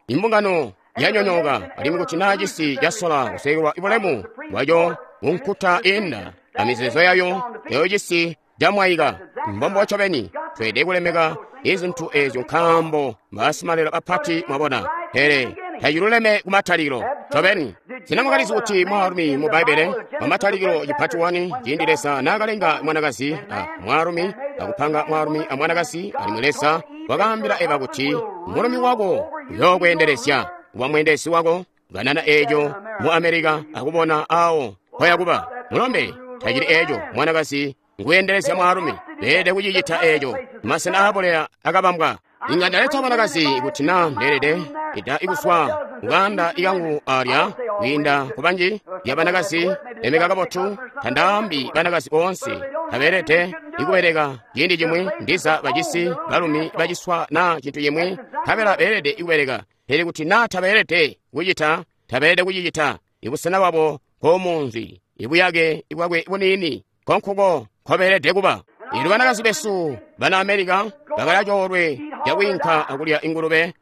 Speaker 1: imbungano yanyonyooka. Alimwi kuti naa cisi casola kusweekelwa bulemu bwaco kunkuta inda amizeezo yayo, eyo cisi camwaika. Mbombo ncobeni tweelede kulemeka izintu ezyo nkaambo mbasimalelo bapati, mwabona. Pele taciluleme kumatalikilo ncobeni. Sena mwakalizi kuti mwaalumi mu Bbaibbele pamatalikilo chipati 1, ciindi Leza naakalenga mwanakazi a mwaalumi akupanga mwaalumi a mwanakazi, alimwi Leza wakaambila Eva kuti mulumi wako uyookweendelezya kuba mweendezi wako, kanana eeco mu America akubona awo mpoyakuba. Mulombe, tacili eeco mwanakazi nguyendelezya mwaalumi. Beelede kucicita eeco. Masena aabuleya akabambwa. Inga ndaleta banakazi kuti naa ndeelede ida ikuswa kuganda ikangu alya kwiinda kubanji ya banakazi lemeka kabotu. Tandaambi banakazi boonse tabeelede ikubeleka ciindi cimwi, ndiza bacisi balumi baciswa naa cintu cimwi, nkabela beelede ikubeleka. Pele kuti naa tabeelede kucita, tabeelede kucicita. Ibusena bwabo nkomunzi, ibuyake bwakwe buniini nkonkuko nkobeelede kuba. Eelyo banakazi besu bana America bakali acoolwe cakwiinka akulya ingulube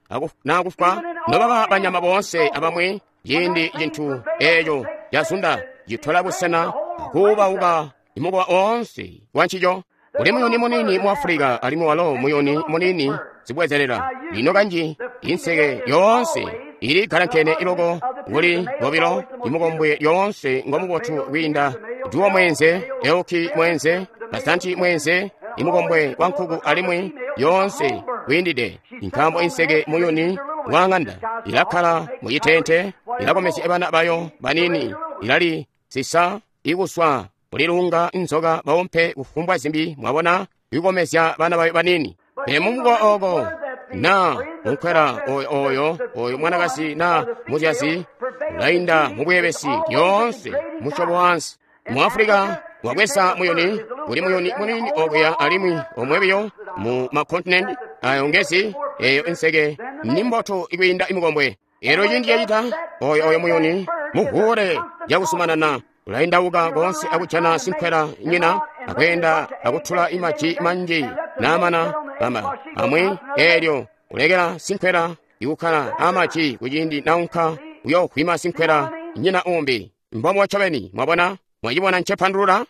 Speaker 1: naa kufwa nobaba banyama boonse abamwi. Ciindi cintu eeco cazunda citola busena akuubauka imukowa oonse wancico. Kuli muyuni muniini mu Afulika, alimwi walo muyuni muniini zibwezelela. Lino kanji inseke yoonse ili galankene iloko kuli bobilo. Imukombwe lyoonse ngomubotu kwiinda duwo mwenze, elki mwenze, basanti mwenze, imukombwe wa nkuku, alimwi yoonse kwiindide. Nkaambo inseke muyuni wa ng'anda ilakkala mucitente, ilakomezya bana bayo banini, ilali sisa ikuswa kulilunga inzoka baumpe kufumbwa zimbi, mwabona, ikukomezya bana bayo banini. Pele mumukowa oko na munkwela oyo oyo mwanakazi na muzyazi ulainda mubweebesi lyoonse musyobo wansi. Mu Afulika wabweza muyuni, kuli muyuni munini okuya alimwi omwebiyo mu makontinenti ayo ngezi eyo inseke ni mbotu ikwiinda imukombwe. Eelyo ciindi cacita oyo muyuni muvuule cakusumanana ulaindauka koonse akujana sinkwela nyina akweenda akutula imaji manji naamana bama amwi. Eelyo ulekela sinkwela ikukkala amaji kuciindi naunka uyoovwima sinkwela nyina umbi. Mbombo ncobeni, mwabona, mwacibona ncepandulula?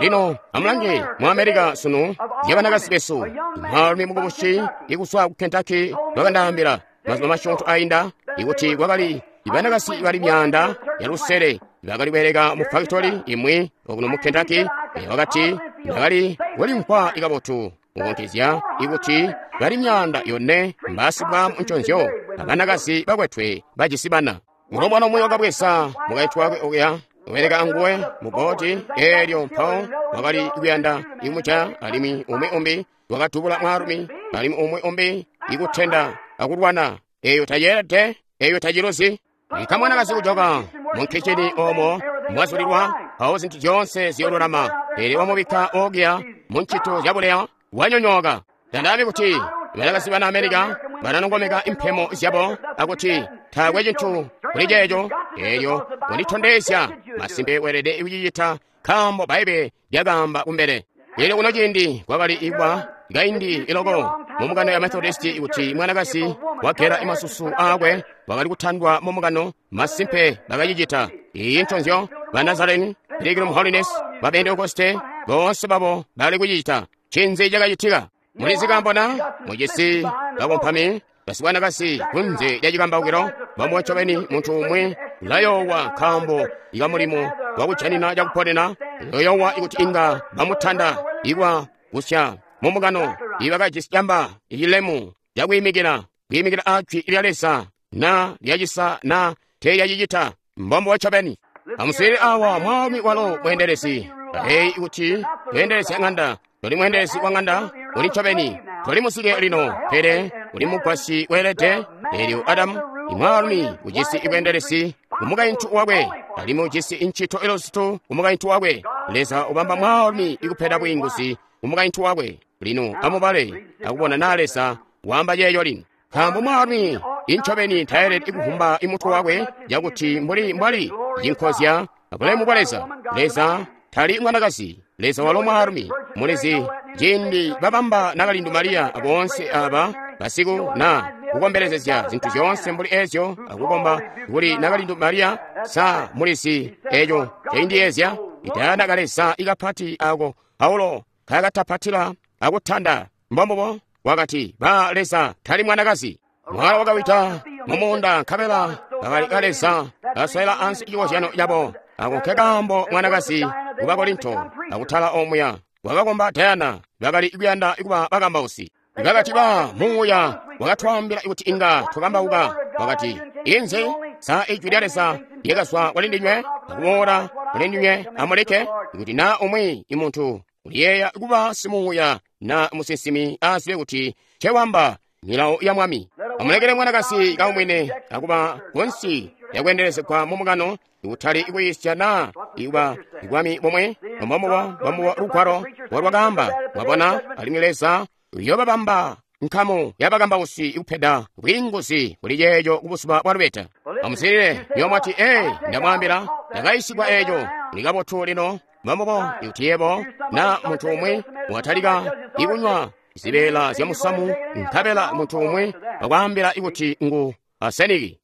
Speaker 1: Lino amulange mu America sunu zyabanakazi besu. Mwaalumi mukubusi ikuswa ku Kentucky wakandaambila mazuba masyoonto ainda ikuti kwakali ibanakazi bali 500 bakali kubeleka mu factory imwi okuno mu Kentucky. Wakati ndakali kulimvwa ikabotu Mukuntizya ikuti bali 400 mbasibwa munconzyo abanakazi bakwetwe bajisi bana. Mulombwana umwi wakabweza mukaintu wakwe okuya ubeleka anguwe mu boti eelyo mpawo wakali kuyanda imuca alimwi umwi umbi wakatubula mwaalumi alimwi umwi umbi ikutenda akulwana. Eyo tayeelede, eyo taciluzi. Ikamwanakazi kujoka mu kichini omwo mwazulilwa mpawo zintu zyoonse ziyololama, pele wamubikka okuya mu ncito zyabuleya wanyonyooka. Tandaambi kuti banakazi bana Amerika bananongomeka impemo zyabo akuti taakwe cintu kuli ceeco. Eelyo wanditondezya masimpe weelede kucicita nkaambo Baibe lyakaamba kumbele. Eelyo kuno ciindi kwakali ikwa kaindi iloko mu mukano ya Methodist kuti mwanakazi wagela imasusu aakwe wakali kutandwa mu mukano. Masimpe bakacicita. Iyi nconzyo ba Nazarene, Pilgrim Holiness, ba Pentecoste boonse babo bakali kucicita. Ncinzi cakacitika? Mulizi kambona mujisi bakompami basibwanakasi kunze lya cikambaukilo bamwe ncobeni muntu umwi ulayoowa nkaambo ikamulimo wakujanina cakuponena ulayoowa ikuti inga bamutanda ikwa kusya mu mukano. Ibakajisi camba icilemu cakwiimikila kwiimikila ajwi lya Leza na lyacisa na teelyacicita. Mbombo ncobeni. Amuswiilile awa mwaalumi walo mweendelezi. Eyi kuti weendelezya ng'anda toli mweendelezi wa ng'anda uli ncobeni toli musike lino, pele uli mugwasyi weelede. Eelyo Adamu imwaalumi ujisi ibweendelezi kumukaintu wakwe, alimwi ujisi incito iluzitu kumukaintu wakwe. Leza ubamba mwaalumi ikupeda bwiinguzi kumukaintu wakwe. Lino amubale akubona naa Leza waamba ceeco lino. Nkaambo mwaalumi incobeni tayelede ikuvumba imutwe wakwe cakuti mbuli mbwali cinkozya abulemu bwa Leza. Leza tali mwanakazi, Leza walo mwaalumi. Mulizi ciindi babamba nakalindu Mariya aboonse aba basiku na kukombelezezya zintu zyoonse mbuli ezyo akukomba kuli nakalindu Mariya, sa mulizi eco caindiyezya itayana kaleza ikapati ako Paulo kakatapatila akutanda. Mbombubo wakati ba Leza tali mwanakazi. Mwala wakawita mumuunda nkabela bakali kaleza kaswela ansi cikozyano cabo. Ako nkekaambo mwanakazi ku Bakorinto akutala omuya wakakomba Diana bakali kuyanda kuba bakambausi. Bakati ba muuya wakatwaambila kuti inga twakambauka. Wakati inzi sa ijwi lya Leza lyakazwa kuli ndinywe akuboola kuli ndinywe amuleke kuti na umwi imuntu uliyeeya kuba simuuya na musinsimi azibe kuti cewamba milawo ya Mwami. Amulekele mwanakazi kaumwine akuba kunsi yakweendelezegwa mu mukano ikutali ikuyisya na ikuba ibwami bomwe mbombubo lugwalo walwakaamba. Mwabona, alimwi Leza uyobabamba nkamu yabakambausi ikupeda bwiinguzi kuli ceeco kubuzuba bwa lubeta. Amuswiilile yomwati, ee, ndamwaambila ndakayisigwa eeco kuli kabotu lino. Mbombubo ikuti yebo na muntu umwi watalika ikunywa zibeela zya musamu nkabela muntu umwi wakwaambila ikuti ngu aseniki,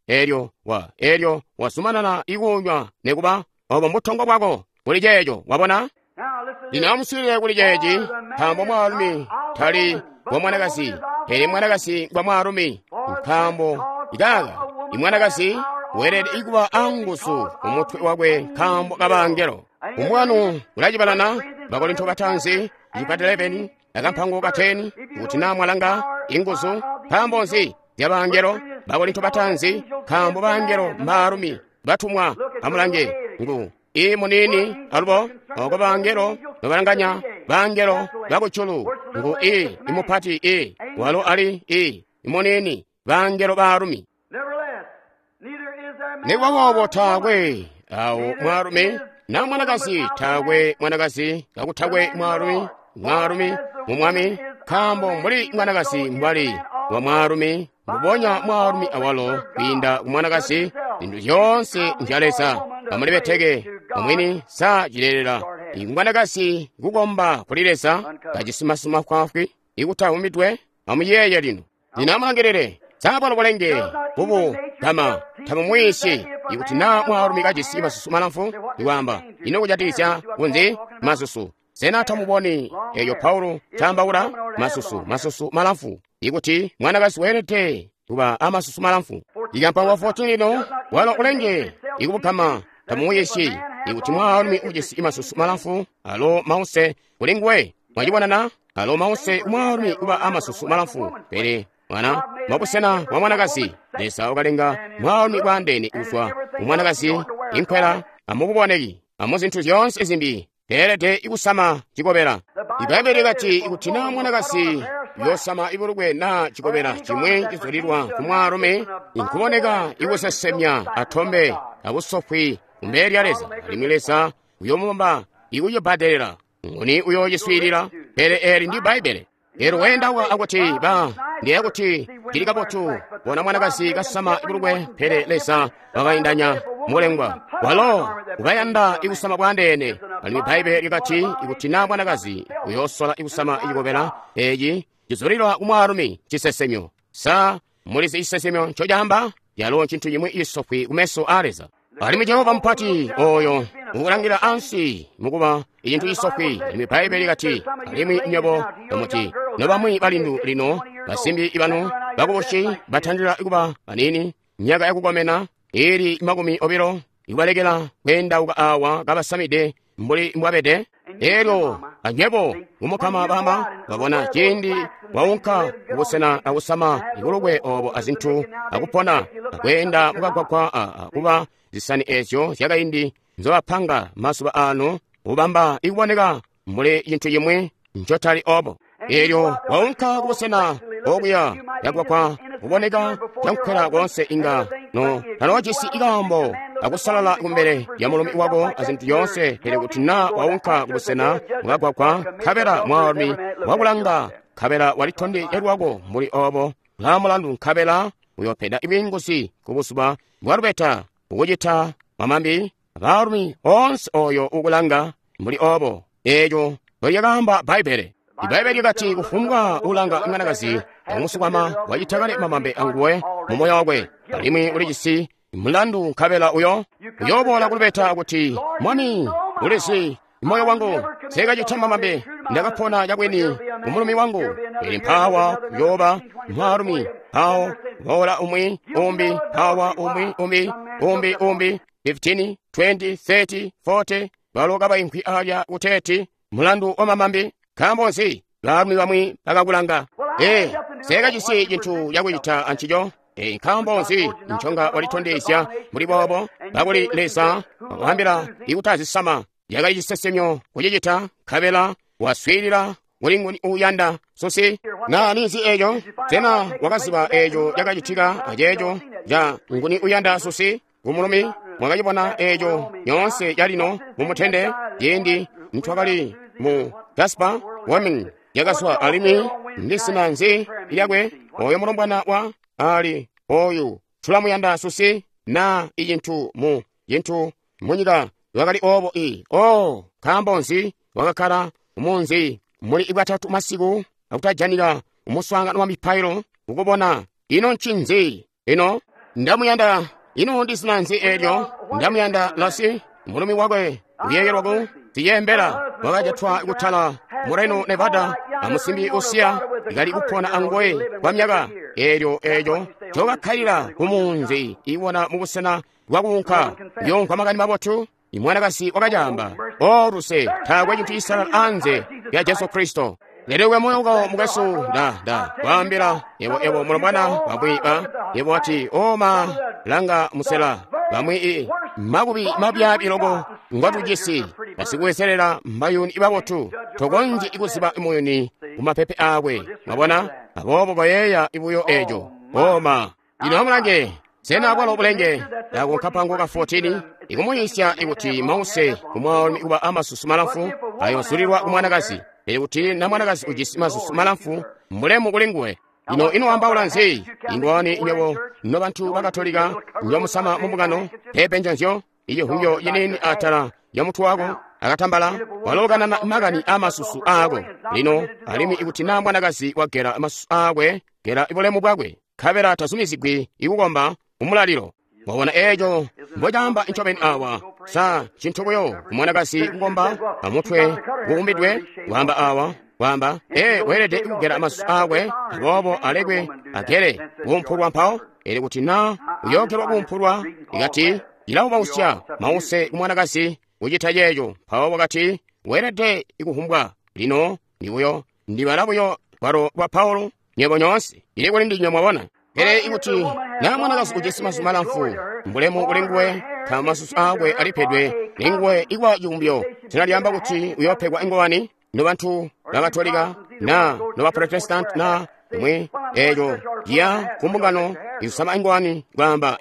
Speaker 1: eelyo wazumanana ikunywa nekuba obo mbutongo bwako kuli ceeco. Wabona? Lino amuswiilile kuli ceeci, nkaambo mwaalumi tali wa mwanakazi, pele mwanakazi ngwa mwaalumi. Nkaambo ikaka imwanakazi weelede ikuba anguzu kumutwe wakwe nkaambo kabangelo. Umwanu ulacibalana Bakorinto batanzi icipati 11 akampango ka 10 kuti naa mwalanga inguzu nkaambo nzi zyabangelo. Bakorinto batanzi nkaambo bangelo mbaalumi batumwa. Amulange ngu i munini alubo oko bangelo babalanganya bangelo bakujulu ngu i imupati i walo ali i munini bangelo baalumi. Nikuba boobo taakwe awo mwaalumi na mwanakazi, taakwe mwanakazi kakutakwe mwaalumi, mwaalumi mu Mwami, nkaambo mbuli mwanakazi mbwali wa mwaalumi, mbubonya mwaalumi awalo kwiinda ku mwanakazi. Zintu zyoonse nzya Leza. Amulibeteke omwini sa cileelela mwanakazi kukomba kuli Leza kacisimasima fwaafwi ikutawumidwe. Amuyeeye lino. Lino amulangilile sabwalo bulenge bubu kama tabumwiisyi ikuti naa mwaalumi kajisi masusu malamfu ikwaamba ino kujatikizya kunzi masusu. Sena tamuboni eyo Paulo caambaula masusu masusu malamfu ikuti mwanakazi weelede kuba amasusu malamfu. Ikampango 14 lino walo ulenge ikubukama tamumwiisyi ikuti mwaalumi ujisi masusu malamfu alo mause kuli nguwe. Mwacibonana Alo mause kumwaalumi kuba amasusu malamfu, pele mwana mabusena bwa mwanakazi. Leza wakalenga mwaalumi bwaandeene kuzwa ku mwanakazi, inkwela amukuboneki amuzintu zyoonse zimbi. Teelede kusama cikobela. Ibbaibele likati ikuti naa mwanakazi yosama ibulukwe naa cikobela cimwi cizulilwa ku mwaalumi, inkuboneka ikusesemya atombe abusofwi kumbele lya Leza, alimwi Leza uyomubamba ikucibbadelela. Nguni uyoociswiilila? Pele eeli ndi Bbaibbele. Elo weendauka akuti ba ndiye kuti cili kabotu bona mwanakazi kasama ibulukwe, pele Leza wakaindanya mulengwa walo ubayanda ikusama bwandeene. Alimwi Bbaibbele likati ikuti naa mwanakazi uyoosola ikusama icikobela eci cizulilwa ku mwaalumi cisesemyo. Sa mulizi cisesemyo ncocaamba? Yalo ncintu cimwi cisofwi kumeso a Leza. Alimwi Jehova mupati oyo ukulangila ansi mukuba icintu cisofwi. Alimwi Bbaibbele likati, alimwi nywebo bamuti nobamwi balindu lino basimbi banu bakubusi batandila kuba banini myaka yakukomena ili 20, ikubalekela kweendauka awa kabasamide mbuli mbwabede. Elyo anywebo kumukama bama babona ciindi waunka kubusena akusama ibulukwe obo azintu akupona akweenda mukagwagwa kuba zisani ezyo zyakaindi nzobapanga mazuba ano ubamba ikuboneka mbuli cintu cimwi ncotali obo. Elyo waunka kubusena okuya yagwagwa kuboneka cankwela koonse inga no tanoojisi ikaambo akusalala kumbele lya mulumi wako azintu zyoonse. Pele kuti naa waunka kubusena mukagwagwa nkabela mwaalumi wakulanga nkabela walitondezya lwako mbuli obo, ulaa mulandu nkabela uyopeda bwiinguzi kubuzuba bwalubeta ukucita mamambi abaalumi oonse oyo ukulanga mbuli obo. Eeco ndolyakaamba Bbaibbele. Ibbaibele likati kufumbwa ulanga mwanakazi amusukwama wacita kale mamambe anguwe mumoyo wakwe, alimwi ulijisi mulandu nkabela uyo uyooboola kulubeta kuti, Mwami, ulizi moyo wangu nsekacita mamambe, ndakapona cabwini kumulumi wangu. Pele mpawa uyooba mwaalumi, mpawo boola umwi umbi, mpawa umwi umbi umbi umbi, 15 20 30 40, balo kabaimvwi alya kuteeti mulandu wa mamambi. Nkaambo nzi baalumi bamwi bakakulanga? Nsekacisi cintu cakucita ancico. Nkaambo nzi nconga walitondezya mbuli boobo? Kakuli Leza wakaambila ikutazisama yakali cisesemyo kucicita, nkabela waswiilila kuli nguni uuyanda susi. Na ninzi eeco? Sena wakaziba eeco cakacitika aceeco ca nguni uyanda susi kumulumi? Mwakacibona eeco nyoonse calino mumutende ciindi ntwakali mu Jasper Wyoming yakazwa, alimwi ndisina nzi lyakwe oyo mulombwana wa ali oyu tulamuyanda susi na icintu mu cintu munyika lwakali obo i o nkaambo nzi wakakkala munzi muli bwatatu masiku akutajanika umuswaangano wa mipailo kukubona ino ncinzi ino ndamuyanda ino ndisina nzi eelyo ndamuyanda lasi mulumi wakwe uyeeyelwaku ziyembela wakajatwa kutala mu Reno Nevada amusimbi usiya ikali kupona anguwe kwa myaka eelyo eeco cokakkalila kumunzi iwona mubusena bwakuunka kuyoomvwa makani mabotu. Imwanakazi wakacaamba, o luse taakwe cintu cisalala anze lya Jesu Kristo. Lelekwe moyo wako mukwesu, nda kwaambila yebo yebo mulombwana bamwi ba yebo ati oma langa musela bamwi i makubi mabyabi loko ngwatujisi basikuwezelela mbayuni ibabotu tokonzyi ikuziba muyuni kumapepe akwe. Mwabona? Aboobo koyeeya ibuyo eeco. Oma ino amulange sena bwalo bulenge ako nkapango ka 14 ikumuyisya ikuti mause kumwaalumi kuba amasusu malamfu ayozulilwa kumwanakazi, pele kuti na mwanakazi ujisi masusu malamfu mulemu kuli nguwe. Ino inoambaula nzi? Ingwani nywebo nobantu bakatolika njomusama mumbungano pepe njonzyo icihungyo cinini atala ya mutwe wako akatambala walokanana makani amasusu aako. Lino alimwi ikuti na mwanakazi wagela masusu aakwe gela ibulemu bwakwe nkabela tazumizigwi ikukomba umulalilo. Wabona eeco mbocaamba ncobeni awa sa cintu buyo kumwanakazi kukomba amutwe kukumbidwe kwaamba awa kwaamba weelede kugela masusu aakwe aboobo alekwe agele kuumpulwa mpawo. Ele kuti na uyoogelwa kuumpulwa ikati cilaubausya mause kumwanakazi kucita ceeco mpawo wakati weelede ikuhumbwa. Lino ni buyo Ndibala buyo lwalo lwa Paulo, nywebo nyoonse, ili kuli ndinywe mwabona. Pele ikuti na mwanakazi ujisi masusu malamfu, mbulemu kuli nguwe, nkaambo masusu aakwe alipedwe linguwe ikuba civumbyo. Sena lyaamba kuti uyoopegwa ingowani? Nobantu ba Katolika na noba Protestant na imwi eeco ciya ku mbungano ikusama ingowani kwaamba,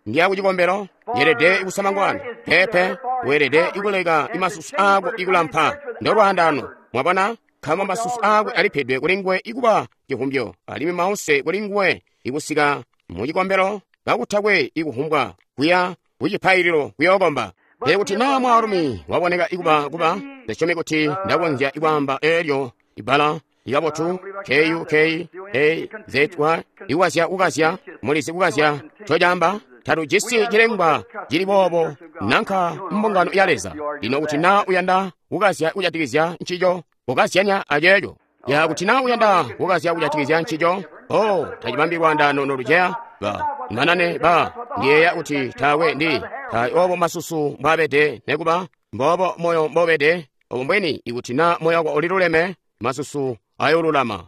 Speaker 1: ndiya ku cikombelo, yeelede kusama ngowani. Peepe, weelede ikuleka imasusu aako ikulampa. Ndolwaandano, mwabona? Nkaambo masusu aakwe alipedwe kuli nguwe ikuba civumbyo, alimwi mause kuli nguwe ikusika mu cikombelo kakutakwe ikuvumbwa kuya ku cipaililo kuyookomba. Pele kuti naa mwaalumi waboneka ikuba kuba, ndisyomi kuti ndakonzya ikwaamba eelyo ibbala likabotu K-U-K-A-Z-Y ikukazya kukazya, mulizi kukazya ncocaamba. Tatujisi cilengwa cili boobo nanka mbungano ya Leza. Lino kuti naa uyanda kukazya kujatikizya ncico, kukazyanya aceeco. Ya kuti naa uyanda kukazya kujatikizya ncico, tacibambi lwaandano noluceya. Ba manane ba ndiyeeya kuti taakwe ndi taali obo masusu mbwaabede nekuba mboobo moyo mbobede. Obo mbweni ikuti naa moyo wako uliluleme, masusu ayoolulama.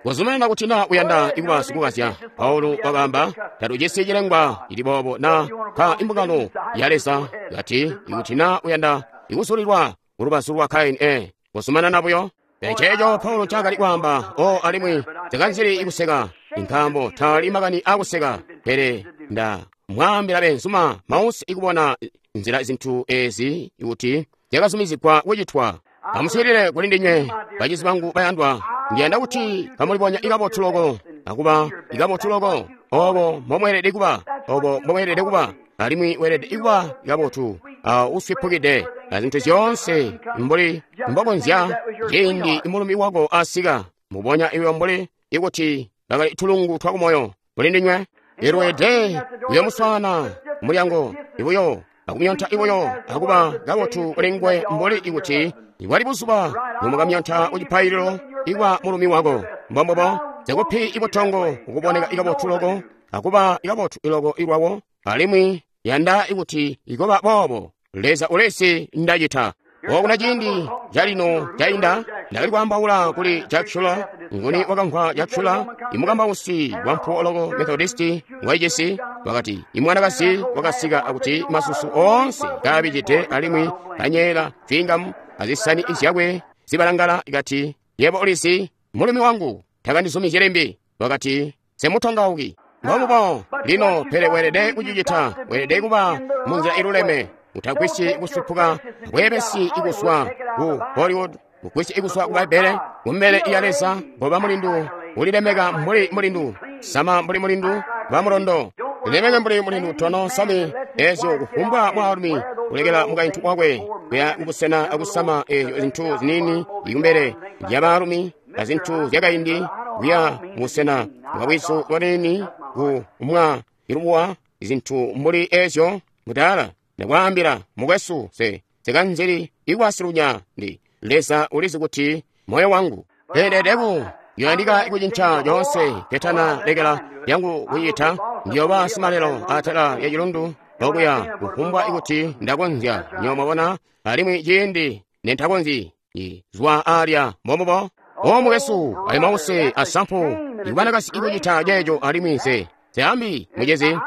Speaker 1: Kuzumanana kuti naa uyanda ikuba sikukazya. Paulo wakaamba, tatujisi cilengwa cili boobo na ka imbungano ya Leza. Kati ikuti naa uyanda ikuzulilwa kulubazu lwa Kaini, kuzumanana buyo. Eceeco Paulo ncaakali kwaamba, alimwi takanzili ikuseka, nkaambo taali makani akuseka, pele nda mwaambila beenzuma mause ikubona nzila zintu ezi kuti zyakazumizigwa kucitwa. Amuswiilile kuli ndinywe, bacizi bangu bayandwa, ndiyanda kuti kamulibonya ikabotu loko, akuba ikabotu loko, obo mbomweelede kuba, obo mbomweelede kuba, alimwi weelede ikuba ikabotu, uswipukide azintu zyoonse mbuli mbokonzya ciindi mulumi wako asika, mubonya iwe mbuli ikuti bakali tulungu twakumoyo kuli ndinywe. Ilweede uyomuswaana mulyango ibuyo akumyonta ibuyo akuba kabotu kuli nguwe mbuli ikuti ibwali buzuba nomukamyonta kucipaililo ikwa mulumi wako. Mbombobo zikupi ibutongo ukuboneka ikabotu loko akuba ikabotu iloko ilwawo, alimwi yanda ikuti ikoba boobo. Leza ulesi ndacita. Okuna ciindi calino cainda ndakali kwaambaula kuli Jack Shuler. Nguni wakamvwa Jack Shuler, imukambausi wampuwo loko Methodisti waicisi, wakati imwanakazi wakasika akuti masusu oonse kaabijide alimwi kanyeela cwingamu azisani zyakwe zibalangala, ikati, yebo ulizi mulumi wangu takandizumizye limbi. Wakati, semutongauki. Mbomubo lino, pele weelede kucicita, weelede kuba munzila iluleme. Utagwisyi kusupuka, bweebesi ikuswa ku Hollywood, kugwisyi ikuswa ku Baibele, kumbele ya Leza, ngoba mulindu, ulilemeka mbuli mulindu, sama mbuli mulindu, ba mulondo. Lilemeke mbuli mulindu tono sami ezyo kufumbwa mwaalumi kulekela mukaintu wakwe kuya kubusena akusama ezyo zintu ziniini ikumbele lya baalumi azintu zyakaindi kuya mubusena bwabwizu bwaniini ku mwa ilubuwa zintu mbuli ezyo. Mudala ndakwaambila mukwesu, sekanzili ikwasilunya ndi Leza ulizi kuti moyo wangu peledeku yoyandika ikucinca coonse ketana lekela yangu kucita. Ndiyoba simalelo atala ya cilundu okuya kufumbwa ikuti ndakonzya nyo mwabona, alimwi ciindi nentakonzyi zwa alya. Mbombubo mukwesu, ali mause asampu ikubanakasi ikucita ceeco, alimwi nse seambi mucezi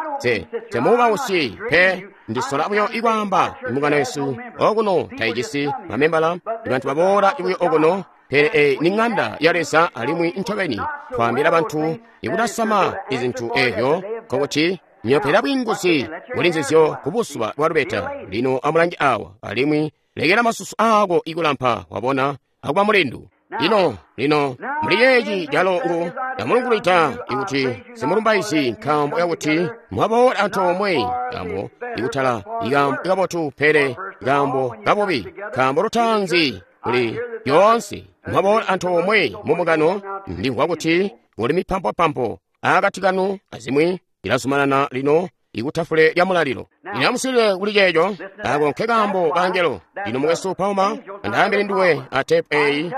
Speaker 1: semuubausi pe. Ndisola buyo ikwaamba imbungano yesu okuno taijisi mamembala, ibantu baboola ibuyo okuno, pele ni ng'anda ya Leza, alimwi ncobeni twaambila bantu ikutasama izintu ezyo, nkokuti nyopela bwinguzi kuli nzizyo ku buzuba bwa lubeta. Lino amulange awa, alimwi lekela masusu aako ikulampa, wabona, akuba mulindu. Lino, lino, muli yeeci calo ngu ndamulungulwida ikuti simulumbaisi nkaambo yakuti mwaboola antoomwe, nkaambo ikutala ikaambo ikabotu pele ikaambo kabubi, nkaambo lutaanzi kuli yoonse mwaboola antoomwe mumukano. Ndimvwa kuti kuli mipampopampo akati kanu azimwi ilazumanana lino ikutafule lya mulalilo. Lino amuswiilile kuli ceeco, ako nke kaambo kaangelo. Lino mukwesu Palmer, andaambile nduwe a tepu eyi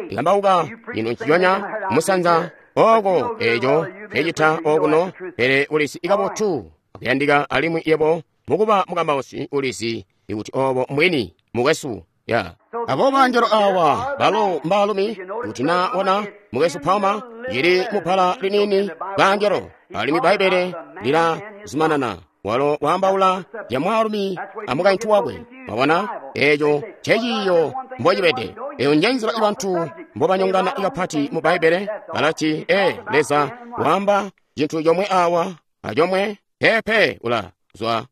Speaker 1: ilambauka ino nciconya musanza oko eco ecita okuno, pele ulizi ikabotu akuyandika, alimwi yebo mukuba mukambausi ulizi ikuti obo mbwini mukwesu. Ya. Abo bangelo awa balo mbaalumi, kuti na ona mukwesu Palmer ili mubala liniini bangelo, alimwi Bbaibbele lila zumanana. Walo waambaula ya mwaalumi a mukaintu wakwe. Mwabona, eeco nceciiyo mbocibede. Eyo njenzila ibantu mbobanyongana kapati mu Bbaibbele. Balati, Leza waamba cintu comwe awa acomwe, pepe ula zwa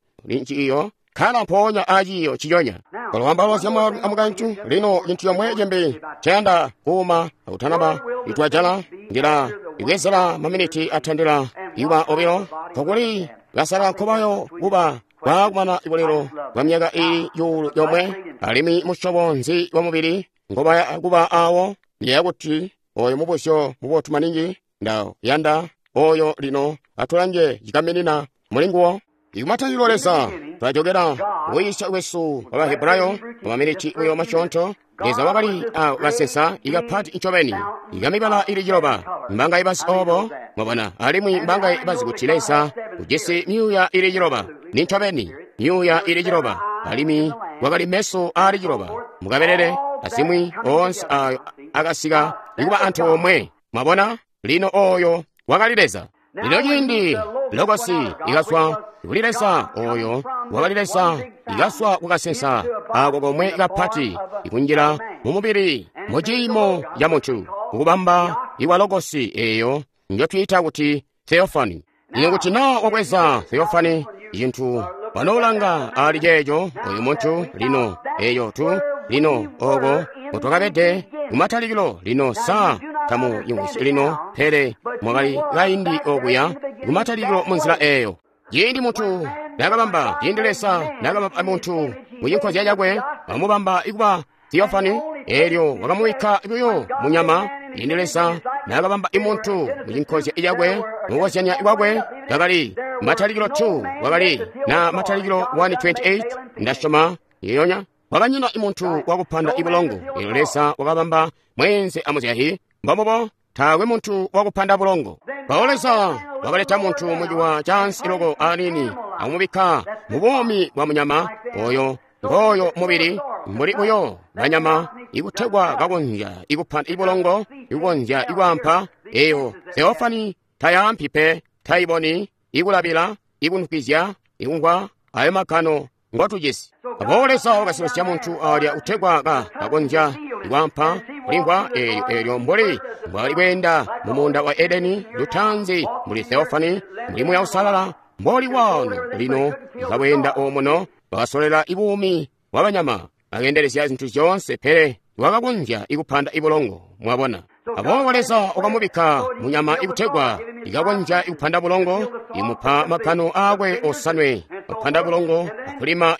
Speaker 1: ciiyo khala mpoonya aciiyo ciconya. Walo zya mwaalumi a mukaintu. Lino cintu comwe cimbi ncayanda kuuma akutanaba itwajala ndila ibwezela maminiti atandila iwa obilo kokuli basala nkobayo kuba baakumana ibulelo bwa myaka ili yuulu yomwe, alimwi musyobo nzi wa mubili ngobaya kuba awo. Ndiyeeya kuti oyo mubuzyo mubotu maningi ndayanda oyo. Lino atulange cikaminina mulinguwo. Ikumatayilo Leza twajokera kuyiisya kwesu kwa Bahebrayo mumaminiti buyo masyoonto. Leza wakali a kasensa ikapati ncobeni ikamibala ili ciloba. Mbanga ibazi obo, mwabona, alimwi mbanga ibazi kuti Leza ujisi myuuya ili ciloba. Ni ncobeni myuuya ili ciloba, alimwi wakali meso aali ciloba mukabelele azimwi oonse ayo akasika ikuba antoomwe. Mwabona, lino oyo wakali Leza. Lino ciindi Logosi ikazwa kuli Leza, oyo wakali Leza, ikazwa kukasensa ako komwe kapati ikunjila mu mubili mu ciimo ca muntu, kukubamba iwa Logosi eyo njotwiita kuti Theophany. Lino kuti na wabweza Theophany cintu wanoolanga ali ceeco oyu muntu lino eyo tu lino oko mutwakabede kumatalikilo. Lino sa tamu yungisi lino, pele mwakali kaindi okuya kumatalikilo munzila eyo. Ciindi muntu nakabamba, ciindi Leza nakabamba muntu mu cinkozya cakwe, wamubamba ikuba Theophany, elyo wakamubikka buyo munyama. Ciindi Leza nakabamba imuntu mu cinkozya cakwe, mukukozyanya kwakwe, kakali matalikilo 2, wakali na matalikilo 1:28 ndasyoma yeyonya. Wakanyina imuntu wakupanda ibulongo. Elyo Leza wakabamba mweenze amuzyahi, mbombubo taakwe muntu wakupanda bulongo. Mpawo Leza wakaleta muntu muciwa cansi loko anini akumubikka mu buumi bwa munyama oyo ngooyo mubili mbuli buyo banyama ikutegwa kakonzya ikupanda ibulongo, ikukonzya ikwaampa. Eyo Theophany tayaampi pe, taiboni, ikulabila, ikunukizya, ikumvwa ayo magano ngotujisi. Aboobo Leza wakasilosya muntu alya utegwa kakonzya ikwaampa kulimvwa eelyo mbuli mbwali kweenda mu muunda wa Edeni lutanzi muli Theophany, muli Muuya Uusalala mboli wano lino ikabweenda omuno. Wakasolela ibuumi bwa banyama, akeendelezya zintu zyoonse, pele wakakonzya ikupanda ibulongo. Mwabona, aboobo Leza wakamubikka munyama ikutegwa ikakonzya ikupanda bulongo, imupa magano akwe osanwe kupanda bulongo, akulima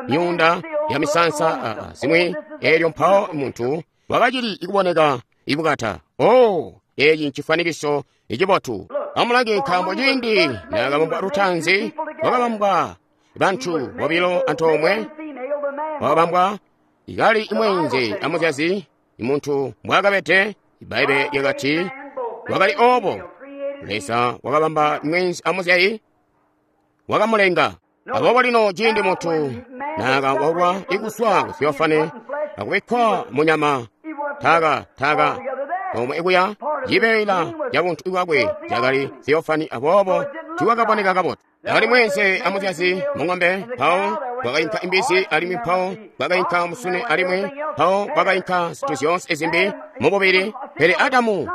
Speaker 1: myuunda ya misansa zimwi. Elyo mpawo muntu wakacili ikuboneka ibukata. Oh, eci ncifwanikiso icibotu. Amulange, nkaambo ciindi nakabambwa lutanzi, wakabambwa bantu bobilo antoomwe, wakabambwa ikali imwenze amuzyazi. Imuntu mbwakabede, Bbaibbele lyakati wakali obo. Leza wakabamba mwenzi amuzyayi, wakamulenga. Aboobo lino ciindi muntu nakawalwa ikuswa ku Theophany akubikkwa munyama, taka omwe ikuya cibeela ca buntu bwakwe cakali Theophany, aboobo tiwakaboneka kabotu. Akali mwenze amuzyazi mung'ombe, mpawo kwakainka imbizi, alimwi mpawo kwakainka musune, alimwi mpawo kwakainka zintu zyoonse zimbi mububili. Pele Adamu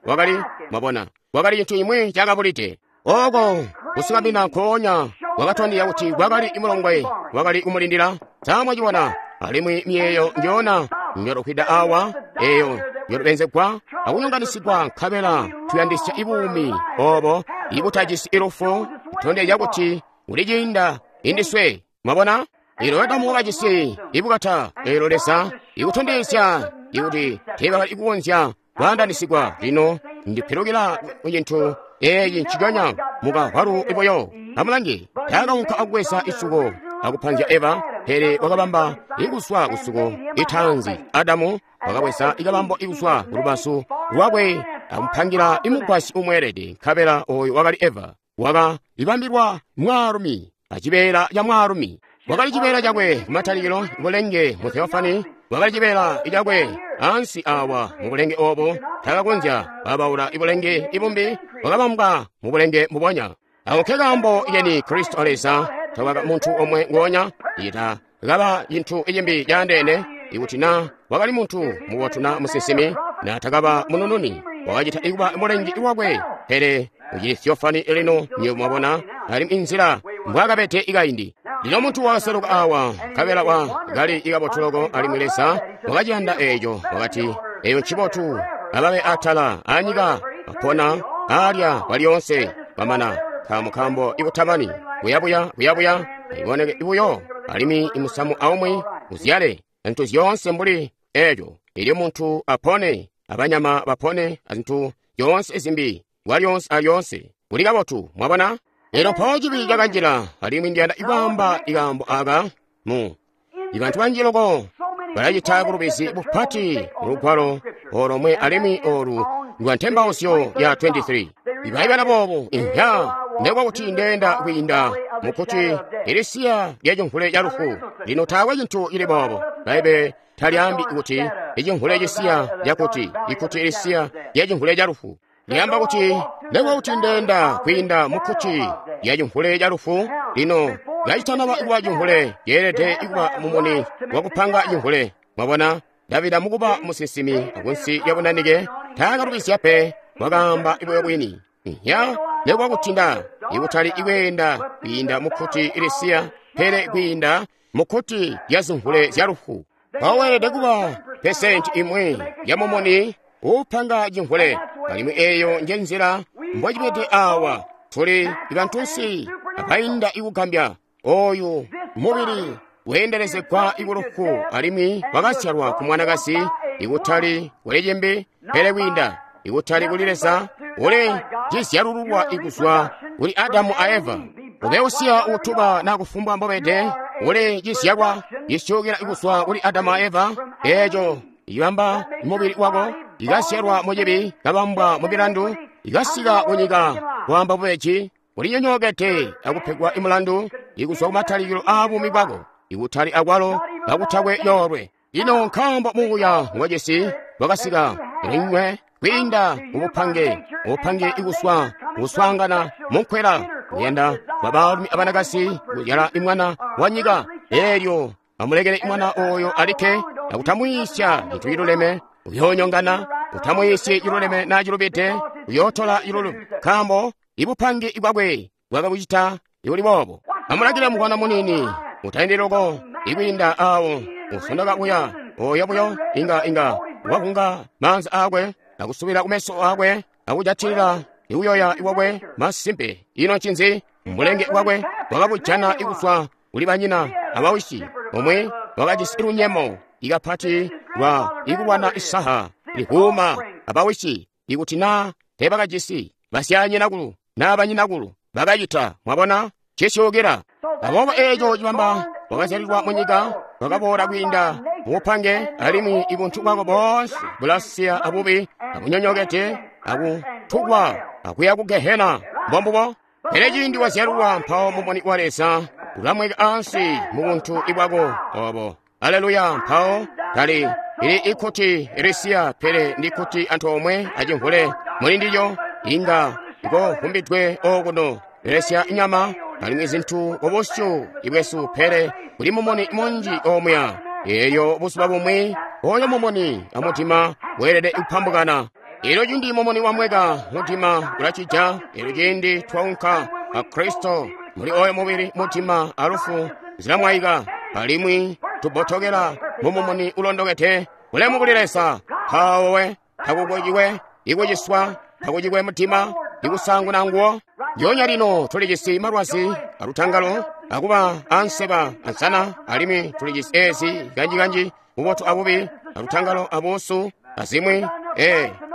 Speaker 1: wakali, mwabona, wakali cintu imwe cakabulide. Oko kusukamina nkoonya wakatondezya kuti kwakali imulongwe wakali kumulindila. Samwacibona, alimwi miyeeyo njona njotufwida awa, eyo njotupenzegwa akunyonganisigwa, nkabela tuyandisya ibuumi obo ibutajisi ilufu, kutondezya kuti kuli ciinda indiswe. Mwabona, ilo Adamu wakajisi ibukata, elo Leza ikutondezya ikuti teebakali kukonzya kwaandanisigwa. Lino ndipilukila ku cintu eeci nciconya mukahwalu ibuyo. Amulange, taakaunka akubweza isuko akupanzya Eva, pele wakabamba ikuswa kusuko itaanzi. Adamu wakabweza ikabambo ikuswa kulubazu lwakwe akumupangila imugwasyi umweelede, nkabela oyo wakali Eva. Waka ibambilwa mwaalumi acibeela ca mwaalumi. Wakali cibeela cakwe kumatalikilo, bulenge mu Theophany. Wakali cibeela cakwe ansi awa mu bulenge obo, takakonzya kwabaula ibulenge ibumbi, bwakabambwa mu bulenge mbubonya. Ako nke kaambo keni Kristo a Leza tabaka muntu omwe ngonya, ita kaba cintu cimbi caandeene. Ikuti na wakali muntu mubotu na musinsimi, na takaba munununi, wakacita ikuba mulengi wakwe, pele ucili theofani lino, nywebo mwabona, alimwi inzila mbwakabede ikaindi. Lino muntu wakaseluka awa, nkabela wa kali ikabotu loko, alimwi Leza wakaciyanda eeco, wakati, eyo ncibotu, ababe atala anyika, bapona, alya kwalyoonse, bamana, nkaambo ikutamani, kuyabuya, kuyabuya, iboneke buyo, alimwi imusamu aumwi uzyale zintu zyoonse mbuli eeco, elyo muntu apone, abanyama bapone, azintu zyoonse zimbi, kwalyoonse alyoonse, kuli kabotu, mwabona? Elyo mpawo cibi cakanjila, alimwi ndiyanda ikwaamba ikaambo aka mu ibantu banji loko balacita bulubizi bupati mu lugwalo olomwe, alimwi olu lwa ntembauzyo ya 23. Ibaibala boobu, inhya, ndekwa kuti ndeenda kwiinda mukuti ilisiya lya cimvule ca lufu. Lino taakwe cintu cili boobo. Baibe talyaambi kuti icimvule cisiya cakuti ikuti ilisiya lya cimvule ca lufu. Lyaamba kuti ndekwa kuti ndeenda kwiinda mukuti lya cimvule ca lufu. Lino kacitanaba kuba cimvule, yeelede kuba mumuni wakupanga cimvule. Mwabona, Davida mukuba musinsimi akunsi lya bunanike taakalubizya pe, wakaamba buyo bwini. Inhya, ndekwa kuti nda ikutali ikweenda kwiinda mukuti ilisiya, pele kwiinda mukuti lya zimvule zya lufu. Mpawo weelede kuba pesenti imwi ya mumuni upanga cimvule, alimwi eeyo nje nzila mbocibede awa. Tuli bantunsi abainda ikugambya. Oyu mubili weendelezegwa ikulufu, alimwi wakazyalwa ku mwanakazi, ikutali kuli cimbi, pele kwiinda ikutali kuli Leza, uli cizyalululwa ikuzwa kuli Adamu a Eva. Ube usiya utuba na kufumbwa mbobede, uli cizyalwa cisyukila ikuzwa kuli Adamu a Eva, eeco ibamba mubili wako, ikazyalwa mucibi, kabambwa mu milandu, ikasika kunyika kwaamba bubeji, ulinyonyookede akupegwa imulandu ikuzwa kumatalikilo aabuumi bwako, ikutali akwalo kakutakwe yoolwe. Ino nkaambo muuya ngwajisi wakasika kulinywe kwiinda mubupange, ubupange ikuswa kuswaangana munkwela kuyanda kwa baalumi abanakazi kuzyala imwana wa nyika. Eelyo amulekele imwana oyo alikke, akutamwiisya cintu ciluleme, uyoonyongana, utamwiisye ciluleme na cilubide, uyootola ciluleme, nkaambo ibupange bwakwe bwakabucita ibuli boobo. Amulangile mukwana munini, utaindi loko ikwiinda awo usondoka kuya oyo buyo inga wakunga maanza akwe akusubila kumeso akwe akujatilila ikuyoya iwakwe masimpe. Ino ncinzi? Mbulenge bwakwe wakabujana ikuswa kuli banyina abawisi, omwe wakajisi lunyemo ikapati lwa ikulwana isaha lihuuma abawisi, ikuti na teebakajisi basyanyinakulu na banyinakulu bakacita. Mwabona, cisyukila. Aboobo eeco cibamba wakazyalilwa munyika, wakaboola kwiinda mubupange, alimwi ibuntu bwako boonse bulasiya abubi, abunyonyokede, akutukwa, akuya ku Gehena. Mbombubo. Pele ciindi wazyalulwa, mpawo mumuni wa Leza ulamweka ansi mu buntu ibwako obo. Aleluya! Mpawo tali ili ikuti ilisiya, pele ndi kuti antoomwe acimvule muli ndilyo, inga ikovumbidwe okuno belesya nyama alimwi zintu kubusyu ibwesu, pele kuli mumuni munji omuya. Elyo buzuba bumwi oyo mumuni amutima weelede kupambukana. Elyo ciindi mumuni wamweka, mutima ulacija. Elyo ciindi twaunka a Kristo muli oyo mubili, mutima alufu zilamwaika, alimwi tubotokela mumumuni ulondokede. Bulemu kuli Leza. Mpawo we takukuciwe ikuciswa, takucikwe mutima ikusanguna nguwo. Ndyoonya lino tulijisi malwazi alutangalo, akuba anseba ansana, alimwi tulijisi ezi kanjikanji bubotu abubi, alutangalo abuusu, azimwi.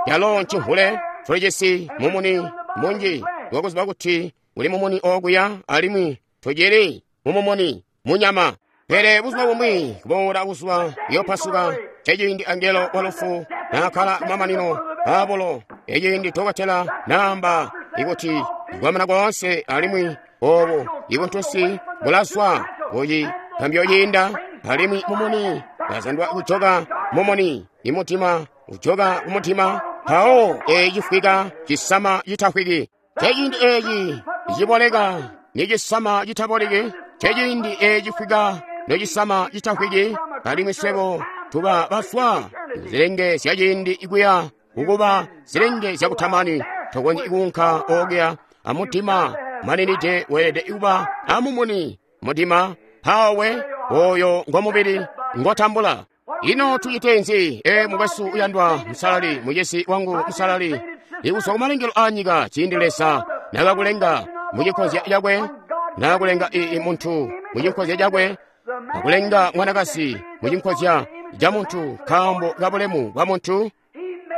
Speaker 1: Yalo ncimvule. Tulijisi mumuni munji wakuziba kuti uli mumuni okuya, alimwi tucili mumumuni munyama. Pele buzuba bumwi kuboola buzuba buyopasuka, ceciindi angelo wa lufu naakala kumamanino aabulo, eciindi dokotela naamba ikuti kwamana koonse, alimwi obo ibuntusi bulazwa kuci kambyo ciinda. Alimwi mumuni wazandwa kujoka mumuni. I mutima ujoka ku mutima. Mpawo eeci cifwika cisama citafwiki. Ceciindi eeci ciboleka ni cisama citaboleki. Ceciindi eeci cifwika nocisama citafwiki. Alimwi swebo tuba baswa zilenge zya ciindi kuya kukuba zilenge zyakutamani. Tokonzyi kuunka okuya amutima maninide, weelede kuba amumuni mutima mpawe oyo ngomubili ngotambula. Ino tucite nzi? E mukwesu uyandwa musalali, mucisi wangu musalali, ikuzwa kumalengelo a nyika ciindi Leza nakakulenga mucinkozya cakwe, nakakulenga ii muntu mucinkozya cakwe, akulenga mwanakazi mucinkozya ca muntu, nkaambo kabulemu bwa muntu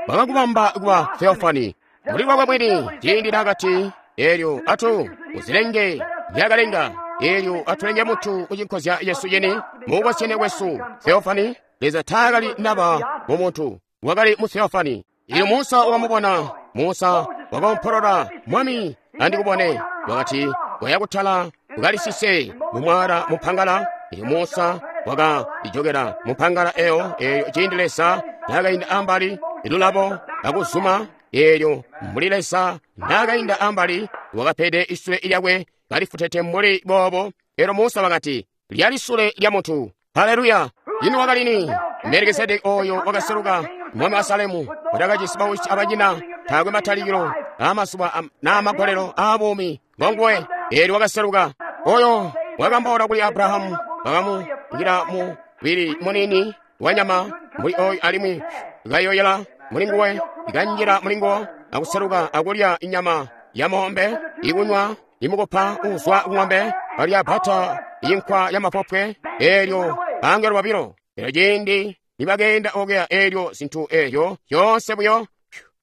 Speaker 1: wakakubamba kuba theofani muli lwakwe mwini. Ciindi nakati eelyo atu uzilenge byakalenga, eelyo atulenge muntu mucinkozya yesu cini mubukozyene bwesu. Theofani, Leza taakali naba mu muntu, wakali mu theofani. Ilyo Musa wakamubona, Musa wakaompolola, Mwami andikubone. Wakati waya kutala ukalisise mumwala mupangala. Ilyo Musa wakaijokela mupangala eyo, eelyo ciindi Leza naakainda ambali ilulabo akuzuma, eelyo mbuli Leza naakainda ambali wakapede isule lyakwe kalifutete mbuli boobo. Eelyo Musa wakati, lyali sule lya muntu. Haleluya! Ino wakali ni? Melikisedeki oyo wakaseluka, mwami wa Salemu, watakajisi bawisi abanyina, taakwe matalikilo aamazuba n'amagolelo aabuumi, ngonguwe. Eelyo wakaseluka oyo wakambaula kuli Abrahamu, wakamungila mubili munini wanyama mbuli oyo, alimwi kayoyela mulinguwe, ikanjila mulinguwo akuseluka akulya inyama ya moombe, ikunywa imukupa uuzwa kung'ombe, alya bata inkwa ya mapopwe. Eelyo angelo babilo, eelyo ciindi nibakeenda okuya, eelyo zintu eelyo zyoonse buyo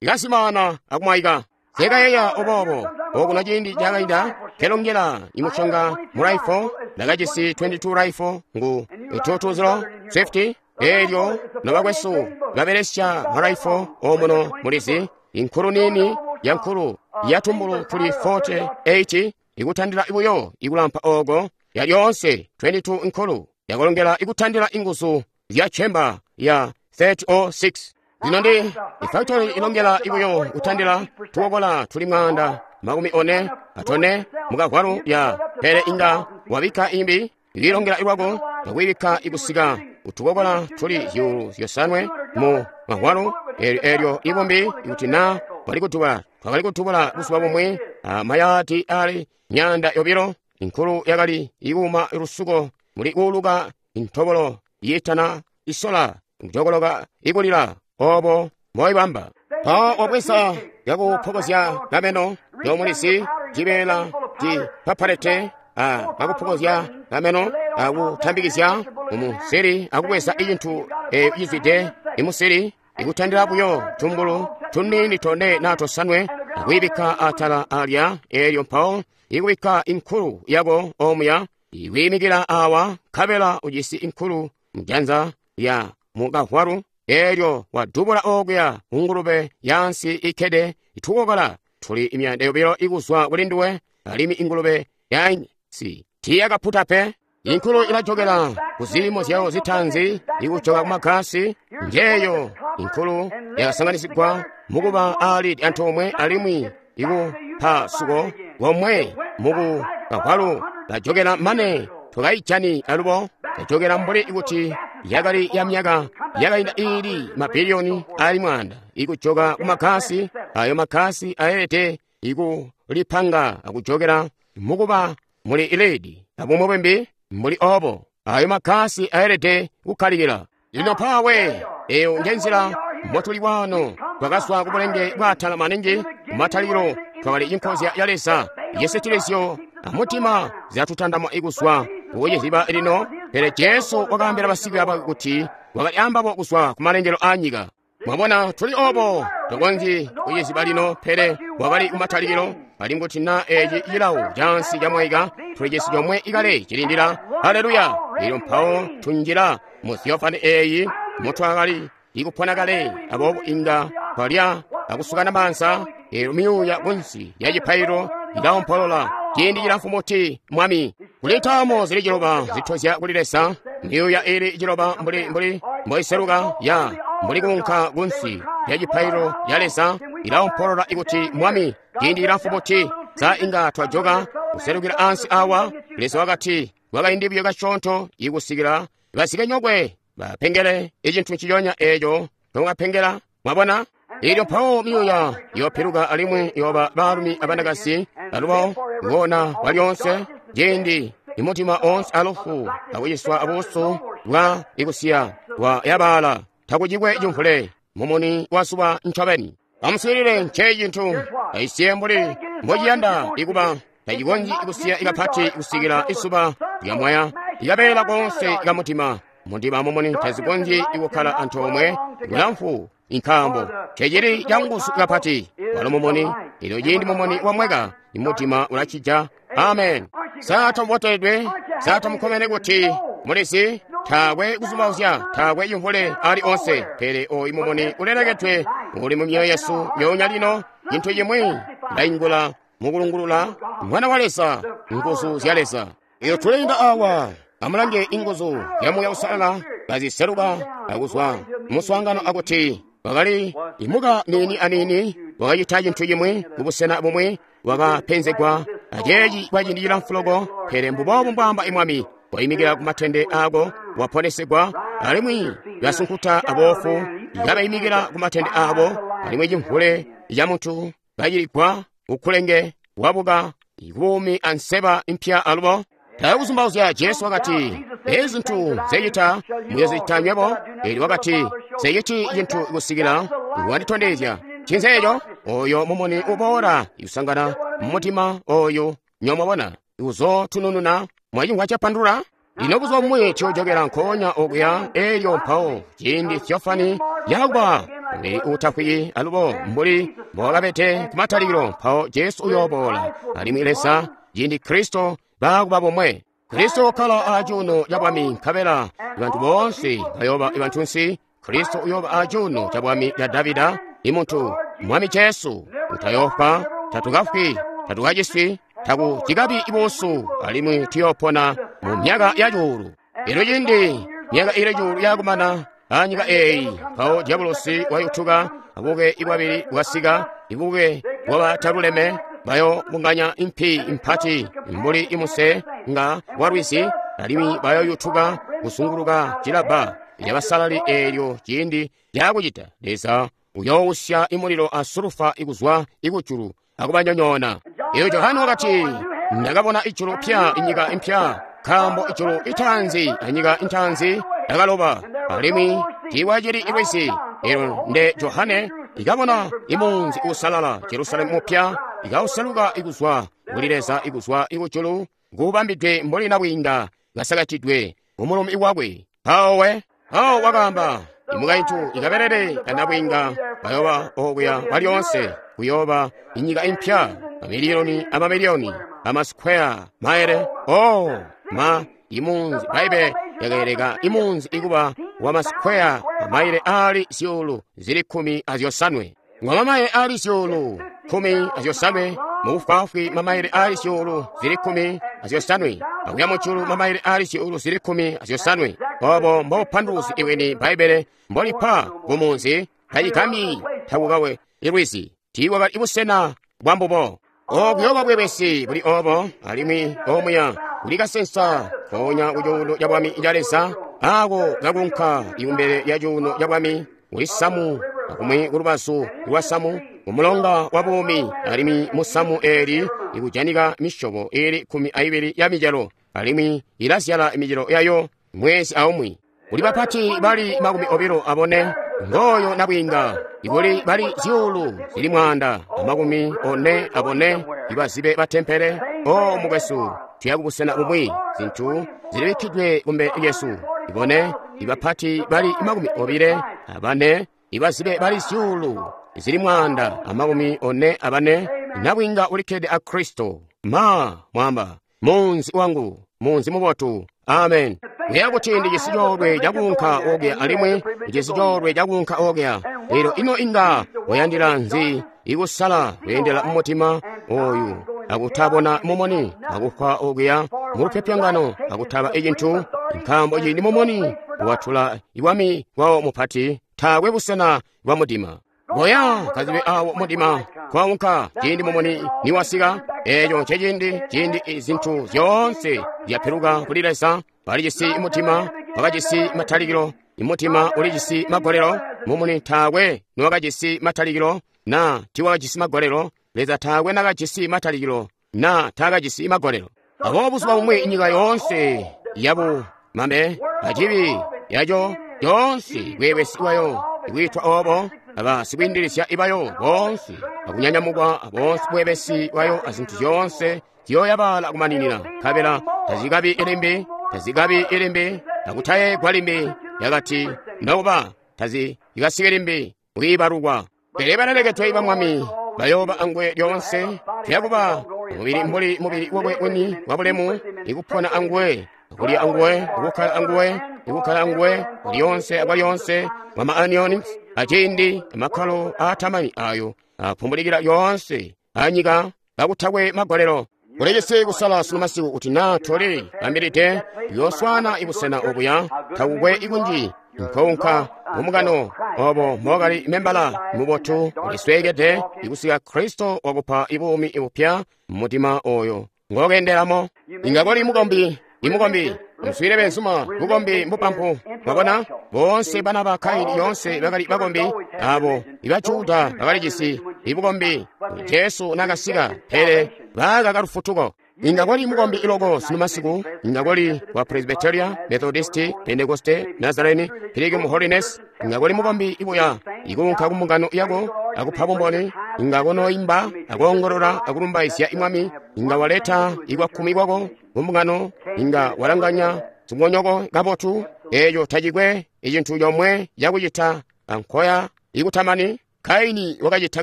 Speaker 1: ikazimaana akumwaika. Sekayeya obobo okuno ciindi cakainda kelongela imushonga mu rifle, ndakajisi 22 rifle ngu 220 50. Eelyo nobakwesu babelesya marifle omuno mulizi, inkulu nini ya nkulu yatumbulu tuli 48 ikutandila buyo ikulampa oko ya lyonse 22 nkulu yakulongela ikutandila inguzu zya chemba ya 3006. Lino ndi ifactory ilongela ibuyo kutandila tukokola tuli 444 mukavwalu ya pele inga wabika imbi ililongela ilwako nakuibika ikusika utukokola tuli 5,000 mu mavwalu. Eelyo ibumbi ikuti na walikutubula, twakali kutubula buzuba bumwe amayadi ali 200. Inkulu yakali ikuuma lusuko muli kuuluka intobolo yiitana isola njokoloka ikulila obo moibamba. Mpawo wabweza yakuphokozya kameno yomulisi cibeela cipapalete akuphokozya kameno akutambikizya mumusiri akubweza icintu cizwide imusiri ikutandila buyo tumbulu tunini tone na tosanwe akuyibikka atala alya. Eelyo mpawo ikubikka inkulu yako omuya ikuyimikila awa, nkabela ujisi inkulu mjanza ya mukavwalu. Eelyo wadubula okuya kungulube yansi ikkede itukokola tuli 200 ikuzwa kuli nduwe, alimwi ingulube yansi tiyakaputa pe. Inkulu ilajokela kuziimo zyawo zitanzi ikujoka kumagasi. Njeeyo inkulu yakasanganisigwa mukuba ali antoomwe, alimwi ikupasuko komwe muku kavwalu kajokela mane twakaijani alubo kajokela mbuli kuti yakali ya myaka yakainda ili mabiliyoni ali 100 ikujoka kumagasi. Ayo magasi aelede ikulipanga akujokela mukuba muli iledi abumwe bwembi mbuli obo. Ayo magasi aelede kukkalikila. Lino pawe eyo njenzila motuli wano. Twakazwa kubulenge bwatala maningi kumatalikilo, twakali inkozya ya Leza yesitilizyo amutima zyatutandamwa ikuzwa kuciziba lino. Pele Jesu wakaambila basikwiiya bakwe kuti wakali ambabo kuzwa kumalengelo a nyika. Mwabona, tuli obo tokonzyi kuciziba lino, pele wakali kumatalikilo. Ali kuti na eci cilawo cansi camwaika, tuli cisi comwe ikale cilindila. Haleluya! Elyo mpawo tunjila mu theofani eyi mutwakali ikupona kale, aboobo inga twalya akusukana maanza. Eelyo myuuya kunsi ya cipaililo ilaompolola ciindi cilamfu muti Mwami. Kuli ntaamo zili 9 zitozya kuli Leza. Myuuya ili ciloba mbuli mboiseluka ya mbuli kuunka kunsi lya cipaililo ya Leza, ilaompolola ikuti, Mwami, ciindi cilamfu buti, sa inga twajoka kuselukila ansi awa? Leza wakati, kwakaindi buyo kasyoonto ikusikila basikenyokwe bapengele icintu nciconya eeco nokapengela. Mwabona? Elyo mpawo myuuya yopiluka alimwi yoba baalumi abanakazi alubo ngona kwalyonse ciindi imutima onse alufu akuciswa abuusu bwa ikusiya bwa yabaala takucikwe cimvule mumuni wa zuba ncobeni. Amuswiilile, nce cintu aisiye mbuli mbociyanda ikuba tacikonzyi kusiya ikapati kusikila isuba lyamwaya ikabeela konse kamutima. Mundima mumuni tazikonzyi ikukkala antoomwe kulamfu, nkaambo cecili canguzu kapati walo mumuni. Elyo ciindi mumuni wamweka, imutima ulacija. Amen. Sa tamuboteledwe? Sa tamukkomene kuti mulizi taakwe kuzumauzya, taakwe cimvule ali onse, pele oyu mumuni ulelekedwe uli mu myoyo yesu myoonya lino. Cintu cimwi ndaingula mukulungulula Mwana wa Leza, nguzu zya Leza. Iyo tuleenda awa, amulange inguzu zya Muuya Uusalala kaziseluka akuzwa muswaangano akuti wakali imuka niini aniini wakacita cintu cimwi kubusena bumwi, wakapenzegwa aceeci kwa ciindi cilamfu loko, pele mbuboobu mbwaamba imwami, waimikila ku matende ako, waponesegwa, alimwi basunkuta aboofu kabaimikila ku matende abo, alimwi cimvule ca muntu kaciligwa ukulenge wabuka kubuumi anseba impya alubo. Taakuzumbauzya Jesu wakati, ezi zintu nzecita muyozicita nywebo. Eli wakati, nzeciti cintu kusikila wanditondezya. Ncinzi eco? Oyo mumuni uboola ikusangana mumutima oyu nyomwabona uzotunununa. Mwacimvwa capandulula? Lino buzuba bumwi tuyojokela nkoonya okuya. Elyo mpawo ciindi Theofani yakuba mubili uutafwiki alubo mbuli mbowakabede kumatalikilo, mpawo Jesu uyooboola alimwi Leza ciindi Kristo baakuba bomwe. Kristo ukkala acuuno ca bwami, nkabela bantu boonse bayooba bantunsi. Kristo uyooba acuuno ca bwami ca Davida, imuntu Mwami Jesu utayoofa, tatukafwi, tatukaciswi, takucikabi ibuusu, alimwi tuyoopona mu myaka ya cuulu. Elyo ciindi myaka ili cuulu yakumana anyika eeyi, mpawo Diabolosi wayutuka, abuke ibwabili bwasika, ibuke bwabataluleme bayobunganya impi impati mbuli imuse nga walwizi, alimwi bayoyutuka kusunguluka cilabba lyabasalali. Eelyo ciindi lyakucita, Leza uyoowusya imulilo a sulufa ikuzwa ikujulu akubanyonyoona. Elyo Johane wakati, ndakabona ijulu pya inyika impya, nkaambo ijulu itaanzi anyika intaanzi yakaloba, alimwi tiiwacili ilwizi. Elyo nde Johane ikabona imunzi uusalala, Jerusalemu mupya, ikauseluka ikuzwa kuli Leza ikuzwa ikujulu, kuubambidwe mbuli nabwiinga kasakatidwe kumulumi wakwe. Mpawo mpawo wakaamba, imukaintu ikabelele kanabwiinga bayoba okuya kwalyonse, kuyooba inyika impya, mamiliyoni amamiliyoni amasikwea maele. Oh ma, imunzi Baibe yakaeleka imunzi ikuba wa masikwea amaile ali zyuulu zili 15. Ngwa mamaile ali zyuulu 15, mubufwaafwi mamaile ali zyuulu zili 15, akuya mujulu mamaile ali zyuulu zili 15. Obo mbobupanduluzi iweni Baibe mbolipa kumunzi tacigami takukawe ilwizi tiiwakali ibusena bwa mbubo. Okuyoba bwebesi buli obo, alimwi omuya kuli kasensa koonya ku cuuno ca bwami ca Leza, ako kakunka ikumbele lya cuuno ca bwami kuli samu, akumwi kulubazu lwa samu kumulonga wa buumi, alimwi musamu eeli ikujanika misyobo iili 12 ya micelo, alimwi ilazyala micelo yayo mwezi aumwi. Kuli bapati bali 24, ngoyo nabwiinga, ikuli bali zyuulu zili 144 ibazibe batempele. O mukwesu, tuya kubusena bumwi, zintu zilibikkidwe kumbele lyesu. Ibone ibapati bali 24, ibazibe bali zyuulu zili 144, nabwiinga ulikkede a Kristo. Ma mwamba munzi wangu, munzi mubotu. Amen. Kuya kuti ndijisi coolwe cakuunka okuya, alimwi ndijisi coolwe cakuunka okuya. Lero ino inga wayandila nzi ikusala kweendela mumutima oyu akutabona mumuni akufwa okuya mulupyopyongano akutaba icintu Nkaambo ciindi mumuni watula iwami wawo mupati, taakwe busena bwa mudima. Goya kazibe awo mudima kwaunka ciindi mumuni niwasika. Eeco nceciindi ciindi zintu zyoonse zyapiluka kuli Leza. Balijisi mutima wakajisi matalikilo, imutima ulijisi magolelo. Mumuni taakwe niwakajisi matalikilo na tiwakajisi magolelo. Leza taakwe nakajisi matalikilo na taakajisi magolelo. Aboobo buzuba bumwi nyika yoonse yabu mame acibi yaco yoonse bweebesi bwayo ikwiitwa obo aba sikwiindilizya ibayo boonse akunyanyamukwa boonse bweebesi bwayo azintu zyoonse ziyoyabaala kumaninina, nkabela tazikabi ilimbi, tazikabi ilimbi, akutayegwa limbi, yakati nokuba tazikasike limbi kwiibalukwa. Pele balelekedwe ba Mwami bayooba angwe lyoonse, tuyakuba mubili mbuli mubili wakwe wini wabulemu, ikupona angwe, kulya anguwe, ikukkala anguwe, ikukkala anguwe lyoonse akwalyonse mwa maanioni aciindi amakkalo aatamani ayo apumbulikila yoonse anyika kakutakwe magolelo. Kulecese kusala sunu masiku kuti naa toli bambilide yooswana ibusena obuya takukwe ikunji nkounka mumukano obo mokali membala mubotu ulisweekede ikusika Kristo wakupa ibuumi ibupya mumutima oyo ngokendelamo. Inga koli mukombi imukombi muswile benzuma bukombi mbupampu. Mwabona boonse bana ba Kaini yoonse bakali bakombi, abo iba Juda bakalijisi ibukombi Jesu nakasika, pele bakaka lufutuko. Inga kwali mukombi iloko sunu masiku, inga kwali wa Presbyteria, Methodisti, Pentecoste, Nazarene, Pilgrim Holiness. Inga kwali mukombi ibuya ikunka kumbungano yako akupa bumboni, inga konoimba akuongolola akulumbaizya imwami, inga waleta ikwakkumi kwako kumbungano, inga walanganya zingonyoko kabotu. Eeco tacikwe icintu comwe cakucita ankoya ikutamani. Kaini wakacita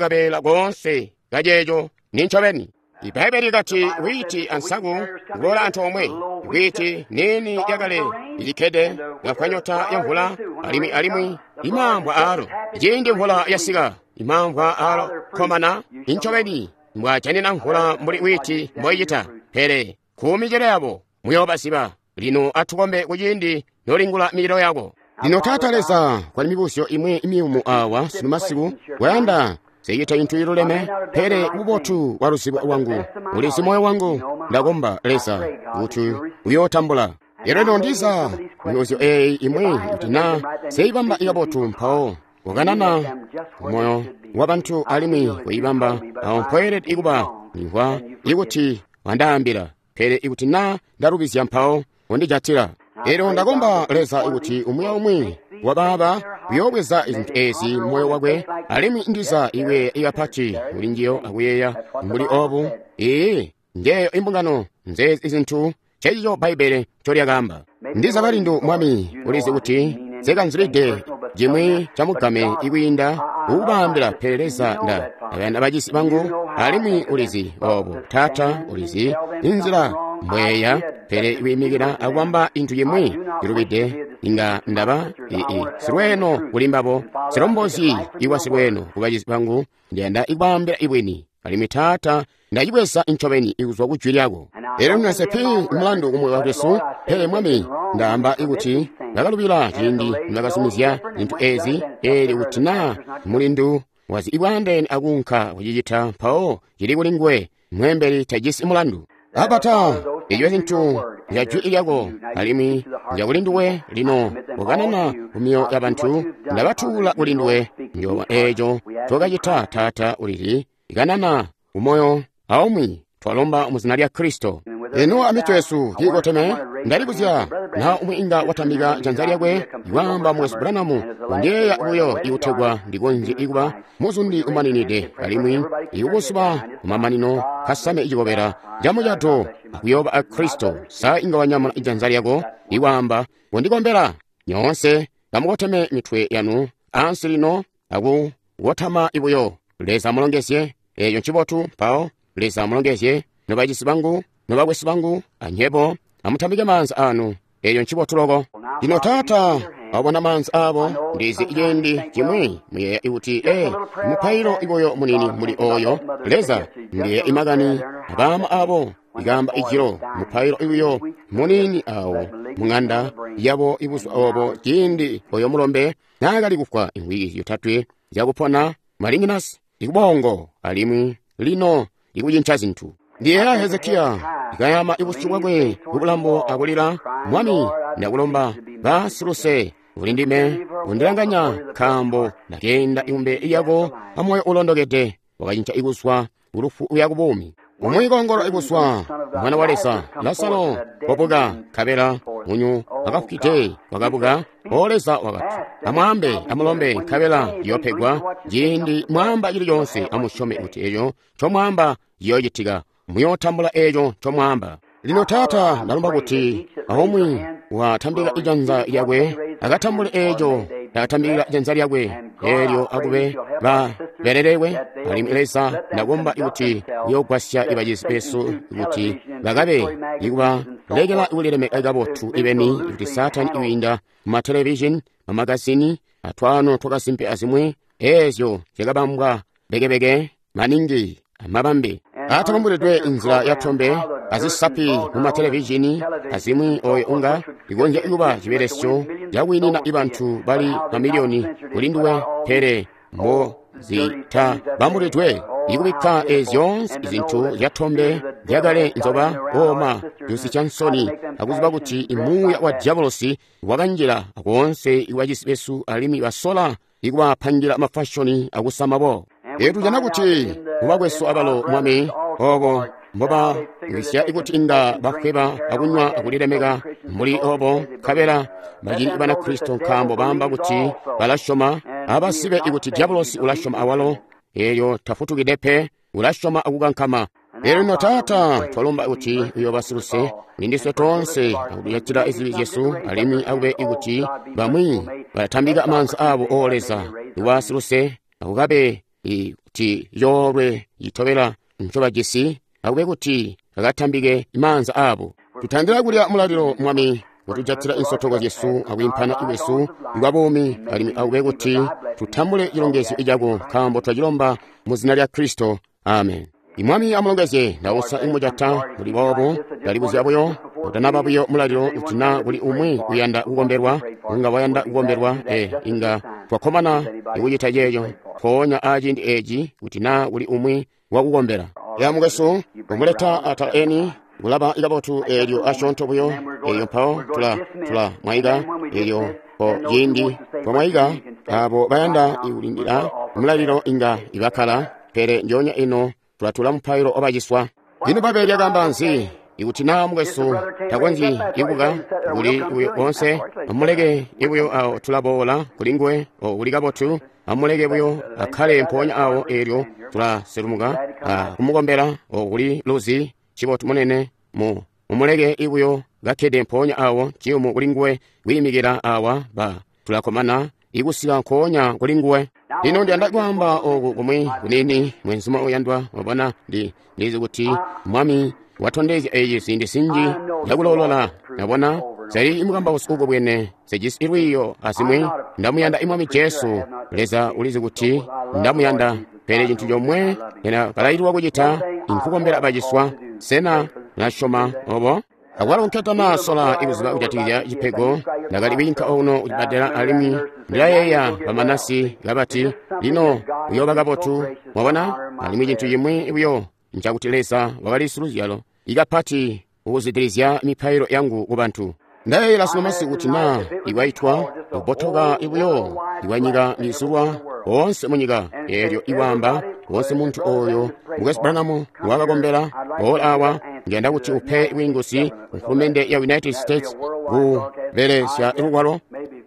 Speaker 1: kabeela koonse kaceeco nincobeni. Ibbaibeli likati wiiti ansaku kuboola antoomwe, wiiti niini yakale ilikkede ngafwa nyota ya mvula, alimwi alimwi imamvwa aalo. Ciindi mvula yasika, imamvwa aalo komana incobeni mbwajanina mvula mbuli wiiti mboicita. Pele kumicelo yabo muyoobaziba. Lino atukombe kuciindi nolingula micelo yako. Lino Taata Leza, kwali mibuzyo imwi imiyumu awa sunu masiku wayanda seyita intu iluleme, pele bubotu bwa luzibo lwangu ulizi moyo wangu. Ndakomba Leza kuti uyootambula. Lero lino ndiza mibuzyo eeyi imwi kuti na seibamba ikabotu, mpawo wakanana moyo wa bantu alimwi kuibamba awo mpoelede ikuba nimvwa ikuti wandaambila, pele ikuti na ndalubizya mpawo wandijatila. Lero ndakomba Leza ikuti umwi aumwi wabaaba uyoobweza izintu ezi mmoyo wakwe, alimwi ndiza iwe ikapati kuli njiyo akuyeeya mbuli obu. Ee, njeyo imbungano nzeezi izintu cecico Bbaibele ncolyakaamba. Ndiza balindu Mwami ulizi kuti nsekanzulide cimwi camugame ikwiinda ukubaambila, pele Leza nda abana bacisi bangu, alimwi ulizi obo. Taata ulizi inzila mbweya, pele kwiimikila akubamba intu cimwi cilubide inga ndaba ii silweno kuli mbabo, silombozi iwa silweno ku bacisi bangu. Ndiyanda ikwaambila ibwini, alimwi Taata ndacibweza incobeni ikuzwa ku jwi lyako. Lero nase pi mulandu kumwe wakwesu, pele Mwami ndaamba ikuti ndakalubila ciindi ndakazumizya zintu ezi, eli kuti na mulindu wazi ibwaandeene akuunka kucicita, mpawo cili kuli nguwe mwembeli tajisi mulandu. Abata eco zintu nzya jwi lyako alimwi nzya kuli nduwe. Lino ukanana kumyoyo ya bantu, ndabatuula kuli nduwe. Njoba eco ncokacita Taata ulizi, ikanana kumoyo aumwi twalomba muzina lya Kristo. Eno amitwe yesu kiikoteme, ndalibuzya na umwi inga watambika janza lyakwe iwaamba Mwesu Branamu undiyeeya buyo ikutegwa ndikonzye ikuba muzundi umaninide, alimwi ikubuzuba kumamanino kasame icikobela camucato akuyooba a Kristo. Sa inga wanyamula ijanza lyako iwaamba kundikombela? Nyoonse kamukoteme mitwe yanu ansi lino akukotama ibuyo. Leza amulongezye. Eeco ncibotu. Mpawo Leza amulongezye nobacisi bangu, nobakwesu bangu, anyebo amutambike maanza anu. Eeco ncibotu loko. Lino Taata wabona maanza abo. Ndizi ciindi cimwi muyeeya ikuti mupailo ibuyo munini muli oyo. Leza ndiyeeya imakani abaama abo ikaamba ijilo, mupailo ibuyo munini awo mung'anda yabo ibuzuba obo ciindi oyo mulombe naakali kufwa imvwiki zyotatwe zyakupona malinginasi ikubongo alimwi lino ikucinca zintu. Ndiyeeya Hezekiya ikayama ibusyu bwakwe kubulambo akulila, Mwami, ndakulomba basiluse uli ndime undilanganya nkaambo ndakeenda imbele lyako amoyo ulondokede. Wakacinca ikuzwa kulufu uya kubuumi. Umwi koongolola ikuzwa mwana wa Leza, Lazaro wabuka, nkabela munyu akafwide wakabuka. O Leza wakati, amwaambe amulombe nkabela yoopegwa. Ciindi mwaamba cili coonse amusyome kuti eco ncomwaamba ciyoocitika, muyootambula eco ncomwaamba. Lino Taata, ndalomba kuti aumwi watambika ijanza lyakwe akatambule eco ndakatambikila janza lyakwe eelyo akube babelelewe. Alimwi Leza, ndakomba kuti uyoogwasya ibacizi besu kuti bakabe ikubalekela kulilemeka kabotu ibeni, kuti Saatani iwiinda mumatelevishini, mamagazini, atwaano twakasimpe azimwi eezyo zyakabambwa bekebeke maningi amabambe atabambulidwe inzila yatombe azisapi mumatelevishini azimwi, oyo unga ikonzya kuba cibelesyo cakwiinina ibantu bali mamiliyoni kuli nduwe, pele mbo zitabambulidwe ikubikka eezyo zintu zyatombe zyakale nzoba ooma cusi ca nsoni akuziba kuti imuuya wa diabolosi wakanjila koonse iwacisi besu alimwi basola ikubapangira mafashoni akusama bo. Eyo tujana kuti mubakwesu abalo Mwami obo mbobawisya ikuti inga bafweba akunywa akulilemeka mbuli obo, nkabela bacili Banakristo nkaambo baamba kuti balasyoma, abasibe ikuti diabolosi ulasyoma awalo, eelyo tafutukide pe, ulasyoma akukankama. Eelyo lino Taata, twalomba kuti uyoobasiluse kulindiswe toonse akutujatila izibi zyesu, alimwi akube ikuti bamwi balatambika maanza abo, O Leza, iwasiluse akukabe kuti yoolwe itobela ncobajisi, akube kuti akatambike maanza abo. Tutandila kulya mulalilo Mwami, kutujatila insotoko zyesu akwiimpana kwesu kwa buumi, alimwi akube kuti tutambule cilongezyo cako nkaambo twacilomba mu zina lya Kristo. Amen. Imwami amulongezye. Ndausa imujata muli boobo, ndalibuzya buyo utanaba buyo mulalilo kuti na kuli umwi uyanda kukombelwa, unga wayanda kukombelwa, inga twakkomana ikucita ceeco mpoonya aciindi eeci kuti na kuli umwi wakukombela. Ya mukwesu, kumuleta atala eni kulaba ikabotu eelyo asyoonto buyo, eelyo mpawo tula mwayika, eelyo po ciindi twamwayika abo bayanda ikulindila mulalilo inga ibakkala, pele njoonya ino tulatula mupailo obaciswa. Lino Bbaibbele lyakaamba nzi? Ikuti naa mukwesu takonzyi ikuka kuli uyo onse, amuleke ibuyo awo tulaboola kuli nguwe kuli kabotu, amuleke buyo akkale mpoonya awo, eelyo tulaselumuka kumukombela kuli luzi cibotu munene mumuleke ibuyo kakkede mpoonya awo ciyumu kuli nguwe kwiimikila awa ba tulakkomana ikusika nkoonya kuli nguwe. Lino ndiyanda kwaamba oku kumwi kunini, mwenzuma uyandwa, wabona ndizi kuti Mwami watondezya eci ziindi zinji zyakulolola. Nabona zali imukambausi uko bwene sejisi ilwiiyo azimwi. Ndamuyanda imwami Jesu, Leza ulizi kuti ndamuyanda, pele cintu comwe ndakalaililwa kucita inkukombela baciswa. Sena mulasyoma obo? Akwalo nketana sola ikuziba kujatikizya cipego, ndakali kwiinka ono kucibbadela, alimwi ndilayeeya bamanasi kabati, lino uyooba kabotu, mwabona. Alimwi cintu cimwi buyo ncakuti Leza wakali siluzyalo ikapati kukuzwidilizya mipailo yangu kubantu. Ndayeeyela sunu kuti naa ikwaitwa kubotoka ibuyo iwanyika mizulwa oonse munyika, eelyo iwaamba woonse muntu oyo mukwesu Branham wakakombela boola awa, ndiyanda kuti upe bwiinguzi mfulumende ya United States kubelesya lugwalo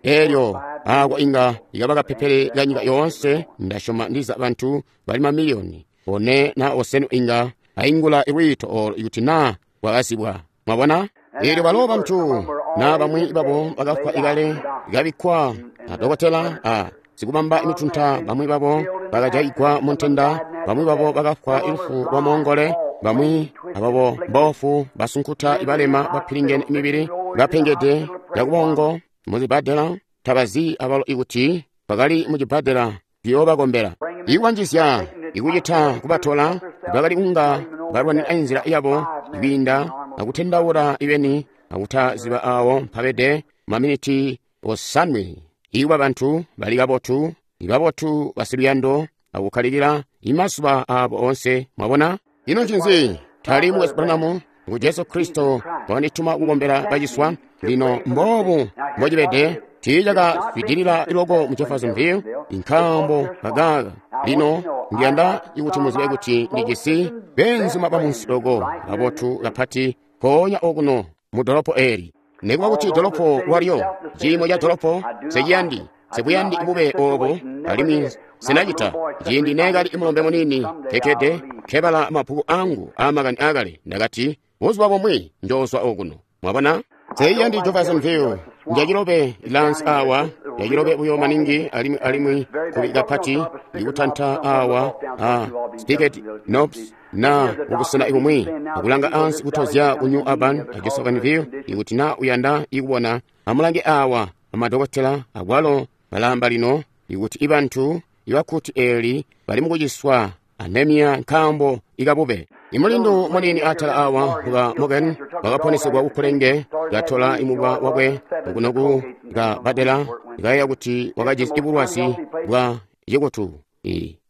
Speaker 1: eelyo ako inga ikaba kapepele ka nyika yoonse. Ndasyoma ndiza bantu bali mamiliyoni 4 na 5 inga aingula lwiito olo ikuti naa bwakazibwa. Mwabona? Eelyo balo bantu na bamwi babo bakafwa ikale ikabikkwa na dokotela a sikubamba imitunta, bamwi babo bakajayigwa mu ntenda, bamwi babo bakafwa ilufu lwa moongole, bamwi ababo mboofu, basunkuta, ibalema, bapilingene imibili, bapengede yakubongo muzibbadela, tabazi abalo ikuti bakali mucibbadela biyoobakombela. Ikubanjizya ikucita kubatola bakali kunga balwanira inzila yabo kwiinda akutendaula ibeni akutaziba awo mpabede. maminiti 7. Ikuba bantu bali kabotu, ibabotu basiluyando, akukkalikila imazuba abo onse. Mwabona? Ino ncinzi? Tali Mukwesu Branham, ngu Jesu Kristo wandituma kukombela baciswa. Lino mboobu mbocibede, tiicakazwidilila loko mu Jeffersonville, nkaambo kakaaka. Lino ndiyanda kuti muzibe kuti ndijisi beenzuma bamunsi loko babotu kapati mpoonya okuno mu dolopo eli. Nekuba kuti dolopo lwalyo, ciimo ca dolopo, seciyandi, sebuyandi bube obo, alimwi sinacita. Ciindi neekali mulombe muniini kekkede nkebala mabbuku angu aamakani aakale, ndakati, buzuba bumwi njoozwa okuno. Mwabona? Seiyandi Jeffersonville njacilobe lansi awa, njacilobe buyo maningi, alimwi kubi kapati ikutanta awa a Spicket Knobs na kubusena ibumwi, akulanga ansi kutozya ku New Albany a Jeffersonville. Ikuti na uyanda ikubona, amulange awa amadokotela akwalo balamba lino ikuti ibantu ibakuti eli bali mukuciswa anemia nkaambo ikabube. Imulindu munini atala awa muka Morgan wakaponesegwa kukulenge, katola imubwa wakwe okunoku kabadela, ikayeeya kuti wakajisi ibulwazi bwa cikutu,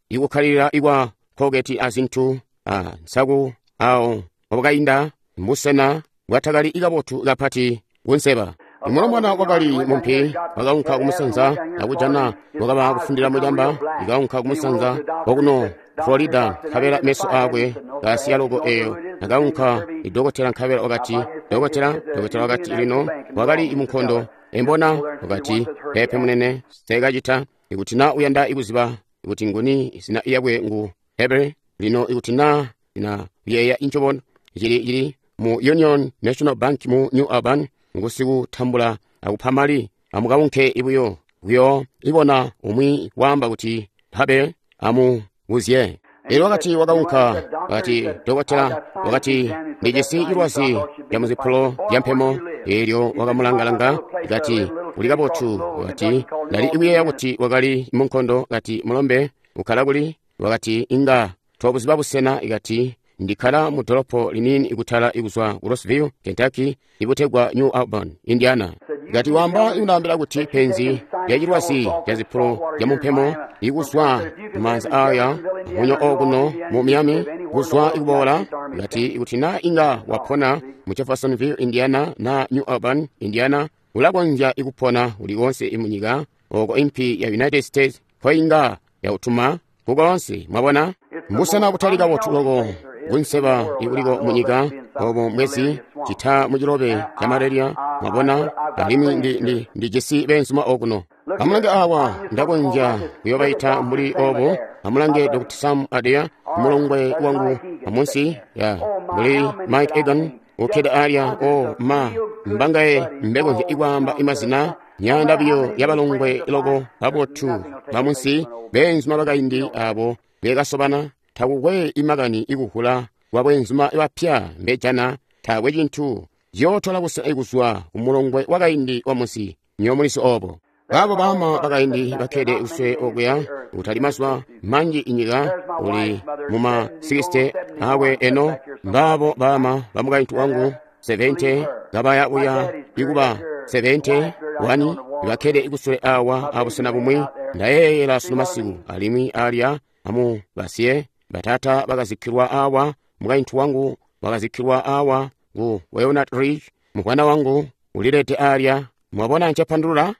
Speaker 1: ikukkalilila ikwa koketi azintu a nsaku awo wabwakainda mbusena bwatakali ikabotu kapati kunseba. Imulombwana wakali mumpi wakaunka kumusanza akujana wakaba kufundila mucamba, ikaunka kumusanza wakuno Florida, nkabela meso akwe kasiya loko eyo. Akaunka idokotela, nkabela wakati, dokotela wakati lino wakali munkondo embona. Wakati, pepe munene, sekacita. Ikuti na uyanda ikuziba ikuti nguni, izina yakwe ngu Heber. Lino ikuti na na yeya inchobona chili mu Union National Bank mu New Albany, ngusikutambula akupha mali. Amukaunke ibuyo kuyo ibona umwi waamba kuti Habe amubuzye. Elyo wakati wakaunka, wakati dokotela wakati ndijisi ilwazi lya muzipulo lya mpemo. Elyo wakamulangalanga, kati uli kabotu. Wakati ndali ikuyeeya kuti wakali munkondo. Kati mulombe ukkala kuli? Wakati inga tobuziba busena. Ikati ndikkala mu dolopo linini ikutala ikuzwa ku Roseville, Kentucky, ibutegwa New Albany, Indiana. Kati wamba ikundaambila kuti penzi lya cilwazi lya zipulo lya mumpemo ikuzwa mumaanza aya munyo okuno mu Miami kuzwa ikuboola. Kati ikuti na inga wapona mu Jeffersonville, Indiana na New Albany, Indiana, ulakonzya ikupona uliwonse imunyika oko impi ya United States koinga yautuma kukonse. Mwabona? Mbusena butali kabotu loko kunseba ikuliko munyika obo mwezi cita mucilobe ca malaria. Mwabona? Alimwi ndijisi beenzuma okuno. Amulange awa, ndakonzya kuyobaita mbuli obo. Amulange Dr. Sam Adair, mulongwe wangu amunsi ya mbuli Mike Egan ukkede alya. O ma mbangaye mbekonzya ikwaamba imazina nyanda biyo yabalongwe loko babotu bamunsi, beenzuma bakaindi abo bekasobana. Takukwe imakani ikuhula kwa bweenzuma bapya mbejana, taakwe cintu ciyootola busena ikuzwa kumulongwe wakaindi wa munsi. Nyomuliso obo baabo baama bakaindi bakkede kuswe okuya kutali mazuba manji inyika uli muma 60 akwe eno. Mbaabo baama bamukaintu wangu 70 kabaya kuya ikuba 71 bakkede ikusule awa abusena bumwi. Ndayeeyela sunu masiku alimwi alya amu basiye batata bakazikkilwa awa, mukaintu wangu wakazikkilwa awa ku Walnut Ridge, mukwana wangu ulilete alya. Mwabona ncepandulula?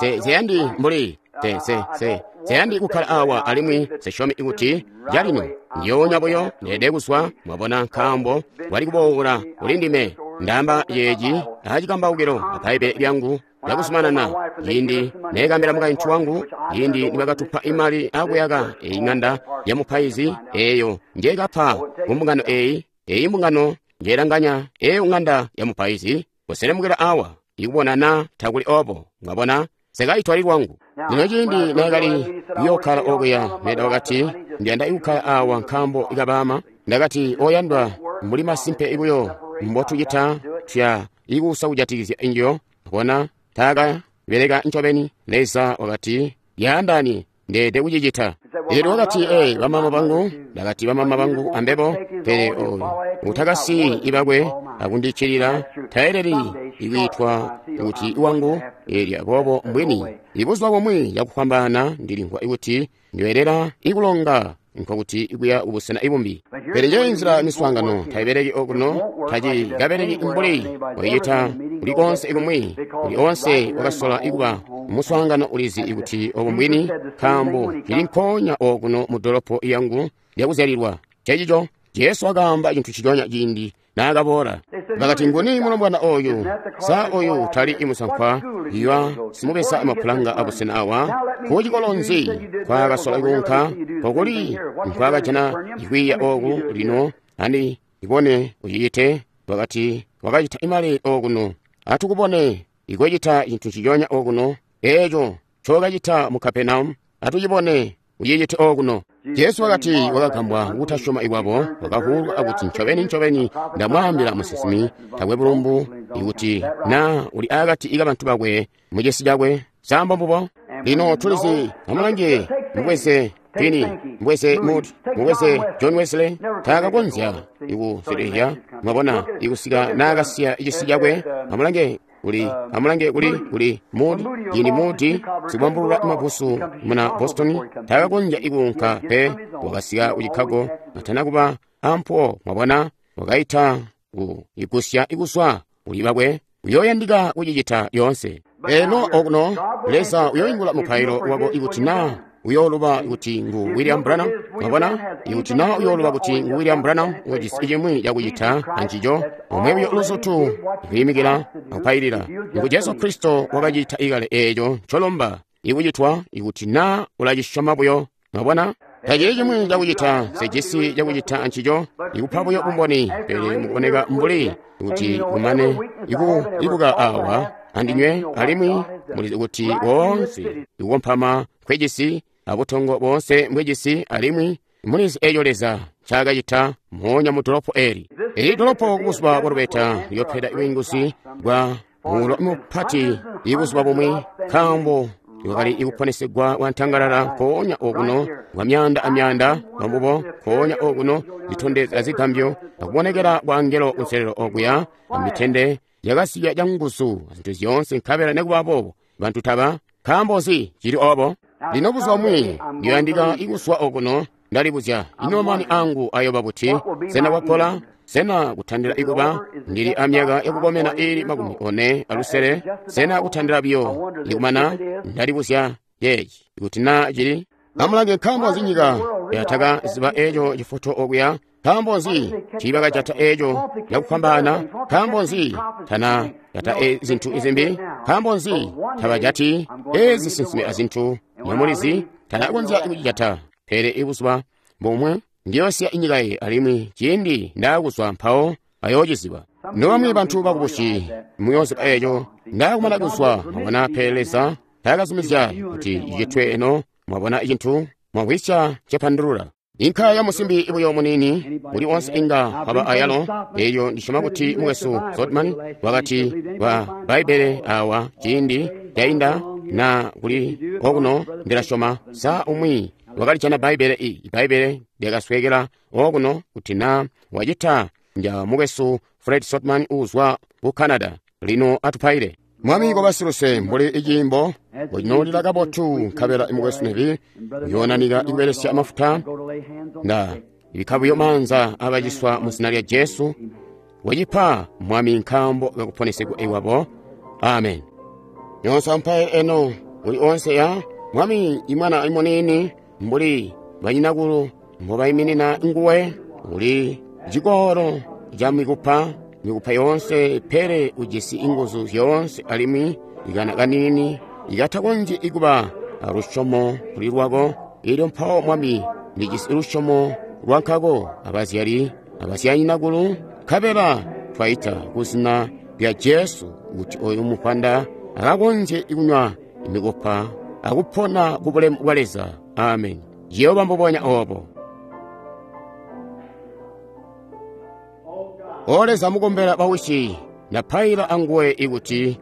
Speaker 1: Seyandi mbuli seyandi kukkala awa, alimwi sesyomi ikuti jalino ndiyoonya buyo ndeede kuzwa. Mwabona, nkaambo wali kuboola kuli ndime. Ndamba yeeci acikambaukilo abbaibbele lyangu lyakuzumanana. Ciindi neekambila mukaintu wangu, ciindi nibakatupa imali akuyaka eyi ng'anda ya mupaizi eyo njeekapa kumbungano eyi, eyi mbungano njeelanganya eyo ng'anda ya mupaizi, kuselemukila awa ikubonana takuli obo. Mwabona, sekaitwali lwangu. Lino ciindi neekali kuyokkala okuya, Meda wakati ndiyanda ikukkala awa nkaambo ikabaama. Ndakati oyandwa, mbuli masimpe ibuyo mbotucita tuya ikuusa kujatikizya injo. Bona taaka beleka ncobeni. Leza wakati yaandani ndeede kucicita. Elyo wakati bamama bangu. Ndakati bamama bangu ambebo, pele oyo utakasiyi ibakwe akundiccilila taeleli ikwiitwa kuti wangu. Eelyo aboobo mbwini ibuzuba bumwi cakufwambaana ndilimvwa kuti ndiyoelela ikulonga, nkokuti ikuya kubusena ibumbi. Pele njeyo inzila miswaangano taibeleki okuno, tacikabeleki mbuli waicita kuli konse ikumwi. Kuli onse wakasola ikuba muswaangano ulizi kuti obo mbwini, nkaambo cili nkoonya okuno mu dolopo yangu lyakuzyalilwa. Ncencico Jesu wakaamba cintu nciconya ciindi naakaboola. Bakati, nguni mulombwana oyu? Sa oyu tali imusankwa iwa simubeza mapulanga abusena awa? Kucikolo nzi nkwaakasola kuunka? Nkokuli nkwaakajana ikwiiya oku? Lino andi ibone ucicite. Wakati wakacita imali okuno. Atukubone ikucita cintu nciconya okuno, eeco ncookacita mu Kapernaum. Atucibone ucicite okuno. Jesu wakati wakagambwa kutasyoma ikwabo, wakavuulwa akuti, ncobeni ncobeni ndamwaambila musinsimi takwe bulumbu ikuti na uli akati kabantu bakwe mucisi cakwe. Sambo mbubo. Lino tulizi, amulange, mubweze Finney, mubweze Moody, mubweze John Wesley, taakakonzya ikuselehya, mwabona, ikusika naakasiya cisi cakwe. Amulange kuli, amulange kuli, kuli Moody, ciindi Moody sikubambulula mabusu muna Boston taakakonzya ikuunka pe, wakasika ku Chicago atana kuba ampuwo, mwabona, wakaita ku igusya ikuswa kuli bakwe. Uyooyandika kucicita lyoonse. Eno okuno Leza uyoingula mupailo wako ikuti na uyooluba kuti ngu William Branham. Mwabona, ikuti na uyooluba kuti ngu William Branham, ujisi cimwi cakucita ancico, omwe buyo luzutu kwiimikila akupailila. Ngu Jesu Kristo wakacita ikale eeco ncolomba ikucitwa ikuti na ulacisyoma buyo. Mwabona, tacili cimwi cakucita, sejisi cakucita ancico, ikupa buyo bumboni, pele mukuboneka mbuli kuti kumane ikubuka awa andinywe, alimwi mulizi kuti woonse ikukompama nkwejisi abutongo boonse mbwejisi, alimwi mulizi eeco Leza ncaakacita moonya mu dolopo eli. Eli dolopo kubuzuba bwa lubeta liyoopeda bwiinguzi bwa muulo mupati ibuzuba bumwi, nkaambo iwakali ikuponesegwa kwantangalala nkoonya okuno kwa myaanda amyaanda bambubo, nkoonya okuno zitondezya zigambyo akubonekela kwa angelo kunselelo okuya amitende yakasiya canguzu zintu zyoonse, nkabela nekuba boobo bantu taba. Nkaambo nzi cili obo? Lino buzuba bumwi ndiyoyandika ikuswa okuno. Ndalibuzya, ino mani angu ayoba buti? Sena kwakola? Sena kutandila ikuba ndili amyaka yakukomena iili 46? Sena kutandila biyo ikumana? Ndalibuzya yeeci ikuti na cili. Amulange, nkaambo nzi nyika yataka ziba eeco cifoto okuya? Nkaambo nzi tiibakajata eeco cakufwambaana? Nkaambo nzi tana jata zintu izimbi? Nkaambo nzi tabajati ezi sinsimi azintu? Nyamulizi tanakonzya kucijata. Pele ibuzuba bumwe ndiyosiya inyika iyi, alimwi ciindi ndaakuzwa mpawo ayoociziba. Nobamwi bantu bakubusi muyooziba eeco ndaakumana kuzwa. Mwabona, pele Leza taakazumizya kuti icitwe eno. Mwabona cintu mwamvwisya cepandulula. Inka ya musimbi buyo muniini uli onse inga waba ayalo. Eeyo ndisyoma kuti mukwesu Zotman wakati wa Bbaibbele awa ciindi cainda na kuli okuno, ndilasyoma sa umwi wakalijana Bbaibbele i Bbaibbele lyakaswekela okuno, kuti na wacita nja mukwesu Fred Sotman uuzwa ku Canada. Lino atupaile. Mwami kobasiluse mbuli iciimbo ucinoolila kabotu, nkabela mukwesu Nevi uyoonanika ikubelesya amafuta. Nda ibikka buyo maanza abaciswa mu zina lya Jesu. Wacipa Mwami nkaambo kakuponesegwa iwabo. Amen. Nyonse ampaye eno uli onse ya Mwami imwana imuniini mbuli banyinakulu mbobayiminina nguwe, uli cikolo ca mikupa, mikupa yoonse, pele ujisi inguzu zyoonse, alimwi ikana kaniini ikatakonzyi ikuba alusyomo kuli lwako. Elyo mpawo Mwami, ndijisi lusyomo lwankako abazyali abasyanyinakulu, nkabela twaita ku zina lya Jesu kuti oyu mupanda akakonzye kunywa mikupa akupona ku bulemu bwa Leza. Amen. Ciyooba mbubonya obo. O Leza, mukombela bawisi, ndapaila anguwe ikuti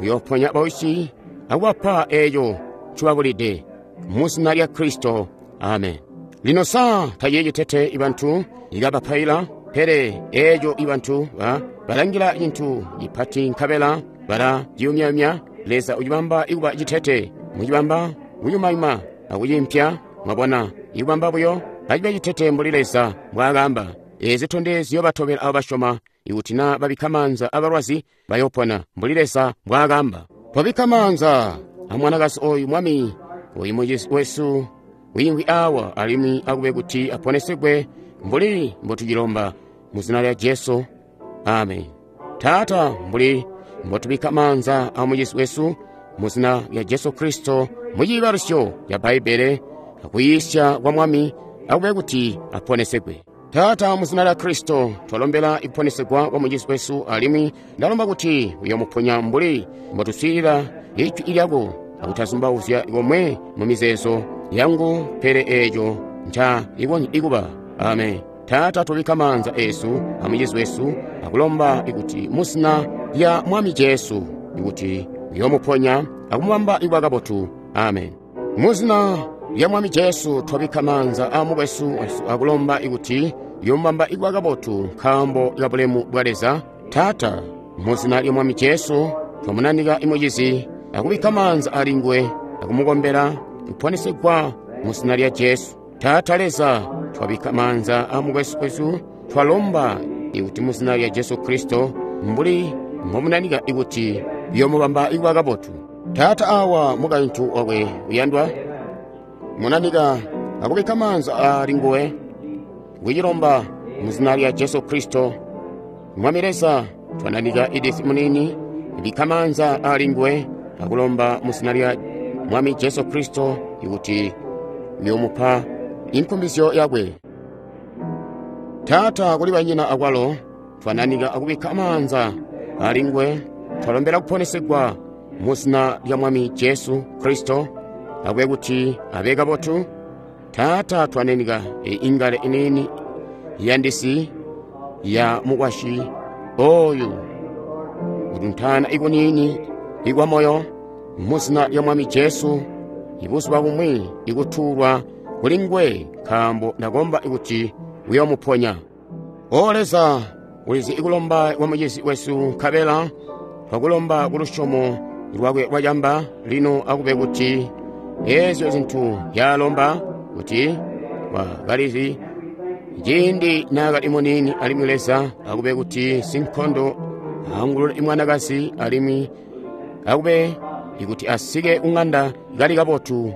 Speaker 1: uyooponya bawisi akubapa eeco ncobabulide, mu zina lya Kristo. Amen. Lino sa tacili citete ibantu ikabapaila, pele eeco ibantu ba Balangila cintu cipati nkabela bala ciyumyayumya. Leza ucibamba ikuba citete, mucibamba kuyumayuma akucimpya. Mwabona, ikubamba buyo acibe citete mbuli Leza mbwaakaamba. Eezi zitondezyo batobela abo basyoma, ikuti na babikka maanza abalwazi bayopona mbuli Leza mbwaakaamba. Twabikka maanza amwanakazi oyu, Mwami, oyu mucizi wesu wiimvwi awa, alimwi akube kuti aponesegwe mbuli mbotucilomba mu zina lya Jesu. Amen. Taata, mbuli mbotubikka maanza a mucizi wesu mu zina lya Jesu Kristo mu ciibalusyo ca Bbaibbele akuyiisya kwa Mwami, akube kuti aponesegwe. Taata, mu zina lya Kristo twalombela ikuponesegwa kwa mucizi wesu, alimwi ndalomba kuti uyomuponya mbuli mbotuswiilila ijwi lyako akutazumbauzya komwe mu mizeezo yangu, pele eeco nca ikonzya ikuba. Amen. Taata, tubikka maanza eesu amucizi wesu akulomba ikuti mu zina lya Mwami Jesu ikuti uyomuponya akumubamba ikuba kabotu. Amen. Mu zina lya Mwami Jesu twabikka maanza a mukwesu wesu akulomba ikuti uyomubamba ikuba kabotu nkaambo ka bulemu bwa Leza. Taata, mu zina lya Mwami Jesu twamunanika imucizi akubikka maanza alinguwe akumukombela kuponesegwa mu zina lya Jesu. Taata Leza, twabikka maanza a mukwesu wesu, twalomba ikuti mu zina lya Jesu Kristo mbuli mbomunanika ikuti uyomubamba ikuba kabotu. Taata, awa mukaintu wakwe uyandwa munanika akubikka maanza alinguwe kucilomba mu zina lya Jesu Kristo. Mwami Leza, twananika Edith munini, bikka maanza alinguwe akulomba mu zina lya Mwami Jesu Kristo ikuti uyomupa inkumbizyo yakwe. Taata, kuli banyina akwalo twananika akubikka maanza alinguwe, twalombela kuponesegwa mu zina lya Mwami Jesu Kristo, akube kuti abe kabotu. Taata, twananika ingale iniini yandisi ya mukwasyi oyu kutuntana ikuniini ikwa moyo mu zina lya Mwami Jesu, ibuzuba bumwi ikutuulwa kuli nguwe, nkaambo ndakomba ikuti uyomuponya. O Leza, ulizi ikulomba kwa mucizi wesu, nkabela twakulomba ku lusyomo lwakwe lwacamba. Lino akube kuti eezyo zintu yalomba kuti wakalizi ciindi naakali muniini, alimwi Leza akube kuti sinkondo aangulule imwanakazi, alimwi akube ikuti asike kung'anda kali kabotu.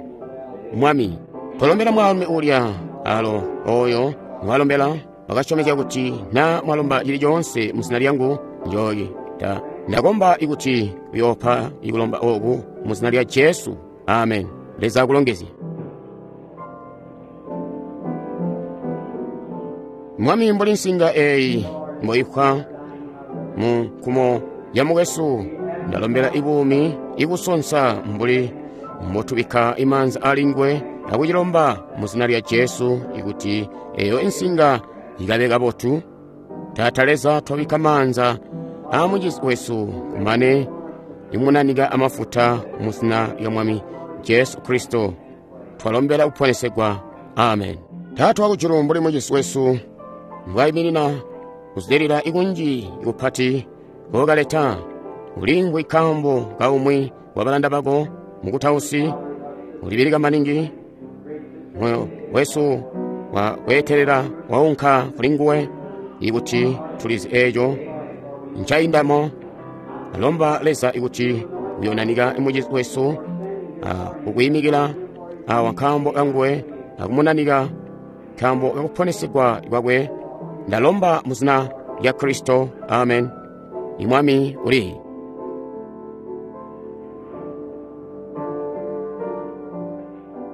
Speaker 1: Mwami, twalombela mwaalumi ulya alo oyo mwalombela wakasyomezya kuti na mwalomba cili coonse mu zina lyangu njoocita. Ndakomba ikuti uyoopa ikulomba oku mu zina lya Jesu. Amen. Leza akulongezye. Mwami, mbuli nsinga eyi mboikhwa mu nkumo ya mukwesu, ndalombela ibuumi ikusonsa mbuli mbotubikka imaanza alinguwe akucilomba mu zina lya Jesu ikuti eyo insinga ikabe kabotu. Taata Leza, twabikka maanza a mucizi wesu kumane imunanika amafuta mu zina lya Mwami Jesu Kristo, twalombela kuponesegwa. Amen. Taata wakujulu, mbuli mucizi wesu mbwayiminina kuzilila ikunji ikupati kokaleta, ulingwe nkaambo kaumwi wa balanda bako mukutausi ulibilika maningi, moyo wesu wa kweetelela waunka kuli nguwe, ikuti tulizi eeco ncaindamo. Alomba Leza ikuti uyonanika mucizi wesu ukuyimikila awa nkaambo kanguwe akumunanika nkaambo kakuponesegwa kwakwe. Ndalomba mu zina lya Kristo. Amen. Imwami uli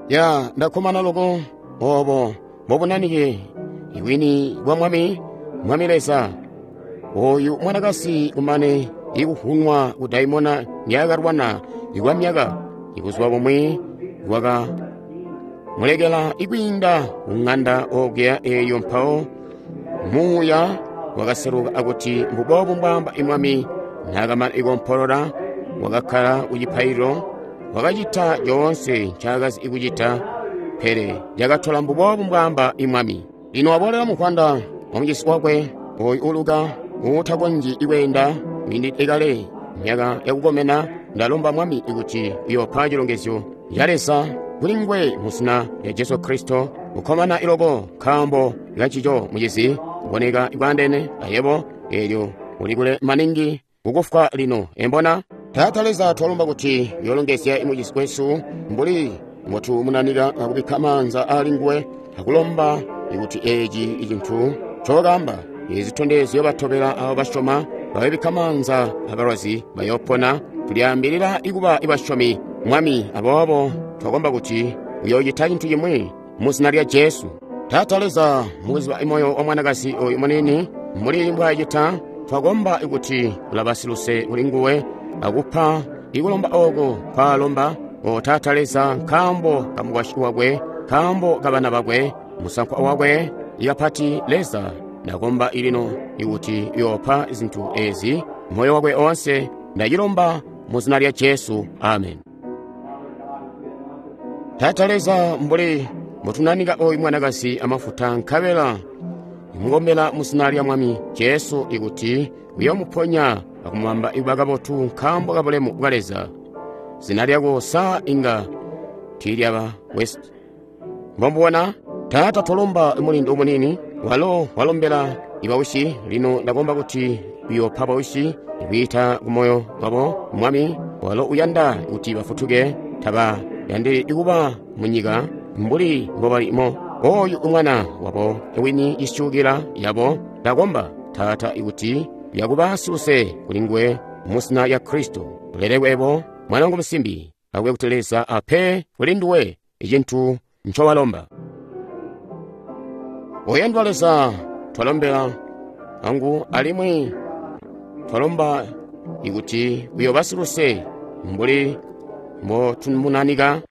Speaker 1: ya ndakkomana loko obo mbobunanike iwini bwa Mwami, Mwami Leza. Oyu mwanakasi kumane ikuhunwa kudaimona nyakalwana ikwa myaka ikuzwa bumwi bwaka mulekela ikwiinda kung'anda okuya eyo. Mpawo muuya wakaseluka akuti mbubobu mbwaamba imwami. Naakamana ikompolola, wakakkala kucipaililo, wakacita coonse ncaakazi ikucita, pele cakatola mbubobu mbwaamba imwami. Lino waboolela mukwanda wa mucisi wakwe oyu uluka uutakonzyi kweenda wiindide kale myaka yakukomena. Ndalomba Mwami kuti uyoopa cilongezyo ya Leza kuli nguwe mu zina lya Jesu Kristo. Kukkomana iloko nkaambo kancico mucizi kuboneka kwaandeene ayebo, eelyo uli kule maningi kukufwa lino. Embona Taata Leza, twalomba kuti uyoolongezya mucizi wesu mbuli mbotumunanika akubikka maanza ali nguwe, akulomba kuti eeci icintu ncookamba izitondezyo batobela abo basyoma, bayobikka maanza abalwazi bayoopona. Tulyaambilila ikuba ibasyomi, Mwami, aboobo twakomba kuti uyoocita cintu cimwi mu zina lya Jesu. Taata Leza, mukuziba moyo wa mwanakazi oyu muniini mbuli mbwaacita, twakomba kuti ulaba siluse kuli nguwe akupa ikulomba oko nkwaalomba. O Taata Leza, nkaambo kamukwasyi wakwe, nkaambo kabana bakwe, musankwa wakwe ikapati, Leza, ndakomba ilino ikuti uyoopa zintu ezi moyo wakwe oonse. Ndacilomba mu zina lya Jesu, amen. Taata Leza, mbuli mbotunanika oyu mwanakazi amafuta, nkabela imukombela mu zina lya Mwami Jesu ikuti uyoomuponya akumubamba ikuba kabotu nkaambo kabulemu bwa Leza. Zina lyako sa inga tiilyaba West. Mbombubona Taata, twalomba mulindu muniini walo walombela ibawisi. Lino ndakomba kuti uyoopa bawisi ikwiita kumoyo wabo, Mwami, walo uyanda kuti bafutuke, taba yandi ikuba munyika mbuli mbobalimo. Oyu umwana wabo wini isyukila yabo, ndakomba Taata ikuti yakuba siluse kuli nguwe mu zina lya Kristo. Ulelekwe ebo mwana wangu musimbi, akube kuti Leza ape kuli nduwe icintu ncowalomba. Oyandwa Leza, twalombela angu alimwi twalomba ikuti uyoba siluse mbuli mbotumunanika.